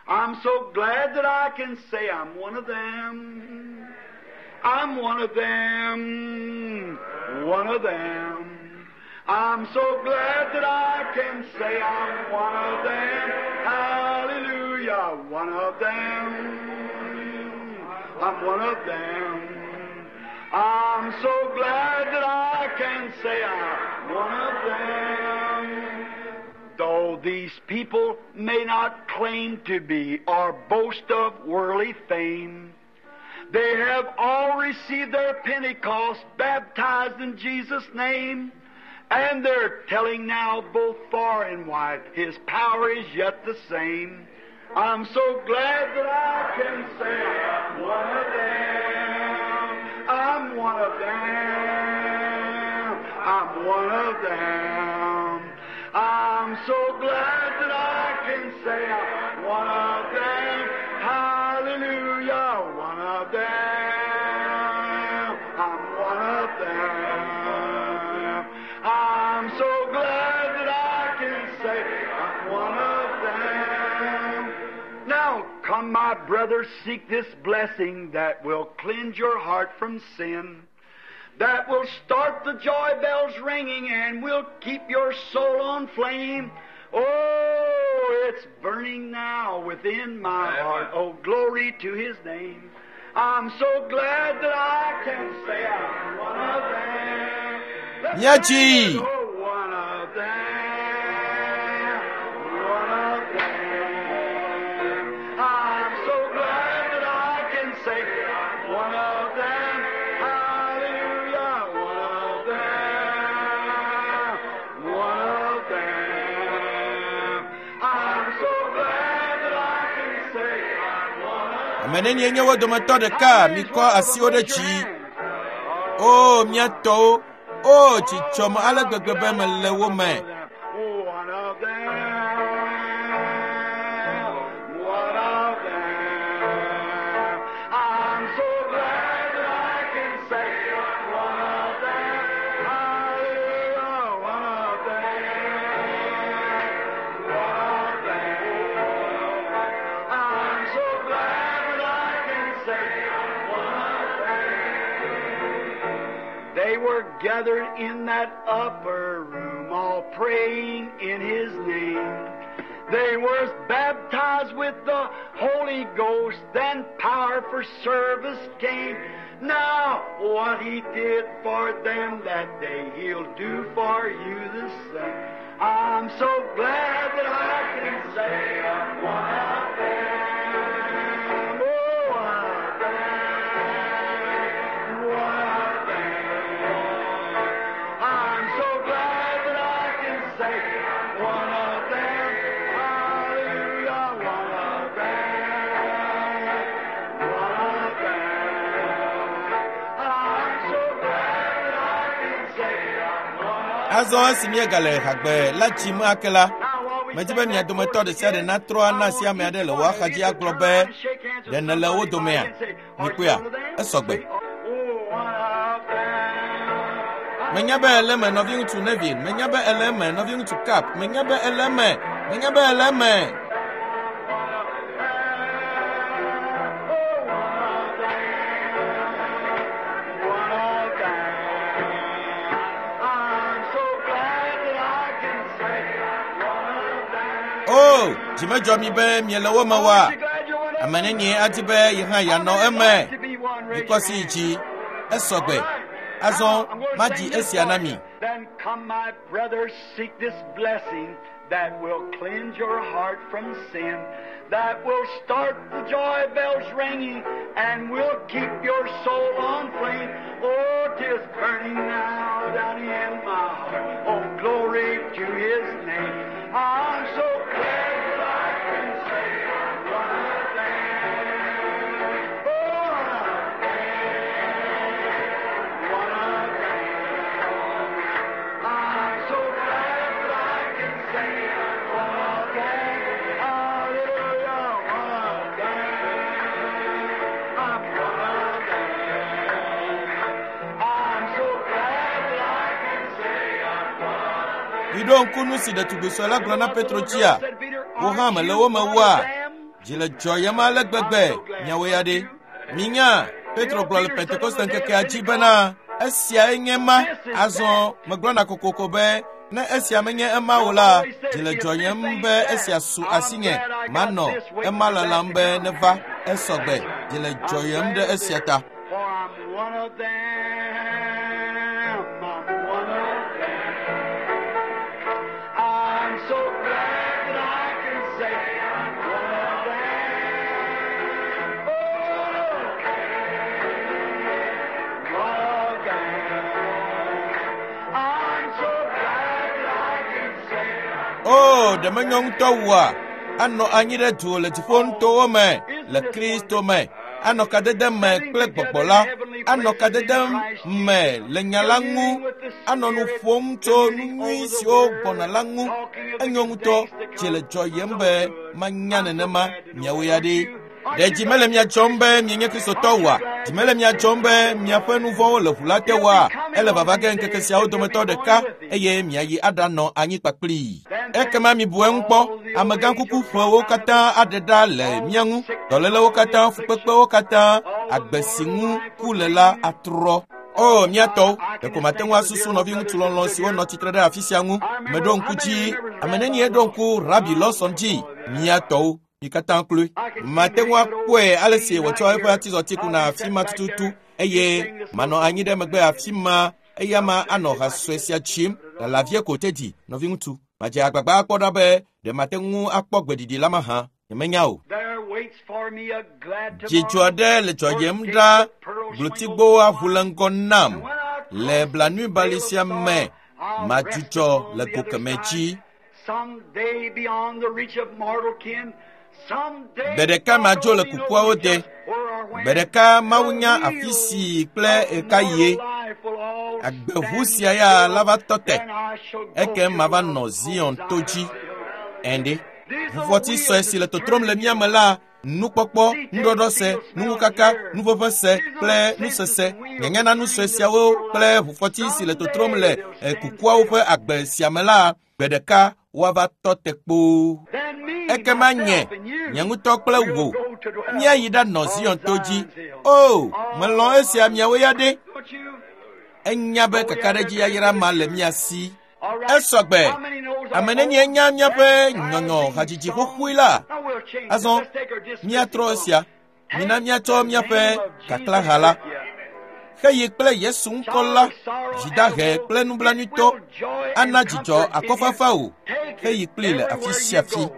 I'm so glad that I can say I'm one of them. I'm one of them, one of them. I'm so glad that I can say I'm one of them. Hallelujah, one of them. I'm one of them. I'm so glad that I can say I'm one of them. Though these people may not claim to be or boast of worldly fame, they have all received their Pentecost, baptized in Jesus' name, and they're telling now both far and wide, His power is yet the same. I'm so glad that I can say I'm one of them. I'm one of them. I'm one of them. I'm so glad that I can say I'm one of them. Hallelujah, one of them. I'm one of them. I'm so glad that I can say I'm one of them. Now come, my brothers, seek this blessing that will cleanse your heart from sin, that will start the joy bells ringing and will keep your soul on flame. Oh, it's burning now within my heart. Oh, glory to His name. I'm so glad that I can say I'm one of them. Let's Miachi. sing it. Oh, one of them. One of them. I'm so glad that I can say I'm one of them. Hallelujah. One of them. One of them. I'm so glad that I can say I'm one of Ame nenie nye wo dometɔ ɖeka mikɔ asiwo ɖe dzi. O mía tɔwo, o dzidzɔme ale gbegbe be mele wo me. One of them, one of them. I'm so glad that I can say one of them. Hallelujah, one of them, one of them. I'm so glad that I can say one of them. They were gathered in that upper room, all praying in His name. They were baptized with the Holy Ghost, then power for service came. Now, what He did for them that day, He'll do for you the same. I'm so glad that I can say I'm one of them. Oh, one of them. One of them. I'm so glad that I can say I'm one of them. Hallelujah, one of them. One of them. I'm so glad that I can say I'm one of Azɔ esi míegale hagbe la dzim ake la, medi be mia dometɔ ɖe sia ɖe natrɔ ana asi ame aɖe le wò axadzi agblɔ be, ɖe nèle wo domea? Mikpɔea? Esɔgbe. Menya be ele eme nɔviŋutsu Nevin, menya be ele eme nɔviŋutsu Cap, menya be ele eme, menya be ele eme. O, dzi medzɔ mi be miele wo me oa? Ame nenie adi be ye hã yeanɔ eme. Mikɔ asi yi dzi. Esɔgbe. Azɔ madzi esia na mi. Then come, my brothers, seek this blessing that will cleanse your heart from sin, that will start the joy bells ringing, and will keep your soul on flame. Oh, 'tis burning now down in my heart. Oh, glory to His name. I'm so glad that I can say I'm one of them. Oh, one of them. One of them. I'm so glad that I can say I'm one of them. Hallelujah, one of them. I'm one of them. I'm so glad that I can say I'm one of them. Miɖo ŋku nu si ɖetugbi sue la gblɔ na Petro dzia? Wò hã mele wo me oa? Dzi le dzɔyem ale gbegbe, miawo ya ɖe. Minya, Petro gblɔ le Pentekoste ŋkekea dzi bena esiae nye ma. Azɔ megblɔna kokoko be ne esia menye ema o la, dzi le dzɔyem be esia su asinye. Manɔ ema lalam be neva esɔgbe. Dzi le dzɔyem ɖe esia ta. For I'm one of them. I'm one of them. I'm so glad that I can say I'm one of them. Oh, one of them. I'm so glad that I can say I'm O, ɖe menyo ŋutɔ wua? Anɔ anyi ɖe du le dziƒonutowo me le Kristo me. Anɔ kadede me kple gbɔgbɔ la. Anɔ kadede me le nya la ŋu. Anɔ nu ƒom tso nu nyui siwo gbɔna la ŋu. Enyo ŋutɔ, dzi le dzɔyem be manya nenema miawo ya ɖi. Ɖe dzi mele mia dzɔm be mienye Kristotɔ oa? Dzi mele mia dzɔm be miaƒe nu vɔ̃wo le ʋu la te oa? Ele vava ge ŋkeke siawo dometɔ ɖeka eye miayi aɖanɔ anyi kpakplii. Ekema mibu eŋu kpɔ, amegãkuku ƒewo katã aɖe ɖa le mía ŋu, dɔlélewo katã, fukpekpewo katã, agbe si ŋu ku le la atrɔ. O, mía tɔwo, ɖeko mate ŋu asusu nɔviŋutsu lɔlɔ̃ siwo nɔ tsitre ɖe afi sia ŋu. Meɖo ŋku dzi, ame nenie ɖo ŋku Rabi Lawson dzi? Mía tɔwo, mi katã kloe. Mate ŋu akpɔe ale si wòtsɔ eƒe atizɔti kuna afi ma tututu eye manɔ anyi ɖe megbe afi ma eya ma anɔ ha sue sia tsim lala vie ko tedzi nɔviŋutsu. Madze agbagba akpɔ ɖa be ɖe mate ŋu akpɔ gbeɖiɖi la mahã. Nyemenya o. There waits for me a glad Dzidzɔ tomorrow. aɖe le dzɔyem ɖa glotigbowo aʋu le ŋgɔ nam le blanuibali sia me madzudzɔ le go kemɛ dzi. Someday beyond the reach of mortal kin. Someday Gbe ɖeka madzo le kukuawo de. Gbe ɖeka Mawu nya afi si kple ɣekaɣie. Agbeʋu sia ya la va tɔ te. Ekem mava nɔ Zion to dzi. Ɛnde. Ʋufɔti sue si le totrom le mía me la, nukpɔkpɔ, nuɖɔɖɔse, nuŋukaka, nuʋeʋẽse kple nusese. Nyanya na nu sue siawo kple ʋufɔti si le totrom le kukuawo ƒe agbe sia me la, gbe ɖeka woava tɔ te kpoo. Ekema nye, nye ŋutɔ kple wò, míayi ɖanɔ Zion to dzi. O, melɔ̃ esia miawo ya ɖe. Enya be kakaɖedzi yayra ma le mía si. Esɔgbe. Ame nenie nya míaƒe nyɔnyɔ hadzidzi xoxoe la? Azɔ míatrɔ esia. Mina míatsɔ míaƒe kaklãha la. Xeyi kple Yesu ŋkɔ la, dzidahe kple nublanuitɔ, ana dzidzɔ akɔfafa o. Xeyi kplii le afi sia afi.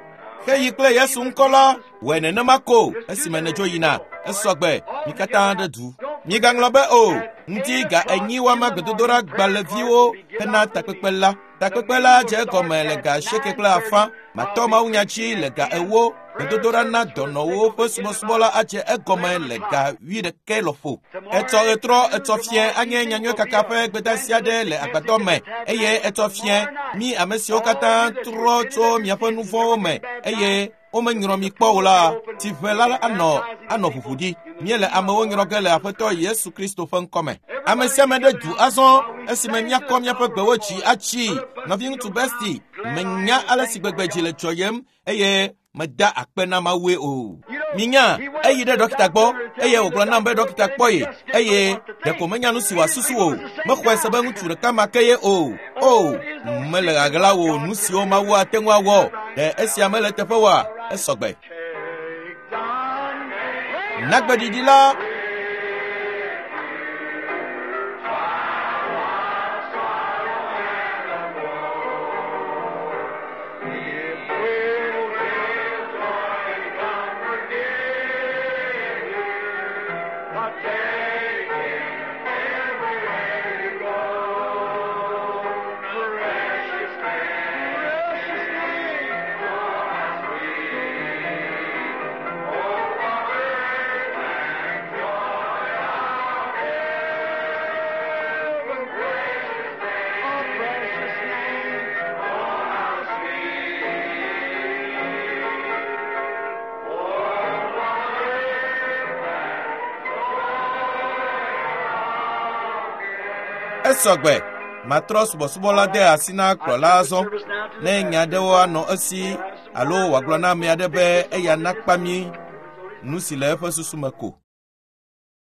Xeyi kple Yesu ŋkɔ la, wɔe nenema ko esime nèdzo yina. Esɔgbe, mi katã ɖe du. Migaŋlɔ be o, ŋdi ga enyi woama gbedodoɖa gbalẽviwo hena takpekpe la. Takpekpe la dze egɔme le ga 8.5. Matɔ mawunya dzi le ga 10. Gbedodoɖa na dɔnɔwo ƒe subɔsubɔ la adze egɔme le ga 11 lɔƒo. Etsɔ ɣetrɔ etsɔ fiẽ anye nyanyuiekaka ƒe gbedeasi aɖe le agbadɔ me eye etsɔ fiẽ mi ame siwo katã trɔ tso miaƒe nu vɔ̃wo me eye womenyrɔ mi kpɔ o la, tsiʋe la anɔ ʋuʋu ɖi. Míele amewo nyrɔ ge le Aƒetɔ Yesu Kristo ƒe ŋkɔme. Ame sia ame ɖe du azɔ esime míakɔ míaƒe gbewo dzi atsi. Nɔviŋutsu Besti, menya ale si gbegbe dzi le dzɔyem eye meda akpe na Mawue o. Minya, eyi ɖe ɖɔkita gbɔ eye wògblɔ nam be ɖɔkita kpɔ ye eye ɖeko menya nu si wòasusu o. Mexɔe se be ŋutsu ɖeka ma ke ye o. O, mele ɣaɣla wò nu siwo Mawu ate ŋu awɔ. Ɖe esia mele teƒe oa? Esɔgbe. Nagbeɖiɖi la Esɔgbe, matrɔ subɔsubɔ la de asi na kplɔla azɔ. Ne nya aɖewo anɔ esi alo wòagblɔ na ame aɖe be eya nakpa mí nu si le eƒe susu me ko.